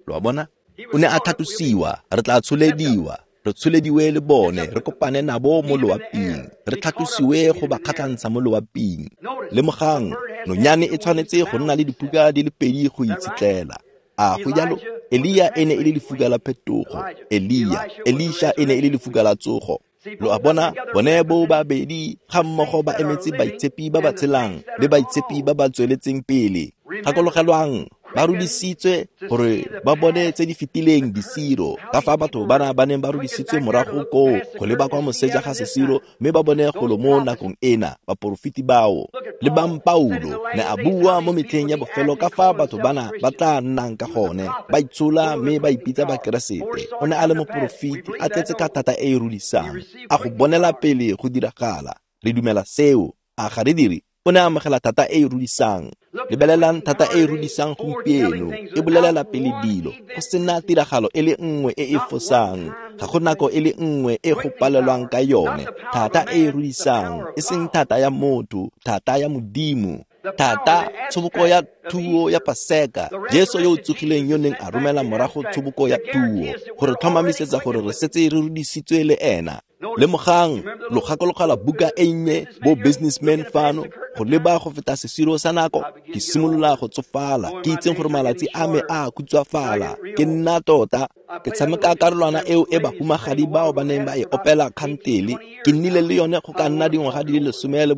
[SPEAKER 1] Lo a bona? O ne a tlhatlosiwa, re tla tsholediwa, re tsholediwe le bone, re kopane nabo mo loaping, re tlhatlosiwe go ba kgatlhantsha mo loaping. Lemogang, nonyane e tshwanetse go nna le diphuka di le pedi go itshetlela. A go jalo? Elia e ne e le lefuka la phetogo. Elia, Elisha e ne e le lefuka la tsogo. Lo a bona, bone bo babedi ga mmogo ba emetse baitshepi ba ba tshelang le baitshepi ba ba tsweletseng pele. Gakologelwang, ba rudisitswe gore ba bone tse di fetileng disiro, ka fa batho bana ba neng ba rudisitswe morago koo go leba kwa moseja ga sesiro, mme ba bone golo mo nakong ena baporofeti bao. Lebang Paulo ne a bua mo metlheng ya bofelo ka fa batho bana ba tla nnang ka gone, ba itshola mme ba ipitsa Bakeresete. O ne a le moporofeti, a tletse ka thata e e rudisang, a go bonela pele go diragala. Re dumela seo, a ga re dire? O ne a amogela thata e e rudisang. Lebelelang thata e e rudisang gompieno, e bolelela pele dilo, go sena tiragalo e le nngwe e e fosang, ga go nako e le nngwe e go palelwang ka yone. Thata e e rudisang, e seng thata ya motho, thata ya Modimo. Thata, tshoboko ya thuo ya Paseka, Jesu yo o tsogileng yo neng a romela morago tshoboko ya thuo, gore tlhomamisetsa gore re setse re rudisitswe le ena. Lemogang, lo gakologela buka e nnye bo businessman fano, go leba go feta sesiro sa nako. Ke simolola go tsofala, ke itseng gore malatsi a me a khutswafala. Ke nna tota, ke tshameka karolwana eo e bahumagadi bao ba neng ba e opela kgantele. Ke nnile le yone go ka nna dingwaga di le 12,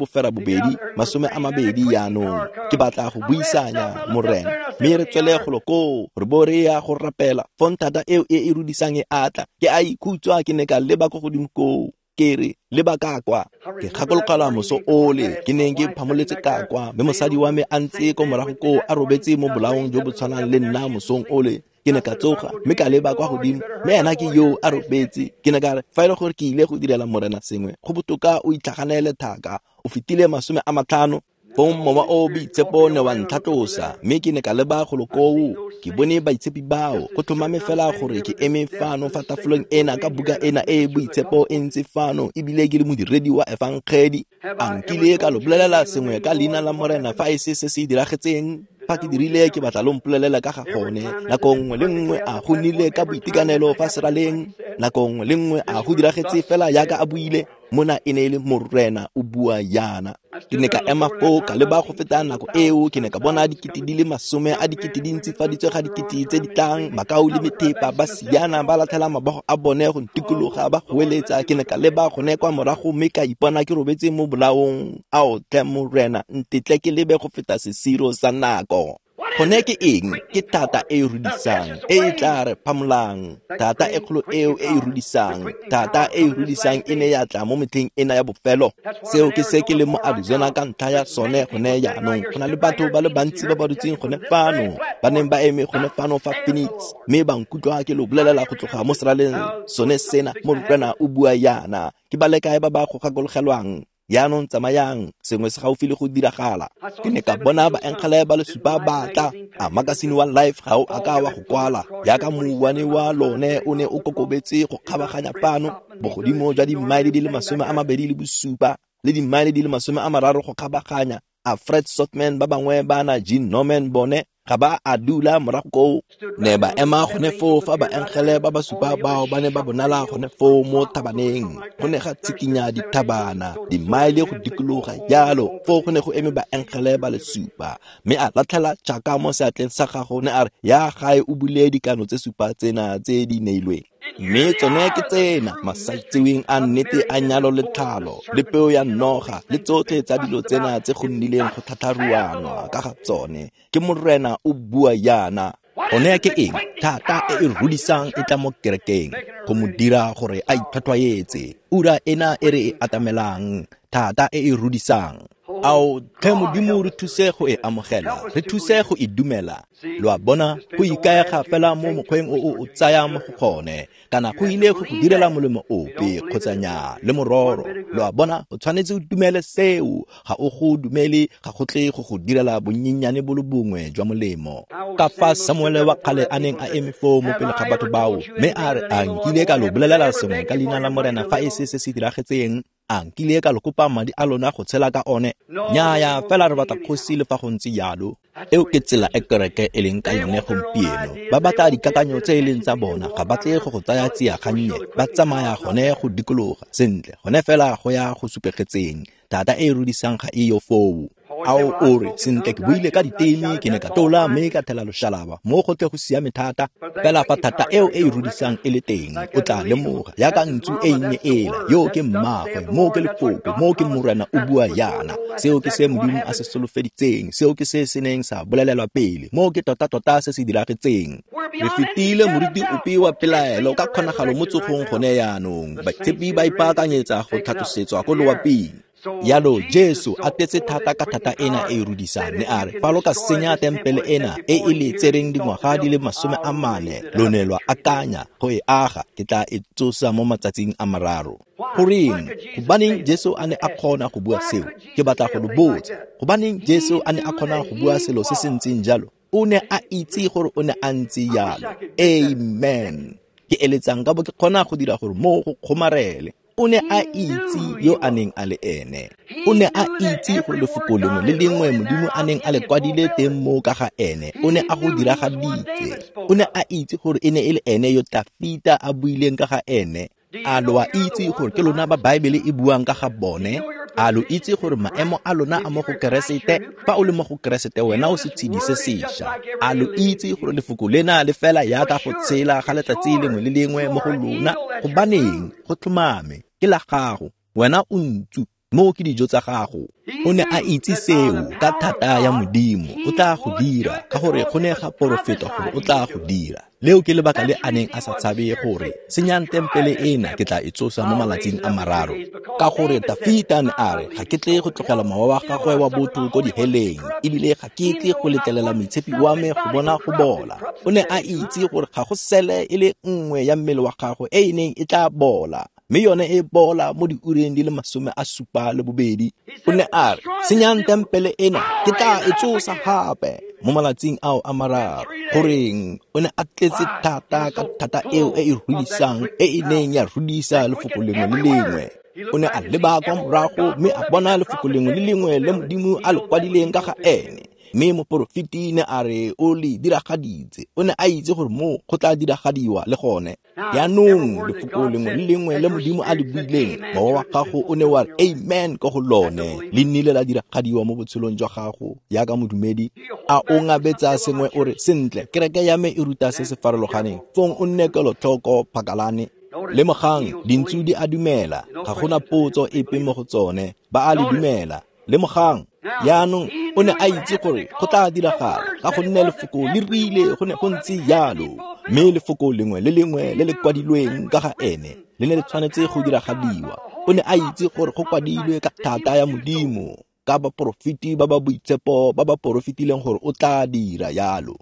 [SPEAKER 1] 20 jaanong. Ke batla go buisanya, Morena, mme re tswele golo koo, re bo re ya go rapela. Fong thata eo e e rudisang e atla. Ke a ikhutshwa, ke ne ka leba ko godimo koo. Ke re, leba ka kwa. Ke gakologelwa moso ole ke neng ke phamoletse ka kwa, mme mosadi wa me a ntse ko morago koo a robetse mo bolaong jo bo tshwanang le nna mosong ole. Ke ne ka tsoga mme ka leba kwa godimo, mme ena ke yo a robetse. Ke ne ka re, fa e le gore ke ile go direla Morena sengwe, go botoka o itlhaganele thaka. O fetile 50. Fong mowa o boitshepo ne wa ntlhatlosa, mme ke ne ka leba golo koo. Ke bone baitshepi bao, go tlhomame fela gore ke eme fano fa tafoleng ena ka buka ena e boitshepo e ntse fano, ebile ke le modiredi wa efangedi. A nkile ka lo bolelela sengwe ka leina la Morena fa e se se se diragetseng? Fa ke dirile, ke batla lo mpolelela ka ga gone. Nako nngwe le nngwe a go nnile ka boitekanelo fa seraleng, nako nngwe le nngwe a go diragetse fela jaaka a buile. Mona e ne e le Morena o bua yana. Ke ne ka ema foo ka leba go feta nako eo, ke ne ka bona dikete di le 10 a dikete di ntsifaditswe ga dikete tse di tlang, makau le methepa ba siana ba latlhela mabogo a bone go ntikologa ba goeletsa. Ke ne ka leba gone kwa morago mme ka ipona ke robetse mo bolaong. Ao tle Morena, ntetle ke lebe go feta sesiro sa nako. Gone ke eng? Ke thata e e rudisang, e e tla re phamolang. Thata e kgolo eo e e rudisang, thata e e rudisang e ne ya tla mo metlheng ena ya bofelo. Seo ke se ke leng mo Arizona ka ntlha ya sone gone jaanong. Go na le batho ba le bantsi ba ba dutseng gone fano, ba neng ba eme gone fano fa Phoenix, mme ba nkutlwa ke lo bolelela go tloga mo seraleng sone sena, Morena o bua yana. Ke ba le kae ba ba go gakologelwang? Jaanong tsamayang, sengwe se gaufi le go diragala. Ke ne ka bona baengele ba le supa ba tla. A makasine wa Life ga o a ka wa go kwala, jaaka mouwane wa lone o ne o kokobetse go kgabaganya fano, bogodimo jwa dimmaele di le 27 le dimmaele di le 30 go kgabaganya. A Fred Sotman ba bangwe ba na Gene Norman bone ga ba a dula morago koo, ne ba ema gone foo fa baengele ba ba supa bao ba ne ba bonala gone foo mo thabaneng. Go ne ga tshikinya dithabana, dimmaele go dikologa jalo. Foo go ne go eme baengele ba le supa, mme a latlhela tšhaka mo seatleng sa gago, ne a re, ya gae o bule dikano tse supa tsena tse di neilweng. Mme tsone ke tsena, masaitseweng a nnete a nyalo le tlhalo, le peo ya noga, le tsotlhe tsa dilo tsena tse go nnileng go tlhatlharuanwa ka ga tsone. Ke Morena o bua yana. Gone ke eng? Thata e e rudisang e tla mo kerekeng, go mo dira gore a itlhwatlhwaetse. Ura ena e re e atamelang, thata e e rudisang. Ao tlhe Modimo, re thuse go e amogela, re thuse go e dumela. Lo a bona, go ikaega fela mo mokgweng o o tsayang mo go gone, kana go ile go go direla molemo ope kgotsa nnyaa, le mororo. Lo a bona, o tshwanetse o dumele seo. Ga o go dumele, ga go tle go go direla bonnyennyane bo le bongwe jwa molemo. Ka fa Samuele wa kgale a neng a eme foo mo pele ga batho bao, mme a re, a nkile ka lo bolelela sengwe ka leina la Morena fa e se se se diragetseng? A nkile ka lo kopa madi a lona go tshela ka one? Nnyaya, fela re batla kgosi le fa go ntse jalo. Eo ke tsela e kereke e leng ka yone gompieno. Ba batla dikakanyo tse e leng tsa bona, ga ba tle go go tsaya tsia gannye. Ba tsamaya gone go dikologa sentle, gone fela go ya go supegetseng. Thata e e rudisang ga e yo foo. Ao o re, sentle ke buile ka diteme, ke ne ka tola mme ka thela loshalaba, mo go tle go siame thata. Fela fa thata eo e e rudisang e le teng, o tla lemoga, jaaka ntsu e nnye ela, yo ke mmagwe, mo ke lefoko, mo ke Morena o bua yana. Seo ke se Modimo a se solofeditseng, seo ke se se neng sa bolelelwa pele, mo ke tota-tota se se diragetseng. Re fetile moriti ope wa pelaelo ka kgonagalo mo tsogong gone jaanong. Baitshepi ba ipaakanyetsa go tlhatlosetswa ko loaping. Yalo Jesu a tletse thata ka thata ena e e rudisang, ne a re, fa lo ka senya tempele ena e e le tsereng dingwaga di le 40, lo ne lwa akanya go e aga, ke tla e tsosa mo matsatsing a 3. Goreng? Gobaneng Jesu a ne a kgona go bua seo? Ke batla go lo botsa. Gobaneng Jesu a ne a kgona go bua selo se se ntseng jalo? O ne a itse gore o ne a ntse jalo. Amen. Ke eletsang ka bo ke kgona go dira gore mo go kgomarele. O ne a itse yo a neng a le ene. O ne a itse gore lefoko lengwe le lengwe Modimo a neng a le kwadile teng mo ka ga ene, o ne a go diragaditse. O ne a itse gore e ne e le ene yo Tafita a buileng ka ga ene. A lo a itse gore ke lona ba Baebele e buang ka ga bone? A lo itse gore maemo a lona a mo go Keresete? Fa o le mo go Keresete, wena o setshedi se sešwa. A lo itse gore lefoko lena le fela jaaka go tshela ga letsatsi lengwe le lengwe mo go lona? Gobaneng? Go tlhomame, ke la gago. Wena o ntsu, mo ke dijo tsa gago. O ne a itse seo ka thata ya Modimo. O tla go dira, ka gore go ne ga porofetwa gore o tla go dira. Leo ke lebaka le a neng a sa tshabe gore, senyang tempele ena, ke tla e tsosa mo malatsing a 3. Ka gore Tafita ne a re, ga ke tle go tlogela mowa wa gagwe wa botho ko diheleng, ebile ga ke tle go letlelela moitshepi wa me go bona go bola. O ne a itse gore ga go sele e le nngwe ya mmele wa gagwe e e neng e tla bola, mme yone e bola mo diureng di le 72. O ne a re, senyang tempele ena, ke tla e tsosa gape mo malatsing ao a 3. Goreng? O ne a tletse thata ka thata eo e e rudisang, e e neng ya rudisa lefoko lengwe le lengwe. O ne a leba kwa morago mme a bona lefoko lengwe le lengwe le Modimo a le kwadileng ka ga ene. Mme moporofeti ne a re o le diragaditse. O ne a itse gore mo go tla diragadiwa le gone. Jaanong lefoko lengwe le lengwe le Modimo a le buileng, mowa wa gago o ne wa re amen ko go lone, le nnile la diragadiwa mo botshelong jwa gago jaaka modumedi. A o ngabetsa sengwe o re, sentle, kereke ya me e ruta se se farologaneng, fong o nne kelotlhoko phakalane. Lemogang, dintsu di a dumela, ga gona potso epe mo go tsone, ba a le dumela. Lemogang. Jaanong o ne a itse gore go tla diragala ka gonne lefoko le rile go ne go ntse jalo, mme lefoko lengwe le lengwe le le kwadilweng ka ga ene le ne le tshwanetse go diragadiwa. O ne a itse gore go kwadilwe ka thata ya Modimo ka baporofeti ba ba boitshepo ba ba porofetileng gore o tla dira jalo.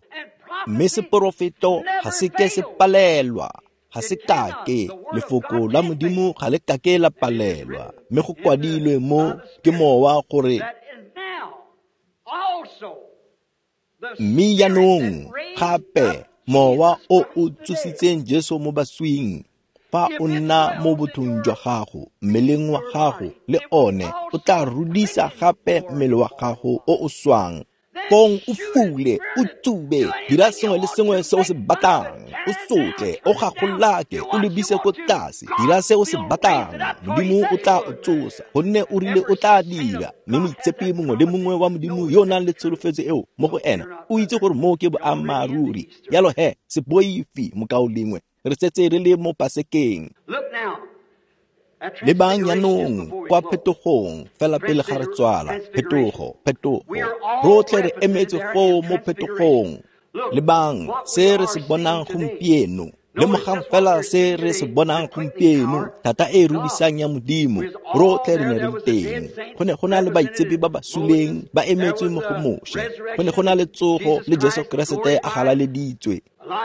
[SPEAKER 1] Mme seporofeto ga se ke se palelwa, ga se kake, lefoko la Modimo ga le kake la palelwa, mme go kwadilwe mo ke Mowa gore mme jaanong gape Mowa o o tsositseng Jesu mo baswing, fa o nna mo bothong jwa gago, mmeleng wa gago le one o tla rudisa gape mmele wa gago o o swang. Fong o fule, o tsube, dira sengwe le sengwe se o se batlang, o sotle, o gagolake, o lebise ko tlase, dira se o se batlang. Modimo o tla o tsosa, gonne o rile o tla dira. Mme moitshepi mongwe le mongwe wa Modimo yo o nang le tsholofetso eo mo go ena, o itse gore moo ke boammaaruri. Jalo he, se boife mokaulengwe, re setse re le mo Pasekeng. Lebang jaanong kwa phetogong fela pele ga re tswala. Phetogo, phetogo. Rotlhe re emetse foo mo phetogong. Lebang se re se bonang gompieno. Lemogang fela se re se bonang gompieno, thata e e rudisang ya Modimo. Rotlhe re ne re le teng. Go ne go na le baitshepi ba ba suleng ba emetswe mo go Moshe. Go ne go na le tsogo le Jesu Keresete a galaleditswe.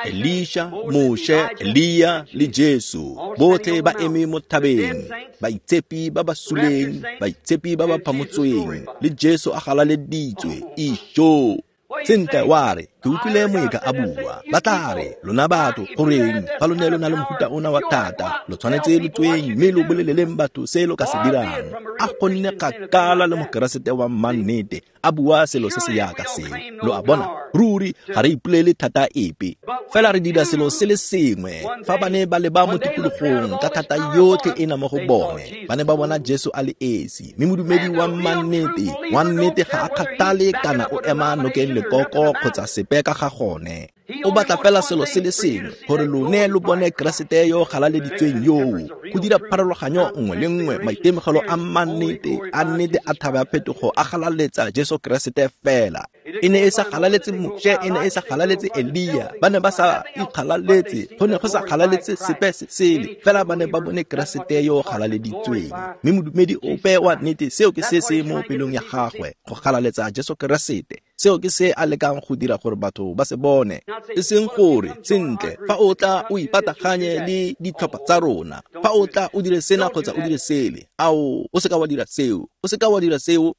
[SPEAKER 1] Elisha, Moshe, Elia le Jesu botlhe ba eme mo thabeng, baitshepi ba ba suleng, baitshepi ba ba phamotsweng, le Jesu a galaleditswe. Ijo! Sentle wa re, ke utlwile moeka a bua. Ba tla re, lona batho, goreng fa lo ne lo na le mofuta ona wa thata, lo tshwanetse lo tsweng mme lo boleleleng batho se lo ka se dirang. A go nne kgakala le Mokeresete wa mmannete a bua selo se se yaka seo. Lo a bona, ruri ga re ipolele thata epe, fela re dira selo se le sengwe. Fa ba ne ba leba mo tikologong ka thata yotlhe ena mo go bone, ba ne ba bona Jesu a le esi. Mme modumedi wa mmannete, wa nnete ga a kgathale kana o ema nokeng lekoko kgotsa sepe ka ga gone. O batla fela selo se le sengwe, gore lone lo bone Keresete yo galaleditsweng yoo. Go dira pharologanyo nngwe le nngwe, maitemogelo a mmannete, a nnete a thaba ya phetogo a galaletsa Jesu Keresete fela. E ne e sa galaletse Moshe, e ne e sa galaletse Elia, ba ne ba sa ikgalaletse, go ne go sa galaletse sepe se sele, fela ba ne ba bone Keresete yo galaleditsweng. Mme modumedi ope wa nnete, seo ke se se mo pelong ya gagwe, go galaletsa Jesu Keresete. Seo ke se a lekang go dira gore batho ba se bone. E seng gore, sentle, fa o tla o ipataganye le ditlhopha tsa rona, fa o tla o dire sena kgotsa o dire sele, ao, o seka wa dira seo, o seka wa dira seo.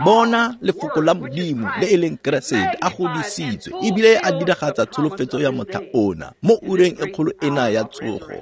[SPEAKER 1] Bona lefoko la Modimo le e leng Keresete a godisitswe ebile a diragatsa tsholofetso ya motlha ona mo ureng e kgolo ena ya tsogo.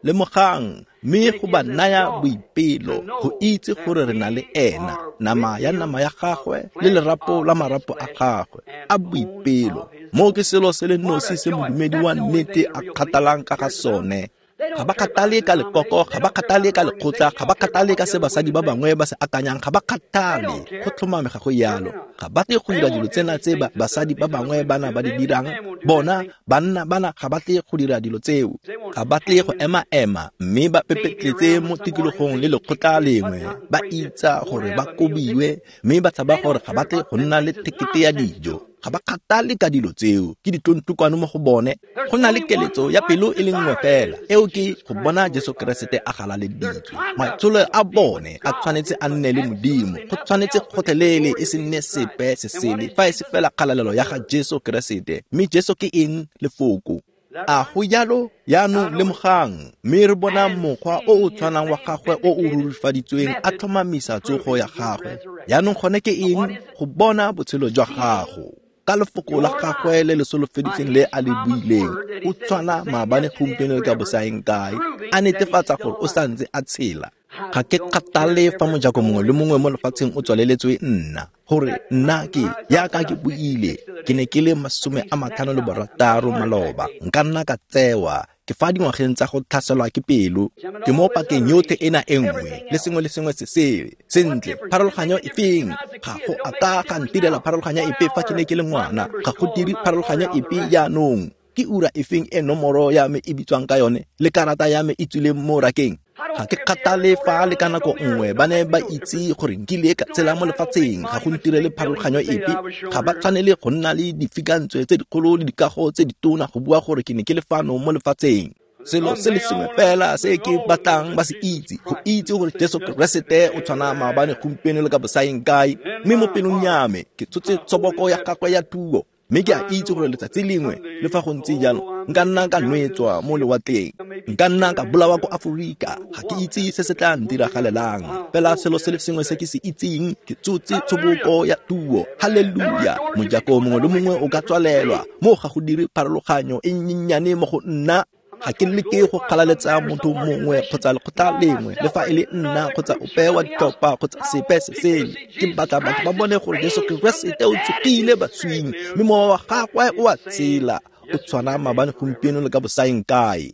[SPEAKER 1] Lemogang, mme go ba naya boipelo go itse gore re na le ena, nama ya nama ya gagwe le lerapo la marapo a gagwe, a boipelo. Moo ke selo se le nosi se modumedi wa nnete a kgathalang ka ga sone. Ga ba kgathale ka lekoko, ga ba kgathale ka lekgotla, ga ba kgathale ka se basadi ba bangwe ba se akanyang, ga ba kgathale. Go tlhomame ga go yalo. Ga ba tle go dira dilo tsena tse basadi ba bangwe bana ba di dirang. Bona banna bana ga ba tle go dira dilo tseo. Ga ba tle go ema-ema mme ba pepetletse mo tikologong le lekgotla lengwe, ba itsa gore ba kobiwe mme ba tshaba gore ga ba tle go nna le thekete ya dijo. Ga ba kgathale ka dilo tseo, ke ditlontlokwane mo go bone. Go na le keletso ya pelo e le nngwe fela, eo ke go bona Jesu Keresete a galaleditswe. Maitsholo a bone a tshwanetse a nne le Modimo, go tshwanetse gotlhelele e se nne sepe se sele fa e se fela kgalalelo ya ga Jesu Keresete. Mme Jesu ke eng? Lefoko. A go jalo? Jaanong lemogang, mme re bona mokgwa o o tshwanang wa gagwe o o rurifaditsweng a tlhomamisa tsogo ya gagwe. Jaanong gone ke eng? Go bona botshelo jwa gago ka lefoko la gagwe le le solofeditseng le a le buileng. O tshwana maabane, gompieno le ka bosaeng kae, a netefatsa gore o santse a tshela. Ga ke kgathale fa mojako mongwe le mongwe mo lefatsheng o tswaleletswe nna, gore nna ke yaka ke buile, ke ne ke le 56 maloba, nka nna ka tsewa ke fa dingwageng tsa go tlhaselwa ke pelo, ke mo pakeng yotlhe ena e nngwe le sengwe le sengwe se sele. Sentle, pharologanyo efeng? Ga go a ka ga ntirela pharologanyo epe fa ke ne ke le ngwana, ga go dire pharologanyo epe jaanong. Ke ura efeng e nomoro ya me e bitswang ka yone le karata ya me e tswileng mo rakeng? Ga ke kgathale fa le ka nako nngwe ba ne ba itse gore nkile ka tshela mo lefatsheng, ga go ntirele pharologanyo epe. Ga ba tshwanele go nna le difikantswe tse dikgolo le dikago tse ditona go bua gore ke ne ke le fano mo lefatsheng. Selo se le sengwe fela se ke batlang ba se itse, go itse gore Jesu Keresete o tshwana maabane, gompieno le ka bosaeng kae. Mme mo pelong ya me ke tshotse tshoboko ya gagwe ya thuo, mme ke a itse gore letsatsi lengwe, le fa go ntse jalo, nka nna ka nwetswa mo lewatleng, nka nna ka bolawa ko Aforika. Ga ke itse se se tla ntiragalelang, fela selo se le sengwe se ke se itseng, ke tsotse tshoboko ya thuo. Halleluja! Mojako mongwe le mongwe o ka tswalelwa, mo ga go dire pharologanyo e nnyennyane mo go nna. Ga ke leke go kgalaletsa motho mongwe kgotsa lekgotla lengwe, le fa e le nna kgotsa ope wa ditlhopha kgotsa sepe se sele. Ke batla batho ba bone gore Jesu Keresete o tsogile baswing, mme mowa wa gagwe o a tshela, o tshwana maabane, gompieno le ka bosaeng kae.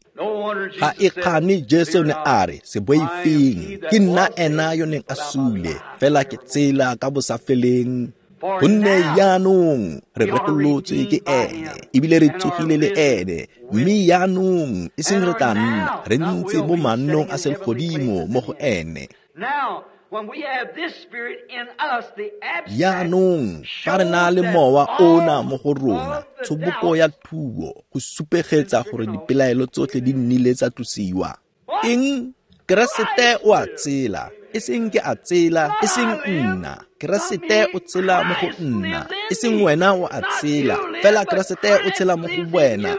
[SPEAKER 1] Ga e kgane Jesu ne a re, se boifeng, ke nna ena yo neng a sule, fela ke tsela ka bosafeleng. Gonne jaanong re rekolotswe ke ene, ebile re tsogile le ene, mme jaanong e seng re tla nna re ntse mo mannong a selegodimo mo go ene. Jaanong fa re na le mowa ona mo go rona, tshoboko ya thuo, go supegetsa gore dipelaelo tsotlhe di nnile tsa tlosiwa. Eng? Keresete o a tsela, e seng ke a tsela, e seng nna. Keresete o tsela mo go nna, e seng wena o a tsela, fela Keresete o tshela mo go wena.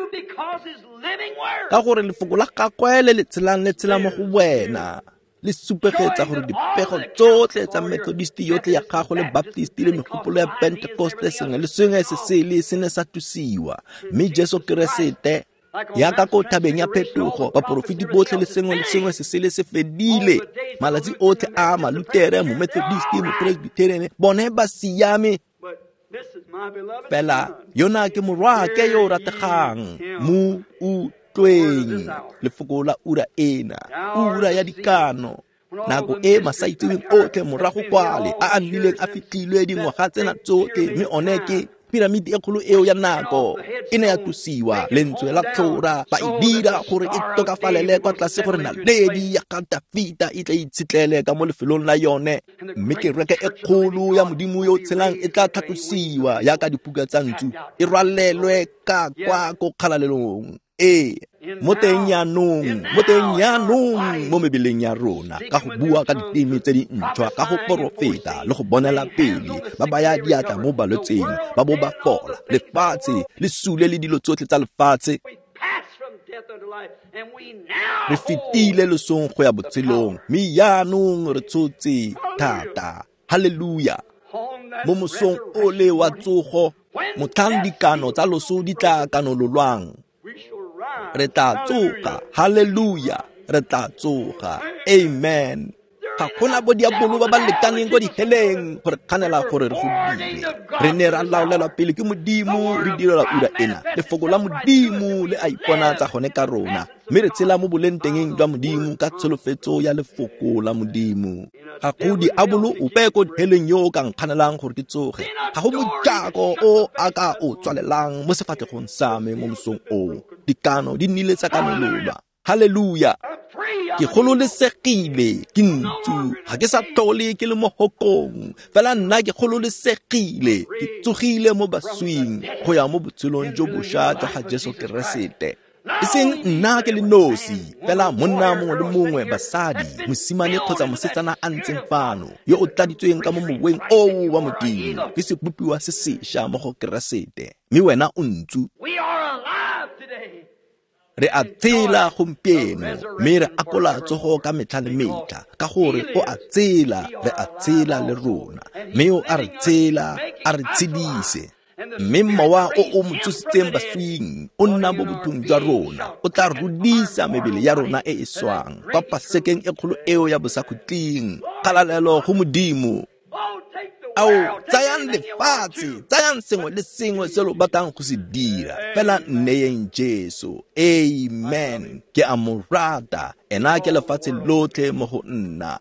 [SPEAKER 1] Ka gore lefoko la gagwe le le tshelang le tshela mo go wena, le supegetsa gore dipego tsotlhe tsa Methodist yotlhe ya gago le Baptist le megopolo ya Pentecoste, sengwe le sengwe se sele se ne sa tlosiwa. Mme Jesu Keresete, yaka ko thabeng ya phetogo, baporofeti botlhe le sengwe le sengwe se sele se fedile. Malatsi otlhe a Malutere, Momethodist, Mopresbyterian, bone ba siame. Fela yona ke morwake yo o rategang, mo utlweng. Lefoko la ura ena, ura ya dikano, nako e masaitseweng otlhe morago kwale a a nnileng a fitlhilwe dingwaga tsena tsotlhe, mme one ke piramidi e kgolo eo ya nako e ne ya tlosiwa, lentswe la tlhora ba e dira gore e tokafalele kwa tlase, gore naledi ya ga Dafita e tla itshetlele ka mo lefelong la yone. Mme kereke e kgolo ya Modimo yo o tshelang e tla tlhatlosiwa yaka dipuka tsa ntsu, e rwalelwe ka kwa ko kgalalelong. Ee, mo teng jaanong, mo teng jaanong mo mebeleng ya rona, ka go bua ka diteme tse di ntšhwa, ka go porofeta le go bonela pele, ba baya diatla mo balwetseng, ba bo ba fola. Lefatshe le sule le dilo tsotlhe tsa lefatshe. Re fetile losong go ya botshelong, mme jaanong re tshotse thata. Halleluja! Mo mosong ole wa tsogo, motlhang dikano tsa loso di tla kanololwang, re tla tsoga. Halleluja! Re tla tsoga. Amen. Ga gona bo diabolo ba ba lekaneng ko diheleng gore kganela gore re go dire. Re ne ra laolelwa pele ke Modimo, re direla ura ena. Lefoko la Modimo le a iponatsa gone ka rona, mme re tshela mo bolengtengeng jwa Modimo ka tsholofetso ya lefoko la Modimo. Ga go diabolo ope ko diheleng yo o ka nkganelang gore ke tsoge. Ga go mojako o a ka o tswalelang mo sefatlhegong sa me mo mosong oo. Dikano di nnile tsa kanololwa. Halleluja! Ke gololesegile, ke ntsu, ga ke sa tlhole ke le mo hokong, fela nna ke gololesegile, ke tsogile mo baswing go ya mo botshelong jo bošwa jwa ga Jesu Keresete. E seng nna ke le nosi, fela monna mongwe le mongwe, basadi, mosimane kgotsa mosetsana a ntseng fano, yo o tladitsweng ka mo moweng oo wa Modimo, ke sebopiwa se sešwa mo go Keresete, mme wena o ntsu. Re a tshela gompieno, mme re akola tsogo ka metlha le metlha, ka gore o a tshela, re a tshela le rona, mme o a re tshela, a re tshedise. Mme mowa o o mo tsositseng baswing o nna mo bothong jwa rona, o tla rudisa mebele ya rona e e swang kwa pasekeng e kgolo eo ya bosakhutleng. Kgalalelo go Modimo. Ao, tsayang lefatshe, tsayang sengwe le sengwe se lo batlang go se dira, fela nneyeng Jesu. Amen. Ke a mo rata, ena ke lefatshe lotlhe mo go nna.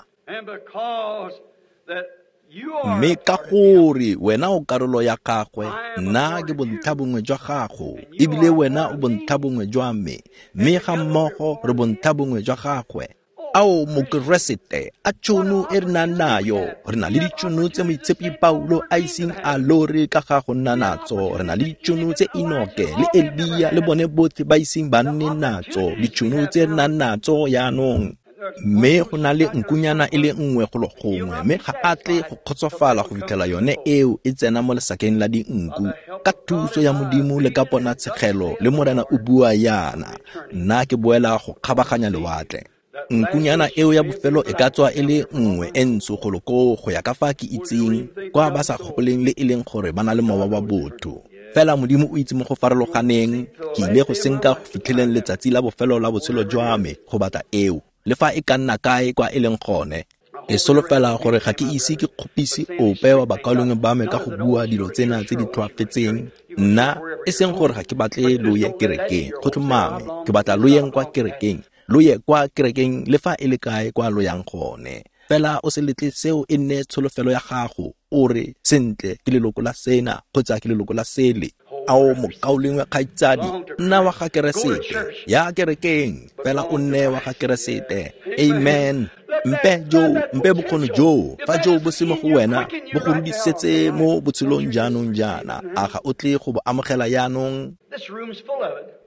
[SPEAKER 1] Mme ka gore wena o karolo ya gagwe, nna ke bontlha bongwe jwa gago, ebile wena o bontlha bongwe jwa me, mme ga mmogo re bontlha bongwe jwa gagwe. Ao Mokeresete, a tšhono e re nang nayo. Re na le ditšhono tse Moitshepi Paulo a iseng a lore ka ga go nna natso. Re na le ditšhono tse Enoke le Elia le bone botlhe ba iseng ba nne natso. Ditšhono tse re nang natso jaanong. Mme go na le nkunyana e le nngwe golo gongwe, mme ga a tle go kgotsofala go fitlhela yone eo e tsena mo lesakeng la dinku. Ka thuso ya Modimo le ka ponatshegelo le Morena o bua yana, nna ke boela go kgabaganya lewatle. Nkunyana eo ya bofelo e ka tswa e le nngwe e ntsho golo koo go ya ka fa ke itseng, kwa ba sa gopoleng le e leng gore ba na le mowa wa botho. Fela Modimo o itse mo go farologaneng, ke ile go senka go fitlheleng letsatsi la bofelo la botshelo jwa me go batla eo, le fa e ka nna kae kwa e leng gone. Ke solofela gore ga ke ise ke kgopise ope wa bakaulengwe ba me ka go bua dilo tsena tse di tlhoafetseng. Nna, e seng gore ga ke batle lo ye kerekeng, go tlhomame, ke batla lo yeng kwa kerekeng. Lo ye kwa kerekeng le fa e le kae kwa lo yang gone. Fela o se letle seo e nne tsholofelo ya gago, o re, sentle, ke leloko la sena, kgotsa ke leloko la sele. Ao mokaulengwe kgaitsadi, nna wa ga Keresete, ya kerekeng, fela o nne wa ga Keresete. Amen. Mpe joo, mpe bokgoni joo, fa joo bo se mo go wena, bo go rudisetse mo botshelong jaanong jaana. A ga o tle go bo amogela jaanong?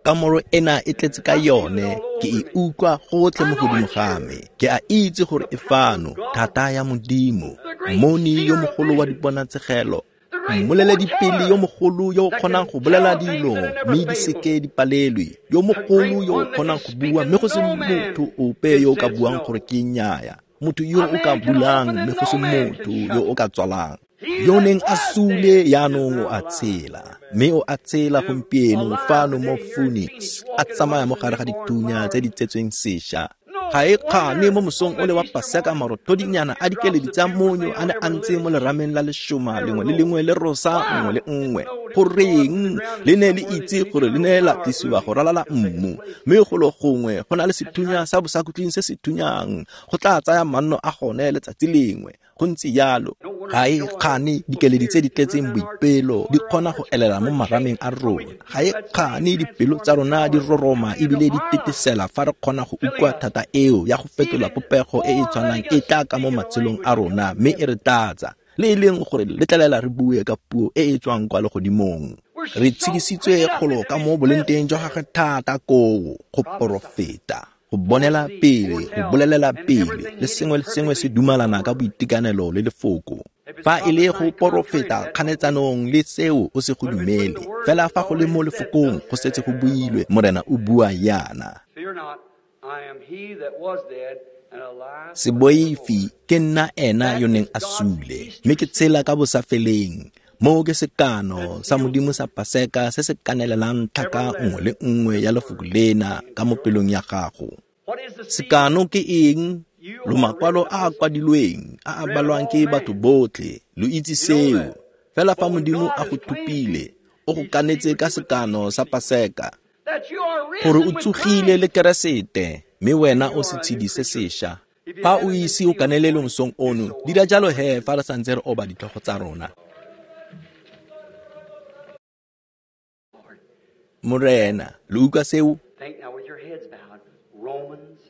[SPEAKER 1] Kamoro ena e tletse ka yone, ke e utlwa gotlhe mo godimo ga me. Ke a itse gore e fano, thata ya Modimo, mmoni yo mogolo wa diponatshegelo, mmoleledipele yo mogolo yo o kgonang go bolela dilo mme di seke di palelwe, yo mogolo yo o kgonang go bua mme go se motho ope yo o ka buang gore ke nnyaya, motho yo o ka bulang mme go se motho yo o ka tswalang. Yo neng a sule jaanong o a tshela, mme o a tshela gompieno fano mo Phoenix, a tsamaya mo gare ga dithunya tse di tsetsweng sešwa. Ga e kgane mo mosong o le wa Paseka marothodinyana a dikeledi tsa monyo a ne a ntse mo lerameng la lešoma lengwe le lengwe le rosa nngwe le nngwe. Goreng le ne le itse gore le ne la tlisiwa go ralala mmu, mme golo gongwe go na le sethunya sa bosakhutleng se se thunyang, go tla tsaya manno a gone letsatsi lengwe. Go ntse jalo. Ga e kgane dikeledi tse di tletseng boipelo di kgona go elela mo marameng a rona. Ga e kgane dipelo tsa rona di roroma ebile di tetesela fa re kgona go utlwa thata eo ya go fetola popego e e tshwanang e tla ka mo matshelong a rona mme e re tlatsa, le e leng gore letlelela re bue ka puo e e tswang kwa legodimong. Re tshedisitswe golo ka mo bolengteng jwa gagwe thata koo go porofeta, go bonela pele, go bolelela pele, le sengwe le sengwe se dumalana ka boitekanelo le lefoko. Fa e le go porofeta kganetsanong le seo o se go dumele, fela fa go le mo lefokong go setse go builwe, Morena o bua yana. Se boife, ke nna ena yo neng a sule, mme ke tshela ka bosafeleng. Mo ke sekano sa Modimo sa Paseka se se kanelelang tlhaka nngwe le nngwe ya lefoko lena ka mo pelong ya gago. Sekano ke eng? Lo makwalo a a kwadilweng, a a balwang ke batho botlhe, lo itse seo. Fela fa Modimo a go thupile, o go kanetse ka sekano sa Paseka, gore o tsogile le Keresete, mme wena o setshedi se sešwa. Fa o ise o kanelele mosong ono, dira jalo he fa re santse re oba ditlhogo tsa rona. Morena, lo utlwa seo?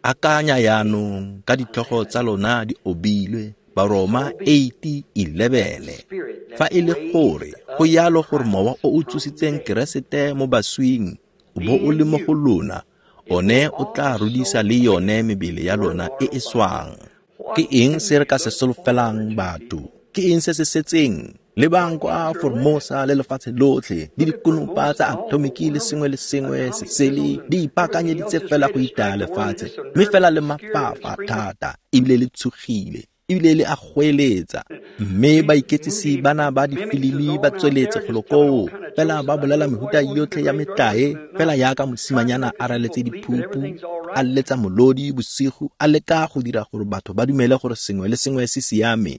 [SPEAKER 1] Akanya jaanong ka ditlhogo tsa lona di obilwe, Baroma 8:11. Fa e le gore go yalo gore mowa o o tsositseng Keresete mo baswing o bo o le mo go lona, one o tla rudisa le yone mebele ya lona e e swang. Ke eng se re ka se solofelang batho? Ke eng se se setseng? Lebang kwa Formosa le lefatshe lotlhe, le dikonopa tsa atomiki le sengwe le sengwe se sele di ipaakanyeditse fela go itaya lefatshe, mme fela le mafafa thata, ebile le tshogile, ebile le a goeletsa. Mme baiketsisi bana ba difilimi ba tsweletse golo koo, fela ba bolela mehuta yotlhe ya metlae, fela jaaka mosimanyana a raletse diphupu, a letsa molodi bosigo, a leka go dira gore batho ba dumele gore sengwe le sengwe se siame.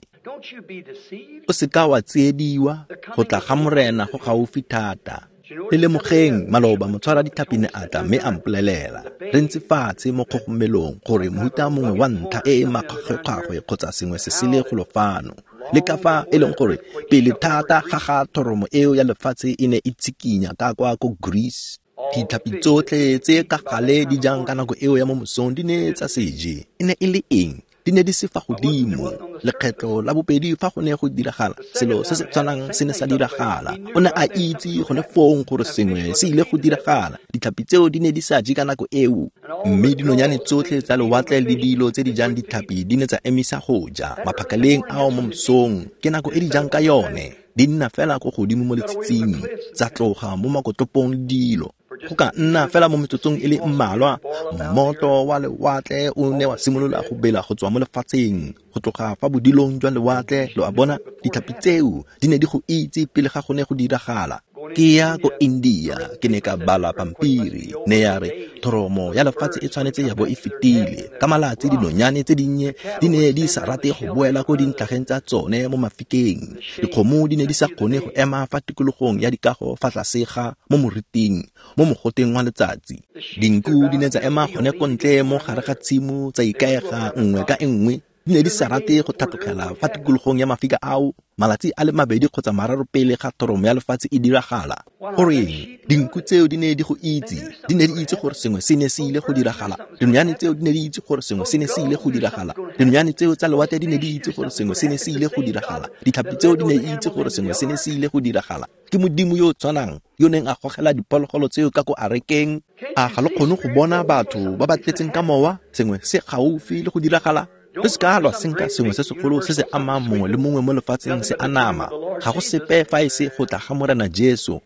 [SPEAKER 1] O seka wa tsiediwa, go tla ga Morena go gaufi thata. Le lemogeng maloba motshwara ditlhapi ne a tla mme a mpolelela, re ntse fatshe mo kgogomelong gore mohuta mongwe wa ntlha e e makgwakgwe kgotsa sengwe se sele golo fano. Le ka fa e leng gore pele thata ga ga thoromo eo ya lefatshe e ne e tshikinya ka kwa ko Greece. Ditlhapi tsotlhe tse ka gale di jang ka nako eo ya mo mosong di ne tsa se je. E ne e le eng? Di ne di se fa godimo. Lekgetlo la bobedi fa go ne go diragala, selo se se tshwanang se ne sa diragala. O ne a itse gone fong gore sengwe se ile go diragala. Ditlhapi tseo di ne di sa je ka nako eo, mme dinonyane tsotlhe tsa lewatle le dilo tse di jang ditlhapi di ne tsa emisa go ja maphakaleng ao mo mosong. Ke nako e di jang ka yone. Di nna fela ko godimo mo letshitshing, tsa tloga mo makotopong le dilo. Go ka nna fela mo metsotsong e le mmalwa, mmoto wa lewatle o ne wa simolola go bela go tswa mo lefatsheng, go tloga fa bodilong jwa lewatle. Lo a bona, ditlhapi tseo di ne di go itse pele ga go ne go diragala. Ke ya ko India, ke ne ka bala pampiri, ne ya re thoromo ya lefatshe e tshwanetse ya bo e fetile. Ka malatsi dinonyane tse dinnye di ne di sa rate go boela ko dintlhageng tsa tsone mo mafikeng. Dikgomo di ne di sa kgone go ema fa tikologong ya dikago fa tlase ga mo moriting, mo mogoteng wa letsatsi. Dinku di ne tsa ema gone ko ntle mo gare ga tshimo, tsa ikaega nngwe ka e nngwe. Di ne di sa rate go tlhatlogela fa tikologong ya mafika ao malatsi a le mabedi kgotsa mararo pele ga thoromo ya lefatshe e diragala. Goreng? Dinku tseo di ne di go itse. Di ne di itse gore sengwe se ne se ile go diragala. Dinonyane tseo di ne di itse gore sengwe se ne se ile go diragala. Dinonyane tseo tsa lewatle di ne di itse gore sengwe se ne se ile go diragala. Ditlhapi tseo di ne di itse gore sengwe se ne se ile go diragala. Ke Modimo yo o tshwanang yo neng a gogela diphologolo tseo ka ko arekeng. A ga lo kgone go bona batho ba ba tletseng ka mowa? Sengwe se gaufi le go diragala. Le se ka lwa senka sengwe se segolo se se amang mongwe le mongwe mo lefatsheng se anama. Ga go sepe fa e se go tla ga Morena Jesu.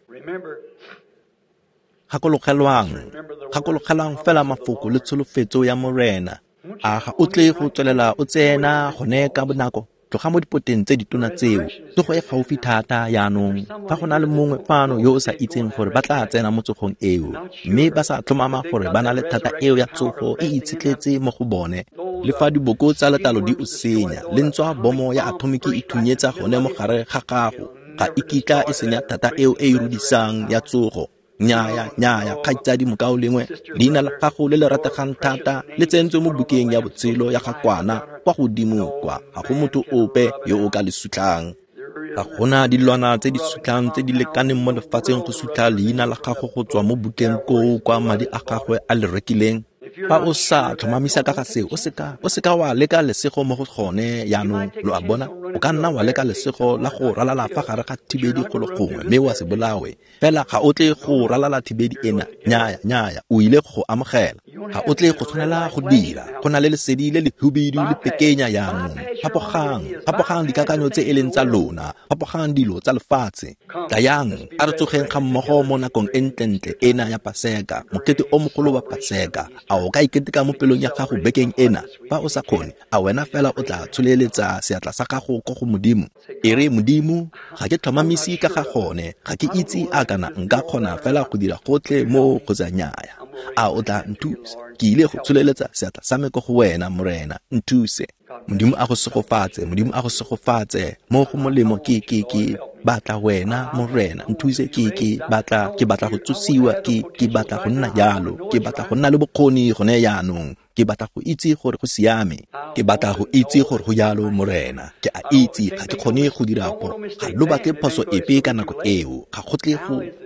[SPEAKER 1] Gakologelwang fela mafoko le tsholofetso ya Morena. A ga o tle go tswelela o tsena gone ka bonako? Tloga mo dipoteng tse ditona tseo. Tsogo e gaufi thata jaanong. Fa go na le mongwe fano yo o sa itseng gore ba tla tsena mo tsogong eo, mme ba sa tlhomama gore ba na le thata eo ya tsogo e itshetletse mo go bone, le fa diboko tsa letlalo di o senya, le ntswa bomo ya atomiki e thunyetsa gone mo gare ga gago, ga e kitla e senya thata eo e e rudisang ya tsogo. Nnyaya, nnyaya, kgaitsadi mokaulengwe, leina la gago le le rategang thata le tsentswe mo bukeng ya botshelo ya ga Kwana kwa godimo kwa. Ga go motho ope yo o ka le sutlhang. Ga gona dilwana tse di sutlhang tse di lekaneng mo lefatsheng go sutlha leina la gago go tswa mo bukeng koo kwa madi a gagwe a le rekileng. Fa o sa tlhomamisa ka ga seo, o seka wa leka lesego mo go gone jaanong. Lo a bona, o ka nna wa leka lesego la go ralala fa gare ga thibedi go le gongwe mme wa se bolawe. Fela ga o tle go ralala thibedi ena. Nnyaya, nnyaya, o ile go amogela. Ga o tle go tshwanela go dira. Go na le lesedi le lehubidu le pekenya jaanong. Fapogang dikakanyo tse e leng tsa lona. Fapogang dilo tsa lefatshe. Tlayang, a re tsogeng ga mmogo mo nakong e ntlentle ena ya Paseka, mokete o mogolo wa Paseka. A o ka iketeka mo pelong ya gago bekeng ena? Fa o sa kgone, a wena fela o tla tsholeletsa seatla sa gago ko go Modimo? E re, Modimo, ga ke tlhomamise ka ga gone, ga ke itse a kana nka kgona fela go dira gotlhe mo kgotsa nnyaya. A o tla nthusa? Ke ile go tsholeletsa seatla sa me ko go wena, Morena, nthuse. Modimo a go segofatse, Modimo a go segofatse. Mo go molemo ke batla wena, Morena, nthuse. Ke batla go tsosiwa, ke batla go nna jalo, ke batla go nna le bokgoni gone jaanong. Ke batla go itse gore go siame. Ke batla go itse gore go jalo, Morena. Ke a itse ga ke kgone go dira ga lo batle phoso epe ka nako eo. Ga go tle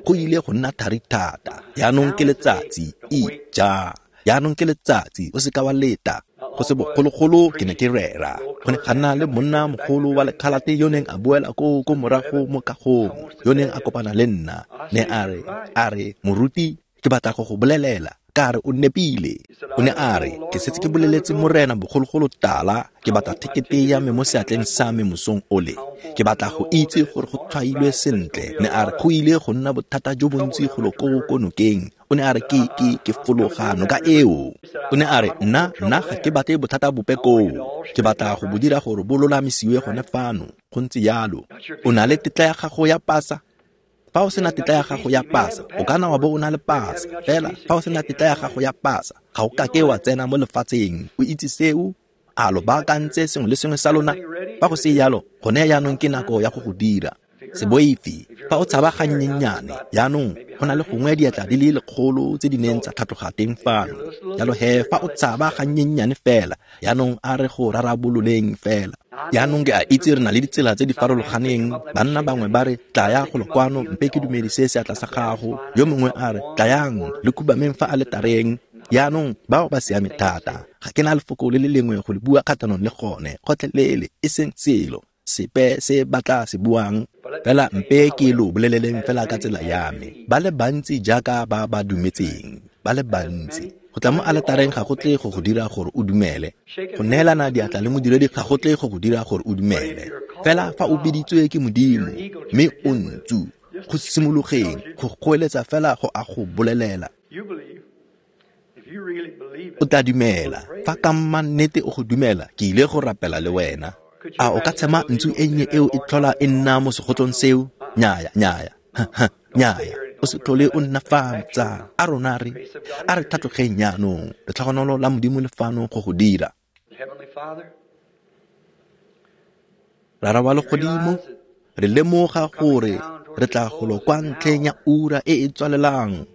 [SPEAKER 1] go ile go nna thari thata. Jaanong ke letsatsi, ija. Jaanong ke letsatsi, o seka wa leta. Go se bogologolo ke ne ke rera. Go ne ga nna le monna mogolo wa lekgalate yo neng a boela ko morago mo kagong, yo neng a kopana le nna. Ne a re, moruti, ke batla go go bolelela. Ka re o nepile. O ne a re, ke setse ke boleletse Morena bogologolo tala, ke batla thekete ya me mo seatleng sa me mosong ole. Ke batla go itse gore go tshwailwe sentle. Ne a re go ile go nna bothata jo bontsi golo ko nokeng. O ne a re ke fologa noka eo. O ne a re nna ga ke batle bothata bope koo. Ke batla go bo dira gore bo lolamisiwe gone fano. Go ntse jalo. O na le tetla ya gago ya pasa? Fa o sena tetla ya gago ya pasa, o kana wa bo o na le pasa. Fela fa o sena tetla ya gago ya pasa, ga o kake wa tsena mo lefatsheng. O itse seo? A lo baakantse sengwe le sengwe sa lona? Fa go se jalo, gone jaanong ke nako ya go go dira. Se boife. Fa o tshaba gannyenyane, jaanong go na le gongwe diatla di le 100 tse di neng tsa tlhatloga teng fano. Jalo he, fa o tshaba gannyenyane fela, jaanong a re go rarabololeng fela. Jaanong ke a itse re na le ditsela tse di farologaneng. Banna bangwe ba re, tlaya golo kwano, mpe ke dumedise seatla sa gago. Yo mongwe a re, tlayang, le khubameng fa aletareng. Jaanong bao ba siame thata. Ga ke na lefoko le le lengwe go le bua kgatlhanong le gone, gotlhelele, e seng selo sepe se ba tla se buang. Fela mpe ke lo boleleleng fela ka tsela ya me. Ba le bantsi jaaka ba ba dumetseng, ba le bantsi. Go tla mo aletareng ga go tle go go dira gore o dumele. Go neelana diatla le modiredi ga go tle go go dira gore o dumele. Fela fa o biditswe ke Modimo, mme o ntsu, go simologeng, go goeletsa fela go a go bolelela. O tla dumela. Fa ka mannete o go dumela, ke ile go rapela le wena. A o ka tshema ntsu e nnye eo e tlhola e nna mo segotlong seo? Nnyaya, nnyaya. Nnyaya. O se tlhole o nna fano, tsala. A rona re a re tlhatlogeng jaanong. Letlhogonolo la Modimo le fano go go dira. Rara wa legodimo, re lemoga gore re tla golo kwa ntlheng ya ura e e tswalelang.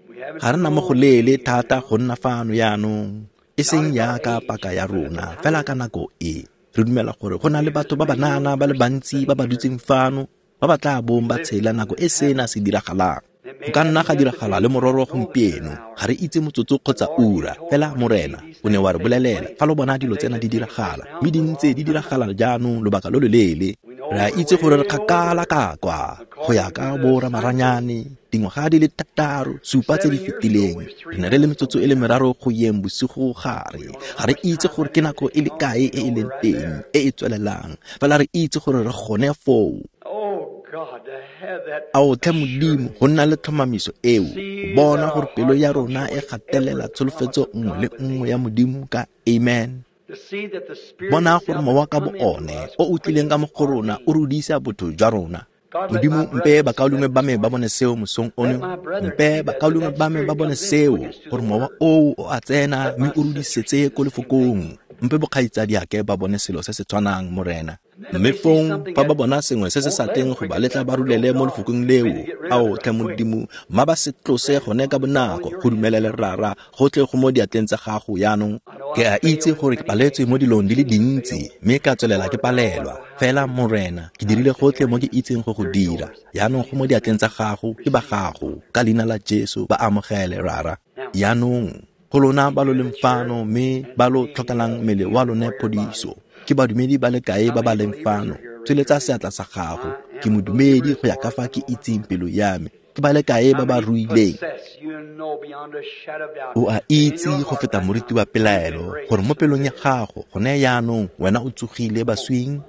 [SPEAKER 1] Ga re na mo go leele thata go nna fano jaanong, e seng jaaka paka ya rona, fela ka nako e. Re dumela gore go na le batho ba banana ba le bantsi ba ba dutseng fano, ba ba tla bong ba tshela nako e sena se diragalang. Go ka nna ga diragala le mororo gompieno, ga re itse motsotso kgotsa ura, fela Morena o ne wa re bolelela fa lo bona dilo tsena di diragala, mme di ntse di diragala jaanong lobaka lo loleele. Re a itse gore re kgakala ka kwa, go ya ka boramaranyane, dingwaga di le 6, 7 tse di fetileng. Re ne re le metsotso e le 3 go yeng bosigo gare. Ga re itse gore ke nako e le kae e e leng teng, e e tswelelang, fela re itse gore re gone foo. Ao tlhe Modimo, go nna le tlhomamiso eo, go bona gore pelo ya rona e gatelela tsholofetso nngwe le nngwe ya Modimo ka amen. Bona gore mowa ka bo one o o tlileng ka mo go rona o rudisa botho jwa rona. Modimo, mpe bakaulengwe ba me ba bone seo mosong ono. Mpe bakaulengwe ba me ba bone seo, gore mowa oo o a tsena mme o rudisetse ko lefokong. Mpe bokgaitsadiake ba bone selo se se tshwanang, Morena. Mme fong fa ba bona sengwe se se sa tleng go ba letla ba rulele mo lefokong leo, ao tlhe Modimo, mma ba se tlose gone ka bonako, go dumelele Rara, gotlhe go mo diatleng tsa gago jaanong. Ke a itse gore ke paletswe mo dilong di le dintsi, mme ka tswelela ke palelwa. Fela Morena, ke dirile gotlhe mo ke itseng go go dira. Jaanong go mo diatleng tsa gago, ke ba gago. Ka leina la Jesu, ba amogele, Rara. Jaanong, go lona ba lo leng fano, mme ba lo tlhokelang mmele wa lone phodiso, ke badumedi ba le kae ba ba leng fano? Tsweletsa seatla sa gago. Ke modumedi go ya ka fa ke itseng pelo ya me. Ke ba le kae ba ba ruileng? O a itse go feta moriti wa pelaelo gore mo pelong ya gago gone jaanong wena o tsogile baswing.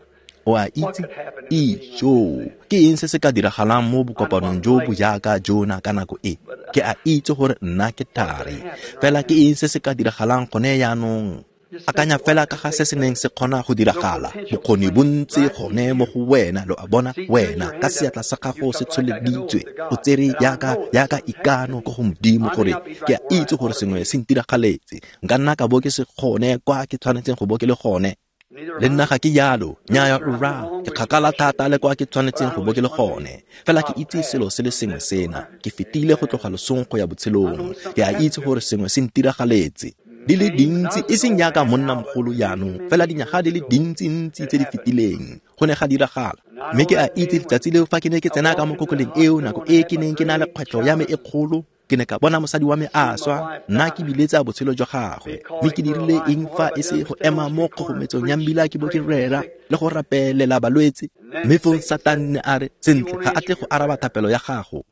[SPEAKER 1] O a itse, ijo, ke eng se se ka diragalang mo bokopanong jo bo jaaka jona ka nako e? Ke a itse gore nna ke thari, fela ke eng se se ka diragalang gone jaanong? Akanya fela ka ga se se neng se kgona go diragala. Bokgoni bo ntse gone mo go wena, lo a bona, wena ka seatla sa gago se tsholeditswe, o tsere jaaka ikano ko go Modimo gore ke a itse gore sengwe se ntiragaletse. Nka nna ka bo ke se gone kwa ke tshwanetseng go bo ke le gone. Le nna ga ke jalo, nnyaya rra, ke kgakala thata le kwa ke tshwanetseng go bo ke le gone. Fela ke itse selo se le sengwe sena, ke fetile go tloga losong go ya botshelong. Ke a itse gore sengwe se ntiragaletse. Di le dintsi, e seng jaaka monnamogolo jaanong, fela dinyaga di le dintsi-ntsi tse di fetileng, go ne ga diragala. Mme ke a itse letsatsi leo fa ke ne ke tsena ka mo kokoleng eo, nako e ke neng ke na le kgwetlho ya me e kgolo, ke ne ka bona mosadi wa me a swa, nna ke biletsa botshelo jwa gagwe. Mme ke dirile eng fa e se go ema mo kgogometsong ya mmila ke bo ke rera le go rapelela balwetse? Mme fong Satane a re, sentle, ga a tle go araba thapelo ya gago.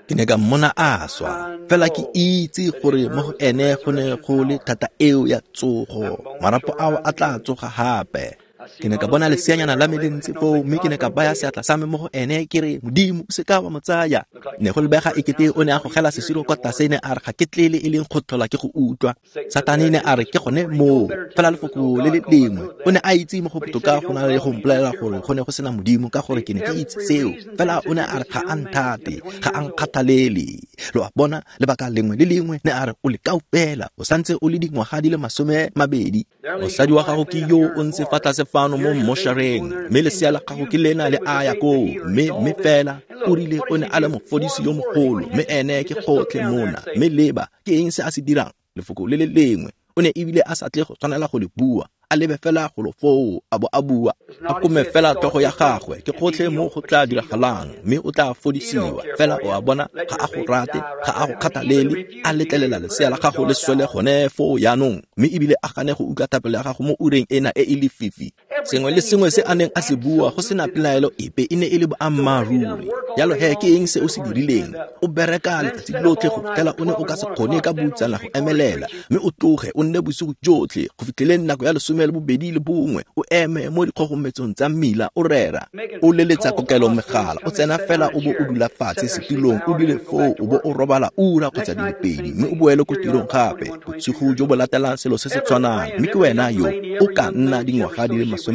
[SPEAKER 1] Ke ne ka mmona a swa, fela ke itse gore mo go ene go ne go le thata eo ya tsogo. Marapo ao a tla tsoga gape. Ke ne ka bona leseanyana la me le ntse foo, mme ke ne ka baya seatla sa me mo go ene, ke re, Modimo, o se ka wa mo tsaya. Ne go lebega ekete o ne a gogela sesiro kwa tlase, ne a re, ga ke tlele e leng go tlhola ke go utlwa. Satane ne a re, ke gone moo, fela lefoko le le lengwe. O ne a itse mo go botoka go na le go mpolelela gore go ne go sena Modimo, ka gore ke ne ke itse seo. Fela o ne a re, ga a nthate, ga a nkgathalele. Lo a bona, lebaka lengwe le lengwe, ne a re, o lekau fela, o santse o le dingwaga di le 20. Mosadi wa gago ke yo o ntse fa tlase fano mo mmoshareng, mme lesea la gago ke lena le a ya koo, mme fela o rile o ne a le mofodisi yo mogolo, mme ene ke gotlhe mona. Mme leba, ke eng se a se dirang? Lefoko le le lengwe. O ne ebile a sa tle go tshwanela go le bua. a lebe fela golo foo a bo a bua, a kome fela tlhogo ya gagwe, ke gotlhe mo go tla diragalang, mme o tla fodisiwa. Fela o a bona, ga a go rate, ga a go kgathalele, a letlelela lesea la gago le swele gone foo jaanong, mme ebile a gane go utlwa thapelo ya gago mo ureng ena e e lefifi. Sengwe le sengwe se a neng a se bua go sena pelaelo epe e ne e le boammaaruri. Jalo he ke eng se o se dirileng? O bereka letsatsi lotlhe go fitlhela o ne o ka se kgone ka boutsana go emelela, mme o tloge o nne bosigo jotlhe go fitlheleng nako ya 12:30, o eme mo dikgogometsong tsa mmila o rera, o leletsa kokelo megala, o tsena fela o bo o dula fatshe setulong, o dule foo o bo o robala ura kgotsa di le pedi, mme o boele ko tirong gape bosigo jo bo latelang, selo se se tshwanang. Mme ke wena yo o ka nna dingwaga di le 21,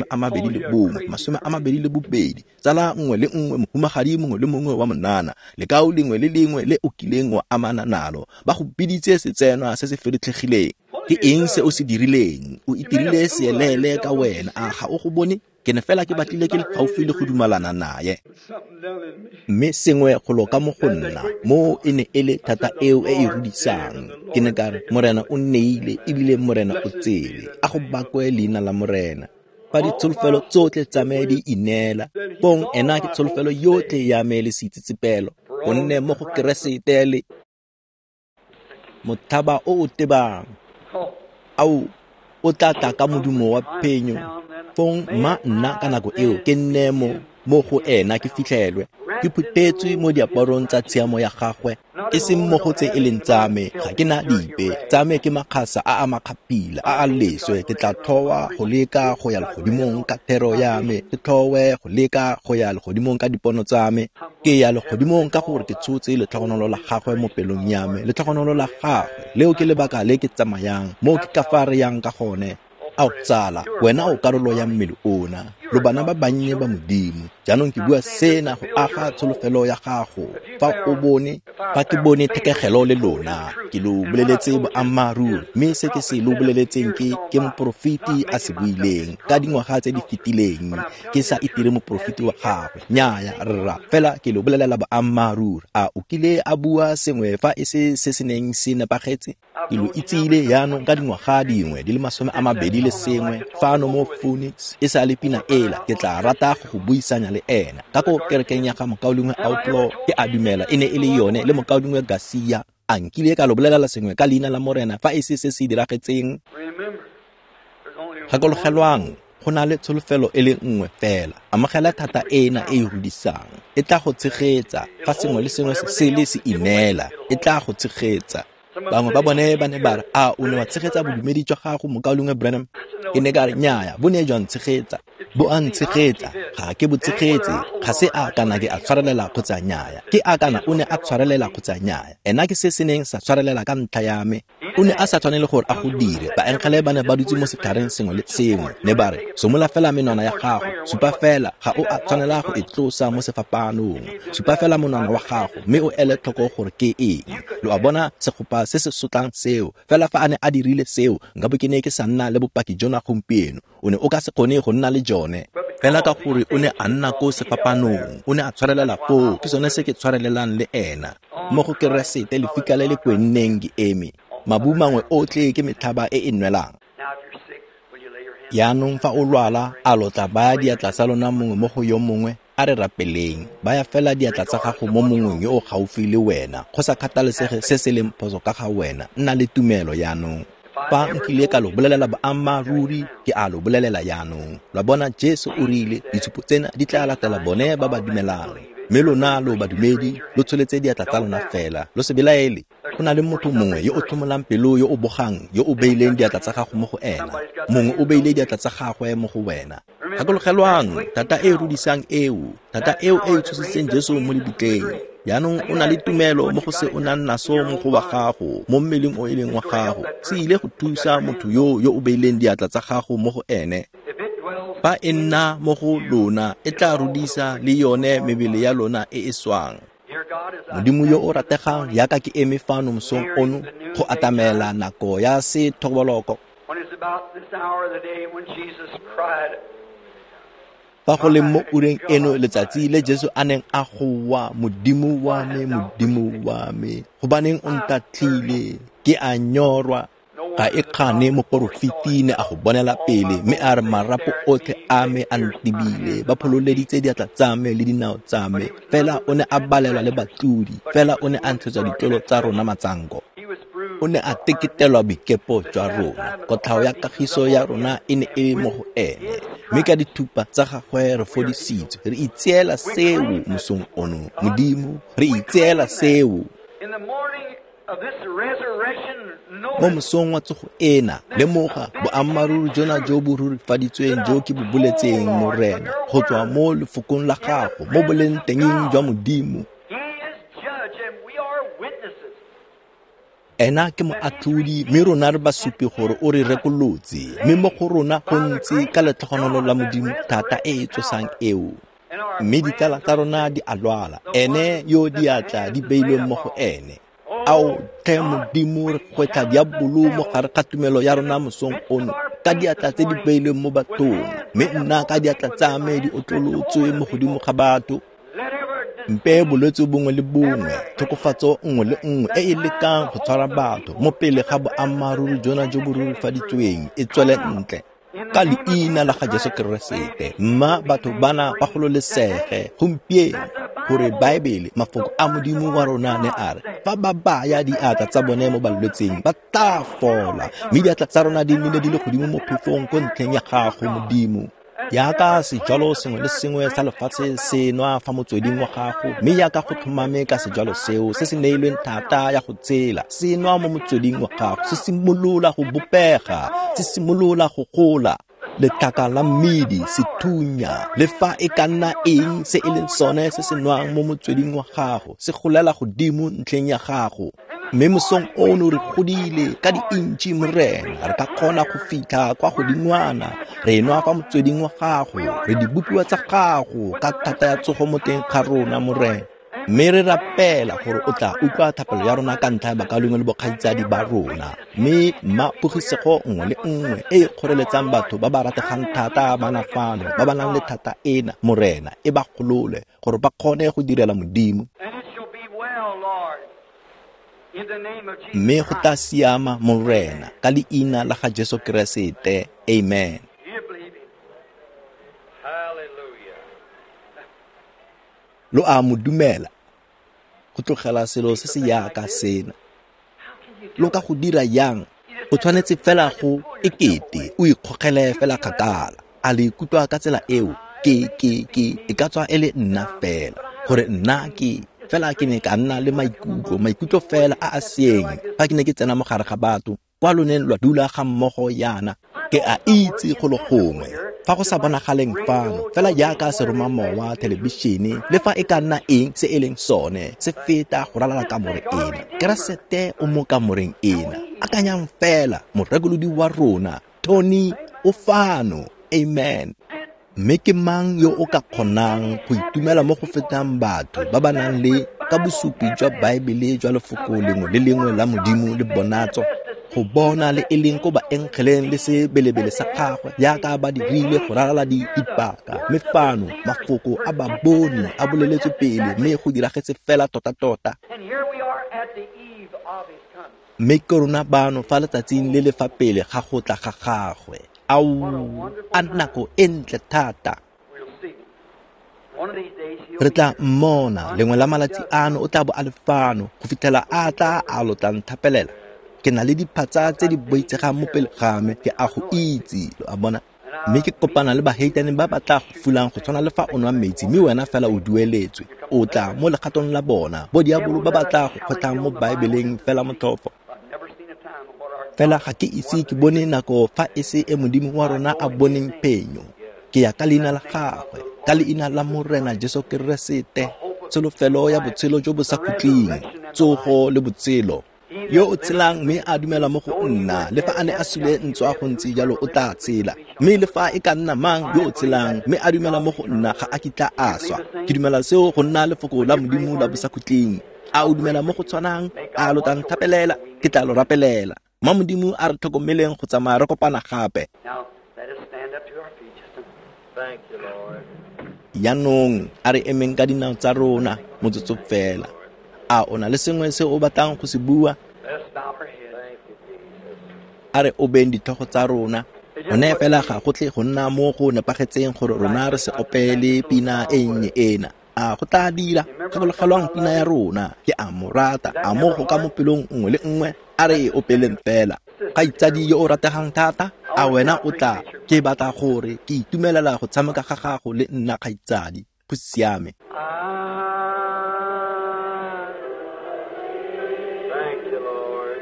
[SPEAKER 1] 22, tsala nngwe le nngwe, mohumagadi mongwe le mongwe wa monana, lekao lengwe le lengwe le o kileng wa amana nalo, ba go biditse setsenwa se se feretlhegileng. Ke eng se o se dirileng? O itirile seelele ka wena, a ga o go bone? Ke ne fela ke batlile ke le gaufi le go dumalana naye, mme sengwe golo ka mo go nna mo e ne e le thata eo e e rudisang. Ke ne ka re, Morena o nneile ebile Morena o tsere, a go bakwe leina la Morena. Fa ditsholofelo tsotlhe tsa me di ineela, pong ena ke tsholofelo yotlhe ya me le seitsetsepelo, gonne mo go Keresete le mothaba o o tebang, ao o tla tla ka modumo wa phenyo. Fong mma nna ka nako eo ke nne mo go ena ke fitlhelwe, ke phuthetswe mo diaparong tsa tshiamo ya gagwe, e seng mo go tse e leng tsa me, ga ke na dipe, tsa me ke makgasa a a makgapila a a leswe. Ke tla tlhowa go leka go ya legodimong ka thero ya me, ke tlhowe go leka go ya legodimong ka dipono tsa me. Ke ya legodimong ka gore ke tshotse letlhogonolo la gagwe mo pelong ya me, letlhogonolo la gagwe leo ke lebaka le ke tsamayang mo ke ka fa re yang ka gone. Ao tsala, wena o karolo ya mmele ona, lo bana ba bannye ba Modimo. Jaanong ke bua sena go aga tsholofelo ya gago. Fa o bone, fa ke bone thekegelo le lona, ke lo boleletse boammaaruri, mme se ke se lo boleletseng ke moporofeti a se buileng ka dingwaga tse di fetileng. Ke sa itire moporofeti wa gagwe, nnyaya rra, fela ke lo bolelela boammaaruri. A o kile a bua sengwe fa e se se se neng se nepagetse? Ke lo itsile jaanong ka dingwaga dingwe di le 21 fano mo Phoenix, e sa le pina ela. Ke tla rata go go buisanya le ena ka ko kerekeng ya ga mokaulengwe Outlaw, ke a dumela e ne e le yone, le mokaulengwe Garcia. A nkile ka lo bolelela sengwe ka leina la Morena fa e se se se diragetseng? Gakologelwang, go na le tsholofelo e le nngwe fela. Amogela thata ena e e rudisang, e tla go tshegetsa. Fa sengwe le sengwe se le se ineela, e tla go tshegetsa. Bangwe ba bone ba ne ba re, a o ne wa tshegetsa bodumedi jwa gago, mokaulengwe Branham? Ke ne ka re, nnyaya, bo ne jwa ntshegetsa, bo a ntshegetsa, ga ke bo tshegetse. Ga se a kana ke a tshwarelela kgotsa nnyaya, ke a kana o ne a tshwarelela kgotsa nnyaya. Ena ke se se neng sa tshwarelela ka ntlha ya me. O ne a sa tshwanele gore a go dire. Baengele ba ne ba dutse mo setlhareng sengwe le sengwe, ne ba re, somola fela menwana ya gago, supa fela, ga o a tshwanela go e tlosa mo sefapanong, supa fela monwana wa gago, mme o ele tlhoko gore ke eng. Lo a bona segopa se se sotlang seo? Fela fa a ne a dirile seo, nka bo ke ne ke sa nna le bopaki jona gompieno. O ne o ka se kgone go nna le jone. Fela ka gore o ne a nna ko sefapanong, o ne a tshwarelela foo, ke sone se ke tshwarelelang le ena. Mo go Keresete lefika le le kwenneng ke eme, mabu mangwe otlhe ke metlhaba e e nwelang. Jaanong fa o lwala, a lo tla baya diatla tsa lona mongwe mo go yo mongwe? A re rapeleng. Baya fela diatla tsa gago mo mongweng yo o gaufi le wena, go sa kgathalesege se se leng phoso ka ga wena. Nna le tumelo jaanong. Fa nkile ka lo bolelela boammaaruri, ke a lo bolelela jaanong. Lwa bona, Jesu o rile, ditshupo tsena di tla latela bone ba ba dumelang. Mme lona lo badumedi, lo tsholetse diatla tsa lona fela, lo se belaele. Go na le motho mongwe yo o tlhomolang pelo, yo o bogang, yo o beileng diatla tsa gago mo go ena. Mongwe o beile diatla tsa gagwe mo go wena. Gakologelwang, thata e rudisang eo, thata eo e e tshositseng Jesu mo lebitleng. Jaanong o na le tumelo mo go se o nang naso mo go wa gago, mo mmeleng o e leng wa gago. Se ile go thusa motho yo yo o beileng diatla tsa gago mo go ene. Fa e nna mo go lona, e tla rudisa le yone mebele ya lona e e swang. Modimo yo o rategang, yaka ke eme fano mosong ono go atamela nako ya sethoboloko. Fa go le mo ureng eno letsatsi le Jesu a neng a goa, Modimo wa me, Modimo wa me, gobaneng o ntatlhile? Ke a nyorwa. Ga e kgane moporofeti ne a go bonela pele, mme a re marapo otlhe a me a ntebile, ba phololeditse diatla tsa me le dinao tsa me. Fela o ne a balelwa le batlodi, fela o ne a ntshetswa ditlolo tsa rona matsanko. O ne a teketelwa boikepo jwa rona, kotlhao ya kagiso ya rona e ne e le mo go ene, mme ka dithupa tsa gagwe re fodisitswe. Re itseela seo mosong ono, Modimo, re itseela seo. Mo mosong wa tsogo ena, lemoga boammaaruri jona jo bo rurifaditsweng jo ke bo boletseng, Morena, go tswa mo lefokong la gago, mo boleng tengeng jwa Modimo. Ena ke moatlhodi, mme rona re basupi gore o re rekolotse, mme mo go rona go ntse ka letlhogonolo la Modimo thata e e tsosang eo. Mme ditsala tsa rona di a lwala, ene yo diatla di beilweng mo go ene. Ao tlhe Modimo, re gwetlha diabolo mo gare ga tumelo ya rona mosong ono, ka diatla tse di beilweng mo bathong, mme nna ka diatla tsa me di otlolotswe mo godimo ga batho. Mpe bolwetse bongwe le bongwe, tlhokofatso nngwe le nngwe e e lekang go tshwara batho mo pele ga boammaaruri jona jo bo rurifaditsweng e tswele ntle. Ka leina la ga Jesu Keresete, mma batho bana ba gololesege gompieno, gore Baebele, mafoko a Modimo wa rona ne a re, fa ba baya diatla tsa bone mo balwetseng, ba tla fola. Mme diatla tsa rona di nnile di le godimo mo phefong ko ntlheng ya gago, Modimo. Jaaka sejalo sengwe le sengwe sa lefatshe se nwa fa motsweding wa gago, mme jaaka go tlhomame ka sejalo seo se se neilweng thata ya go tsela, se nwa mo motsweding wa gago, se simolola go bopega, se simolola go gola. Letlhaka la mmidi, sethunya, le fa e ka nna eng se e leng sone se se nwang mo motsweding wa gago, se golela godimo ntlheng ya gago. Mme mosong ono re godile ka diintši, Morena, re ka kgona go fitlha kwa godingwana. Re nwa fa motsweding wa gago, re dibopiwa tsa gago ka thata ya tsogo mo teng ga rona, Morena. Mme re rapela gore o tla utlwa thapelo ya rona ka ntlha ya bakaulengwe le bokgaitsadi ba rona. Mme mma pogisego nngwe le nngwe e e kgoreletsang batho ba ba rategang thata bana fano, ba ba nang le thata ena, Morena, e ba golole gore ba kgone go direla Modimo. Mme go tla siama, Morena, ka leina la ga Jesu Keresete. Amen. Lo a mo dumela go tlogela selo se se yaka sena. Lo ka go dira yang? O tshwanetse fela go ekete o ikgogele fela kgakala. A le ikutlwa ka tsela eo? Ke e ka tswa e le nna fela, gore nna ke fela ke ne ka nna le maikutlo fela a a seeng fa ke ne ke tsena mo gare ga batho kwa lo neng lwa dula ga mmogo yana. Ke a itse go le gongwe fa go sa bonagaleng fano, fela jaaka seromamowa, thelebišene, le fa e ka nna eng se e leng sone, se feta go ralala kamore ena. Keresete o mo kamoreng ena. Akanyang fela, morekolodi wa rona, Tony, o fano. Amen. Mme ke mang yo o ka kgonang go itumela mo go fetang batho ba ba nang le ka bosupi jwa Baebele jwa lefoko lengwe le lengwe la Modimo le bonatso, go bona le e leng ko baengeleng le sebelebele sa gagwe jaaka ba dirile go ralala dipaka. Mme fano mafoko a baboni a boleletswe pele, mme go diragetse fela tota-tota. Mme ke rona bano fa letsatsing le le fa pele ga go tla ga gagwe. Ao, a nako e ntle thata. Re tla mmona lengwe la malatsi ano, o tla bo a le fano go fitlhela a tla a lo tla nthapelela. Ke na le diphatsa tse di boitsegang mo pele ga me, ke a go itse, lo a bona. Mme ke kopana le baheitane ba ba tla go fulang go tshwana le fa o nwa metsi, mme wena fela o dueletswe. O tla mo legatong la bona, bo diabolo ba ba tla go kgwetlhang mo Baebeleng fela motlhofo. Fela ga ke ise ke bone nako fa e se e Modimo wa rona a boneng phenyo. Ke ya ka leina la gagwe, ka leina la Morena Jesu Keresete, tsholofelo ya botshelo jo bo sa khutleng, tsogo le botshelo. Yo o tshelang mme a dumela mo go nna, le fa a ne a sule ntswa go ntse jalo o tla tshela. Mme le fa e ka nna mang yo o tshelang mme a dumela mo go nna ga a kitla a swa. Ke dumela seo go nna lefoko la Modimo la bosakhutleng. A o dumela mo go tshwanang? A lo tla nthapelela? Ke tla lo rapelela. Ma Modimo a re tlhokomeleng go tsamaya re kopana gape. Jaanong a re emeng ka dinao tsa rona motsotso fela. A o na le sengwe se o batlang go se bua? A re obeng ditlhogo tsa rona. Gone fela ga go tle go nna mo go nepagetseng gore rona re se opele pina e nnye ena. A go tla dira? Gakologelwang pina ya rona, ke a mo rata, a mo go ka mo pelong nngwe le nngwe, a re e opeleng fela. Kgaitsadi yo o rategang thata, a wena o tla, ke batla gore ke itumelela go tshameka ga gago le nna kgaitsadi. Go siame.
[SPEAKER 3] Thank you, Lord.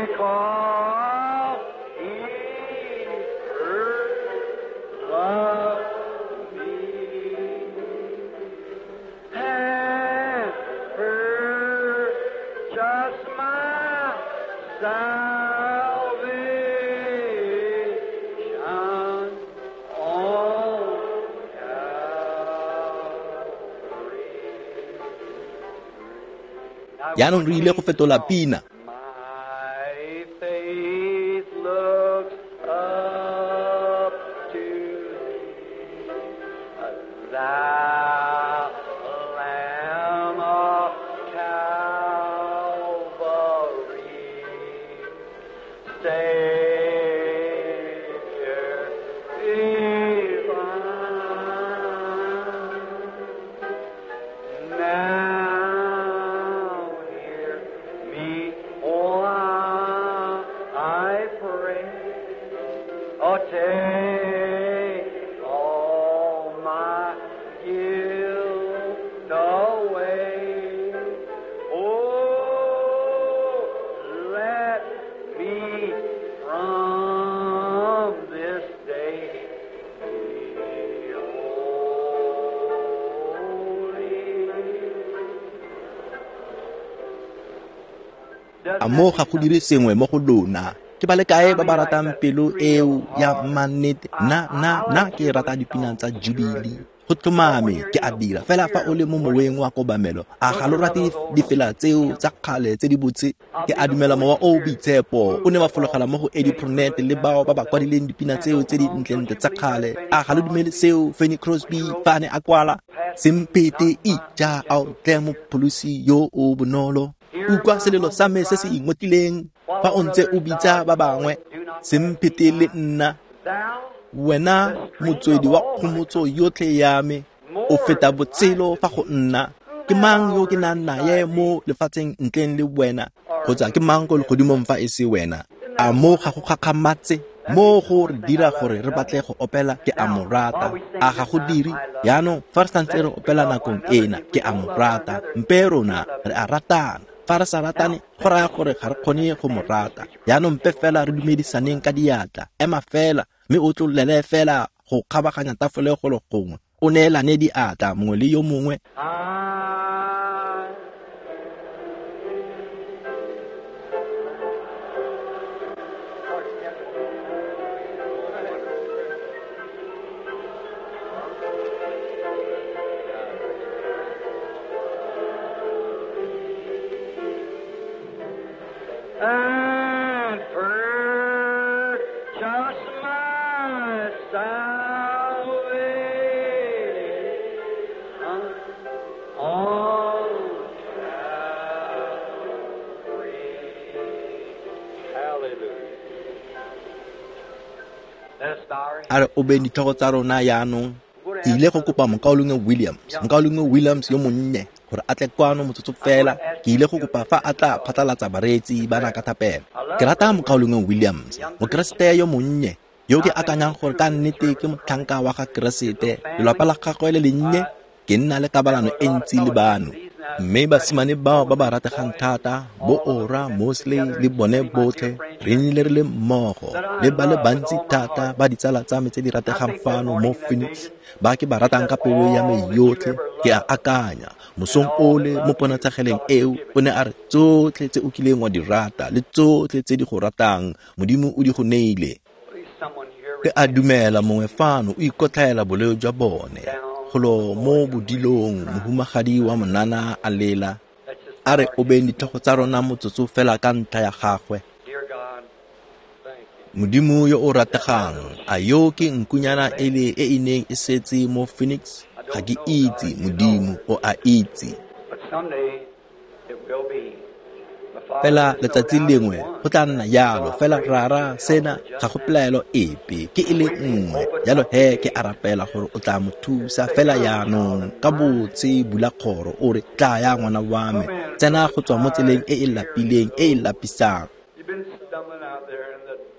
[SPEAKER 3] Because He first loved me and purchased my salvation on Calvary.
[SPEAKER 1] Jaanong re ile go fetola pina.
[SPEAKER 3] My faith looks up to thee, thou Lamb of Calvary, Savior divine. Now hear me, oh, I pray. Oh, take all my guilt away. Oh, let me from this day be holy.
[SPEAKER 1] A mo ga go dire sengwe mo go lona? Ke ba le kae ba ba ratang pelo eo ya mannete? Nna ke rata dipina tsa Jubilee. Go tlhomame ke a dira fela fa o le mo moweng wa kobamelo. A ga lo rate difela tseo tsa kgale tse di botse? Ke a dumela mowa o o boitshepo o ne wa fologela mo go Eddie Pronet le bao ba ba kwadileng dipina tseo tse di ntlentle tsa kgale. A ga lo dumele seo Fanny Crosby fa a ne a kwala? Sempete ija a o tle mopholosi yo o bonolo. Utlwa selelo sa me se se ingotlileng fa o ntse o bitsa ba bangwe. Sempete le nna, wena motswedi wa kgomotso yotlhe ya me, o feta botshelo fa go nna. Ke mang yo ke nang naye mo lefatsheng ntleng le wena? Kgotsa ke mang ko legodimong fa e se wena? A mo ga go gakgamatse? Mo go re dira gore re batle go opela ke a mo rata. A ga go dire? Jaanong fa re santse re opela nakong ena, ke a mo rata. Mpe rona re a ratana. Fa re sa ratane, go raya gore ga re kgone go mo rata. Jaanong mpe fela re dumedisaneng ka diatla. Ema fela, mme o tlolele fela go kgabaganya tafole golo gongwe. O neelane diatla mongwe le yo mongwe.
[SPEAKER 3] And purchase my salvation on Calvary. Hallelujah. Let us bow our heads.
[SPEAKER 1] A re obeng ditlhogo tsa rona jaanong. Ke ile go kopa mokaulengwe Williams, mokaulengwe Williams yo monnye, gore a tle kwano motsotso fela. Ke ile go kopa fa a tla phatlalatsa bareetsi ba na ka thapelo. Ke rata mokaulengwe Williams, mokeresete yo monnye, yo ke akanyang gore ka nnete ke motlhanka wa ga Keresete. Lelapa la gagwe le lennye, ke nna le kabalano e ntsi le bano. Mme basimane bao ba ba rategang thata, bo Ora Mosley le bone botlhe, re nnile re le mmogo le ba le bantsi thata ba ditsala tsa me tse di rategang fano mo Phoenix, ba ke ba ratang ka pelo ya me yotlhe. Ke a akanya mosong ole mo ponatshegeleng eo, o ne a re tsotlhe tse o kileng wa di rata le tsotlhe tse di go ratang, Modimo o di go neile. Ke a dumela mongwe fano o ikotlhaela boleo jwa bone. Golo mo bodilong, mohumagadi wa monana a lela. A re obeng ditlhogo tsa rona motsotso fela ka ntlha ya gagwe. Modimo yo o rategang, a yo ke nkunyana ele e e neng e setse mo Phoenix? Ga ke itse, Modimo o a itse. Fela letsatsi lengwe go tla nna jalo. Fela Rara, sena ga go pelaelo epe, ke e le nngwe. Jalo he ke a rapela gore o tla mo thusa fela jaanong ka botse. Bula kgoro o re, tlaya ngwana wa me, tsena go tswa mo tseleng e e lapileng, e e lapisang.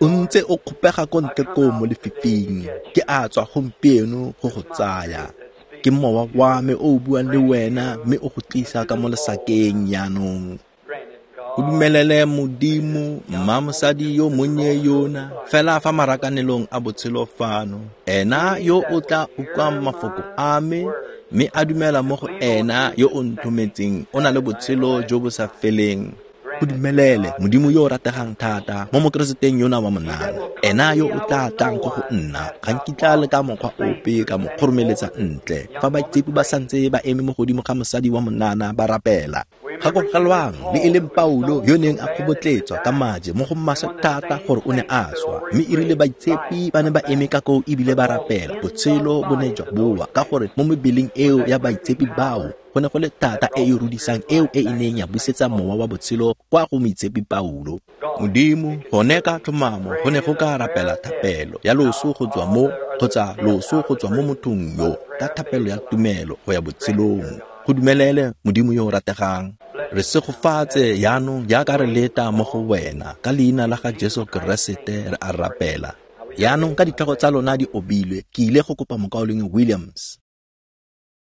[SPEAKER 1] O ntse o kgopega ko ntle koo mo lefifing. Ke a tswa gompieno go go tsaya. Ke mowa wa me o o buang le wena mme o go tlisa ka mo lesakeng jaanong. O dumelele Modimo, mma mosadi yo monnye yona, fela fa marakanelong a botshelo fano, ena yo o tla utlwang mafoko a me mme a dumela mo go ena yo o nthometseng, o na le botshelo jo bo sa feleng. Go dumelele, Modimo yo o rategang thata, mo Mokereseteng yona wa monana, ena yo o tla tlang ko go nna, ga nkitla le ka mokgwa ope ka mo kgoromeletsa ntle. Fa baitshepi ba santse ba eme mo godimo ga mosadi wa monana ba rapela, gakologelwang le e leng Paulo yo neng a kgobotletswa ka maje mo go maswe thata gore o ne a swa, mme e rile baitshepi ba ne ba eme ka koo ebile ba rapela, botshelo bo ne jwa boa, ka gore mo mebeleng eo ya baitshepi bao go ne go le thata e e rudisang eo e e neng ya busetsa mowa wa botshelo kwa go moitshepi Paulo. Modimo, gone ka tlhomamo go ne go ka rapela thapelo ya loso go tswa mo, kgotsa loso go tswa mo mothong yo, ka thapelo ya tumelo go ya botshelong. Go dumelele, Modimo yo o rategang. Re segofatse jaanong jaaka re leta mo go wena. Ka leina la ga Jesu Keresete re a rapela. Jaanong ka ditlhogo tsa lona di obilwe, ke ile go kopa Mokaulengwe Williams.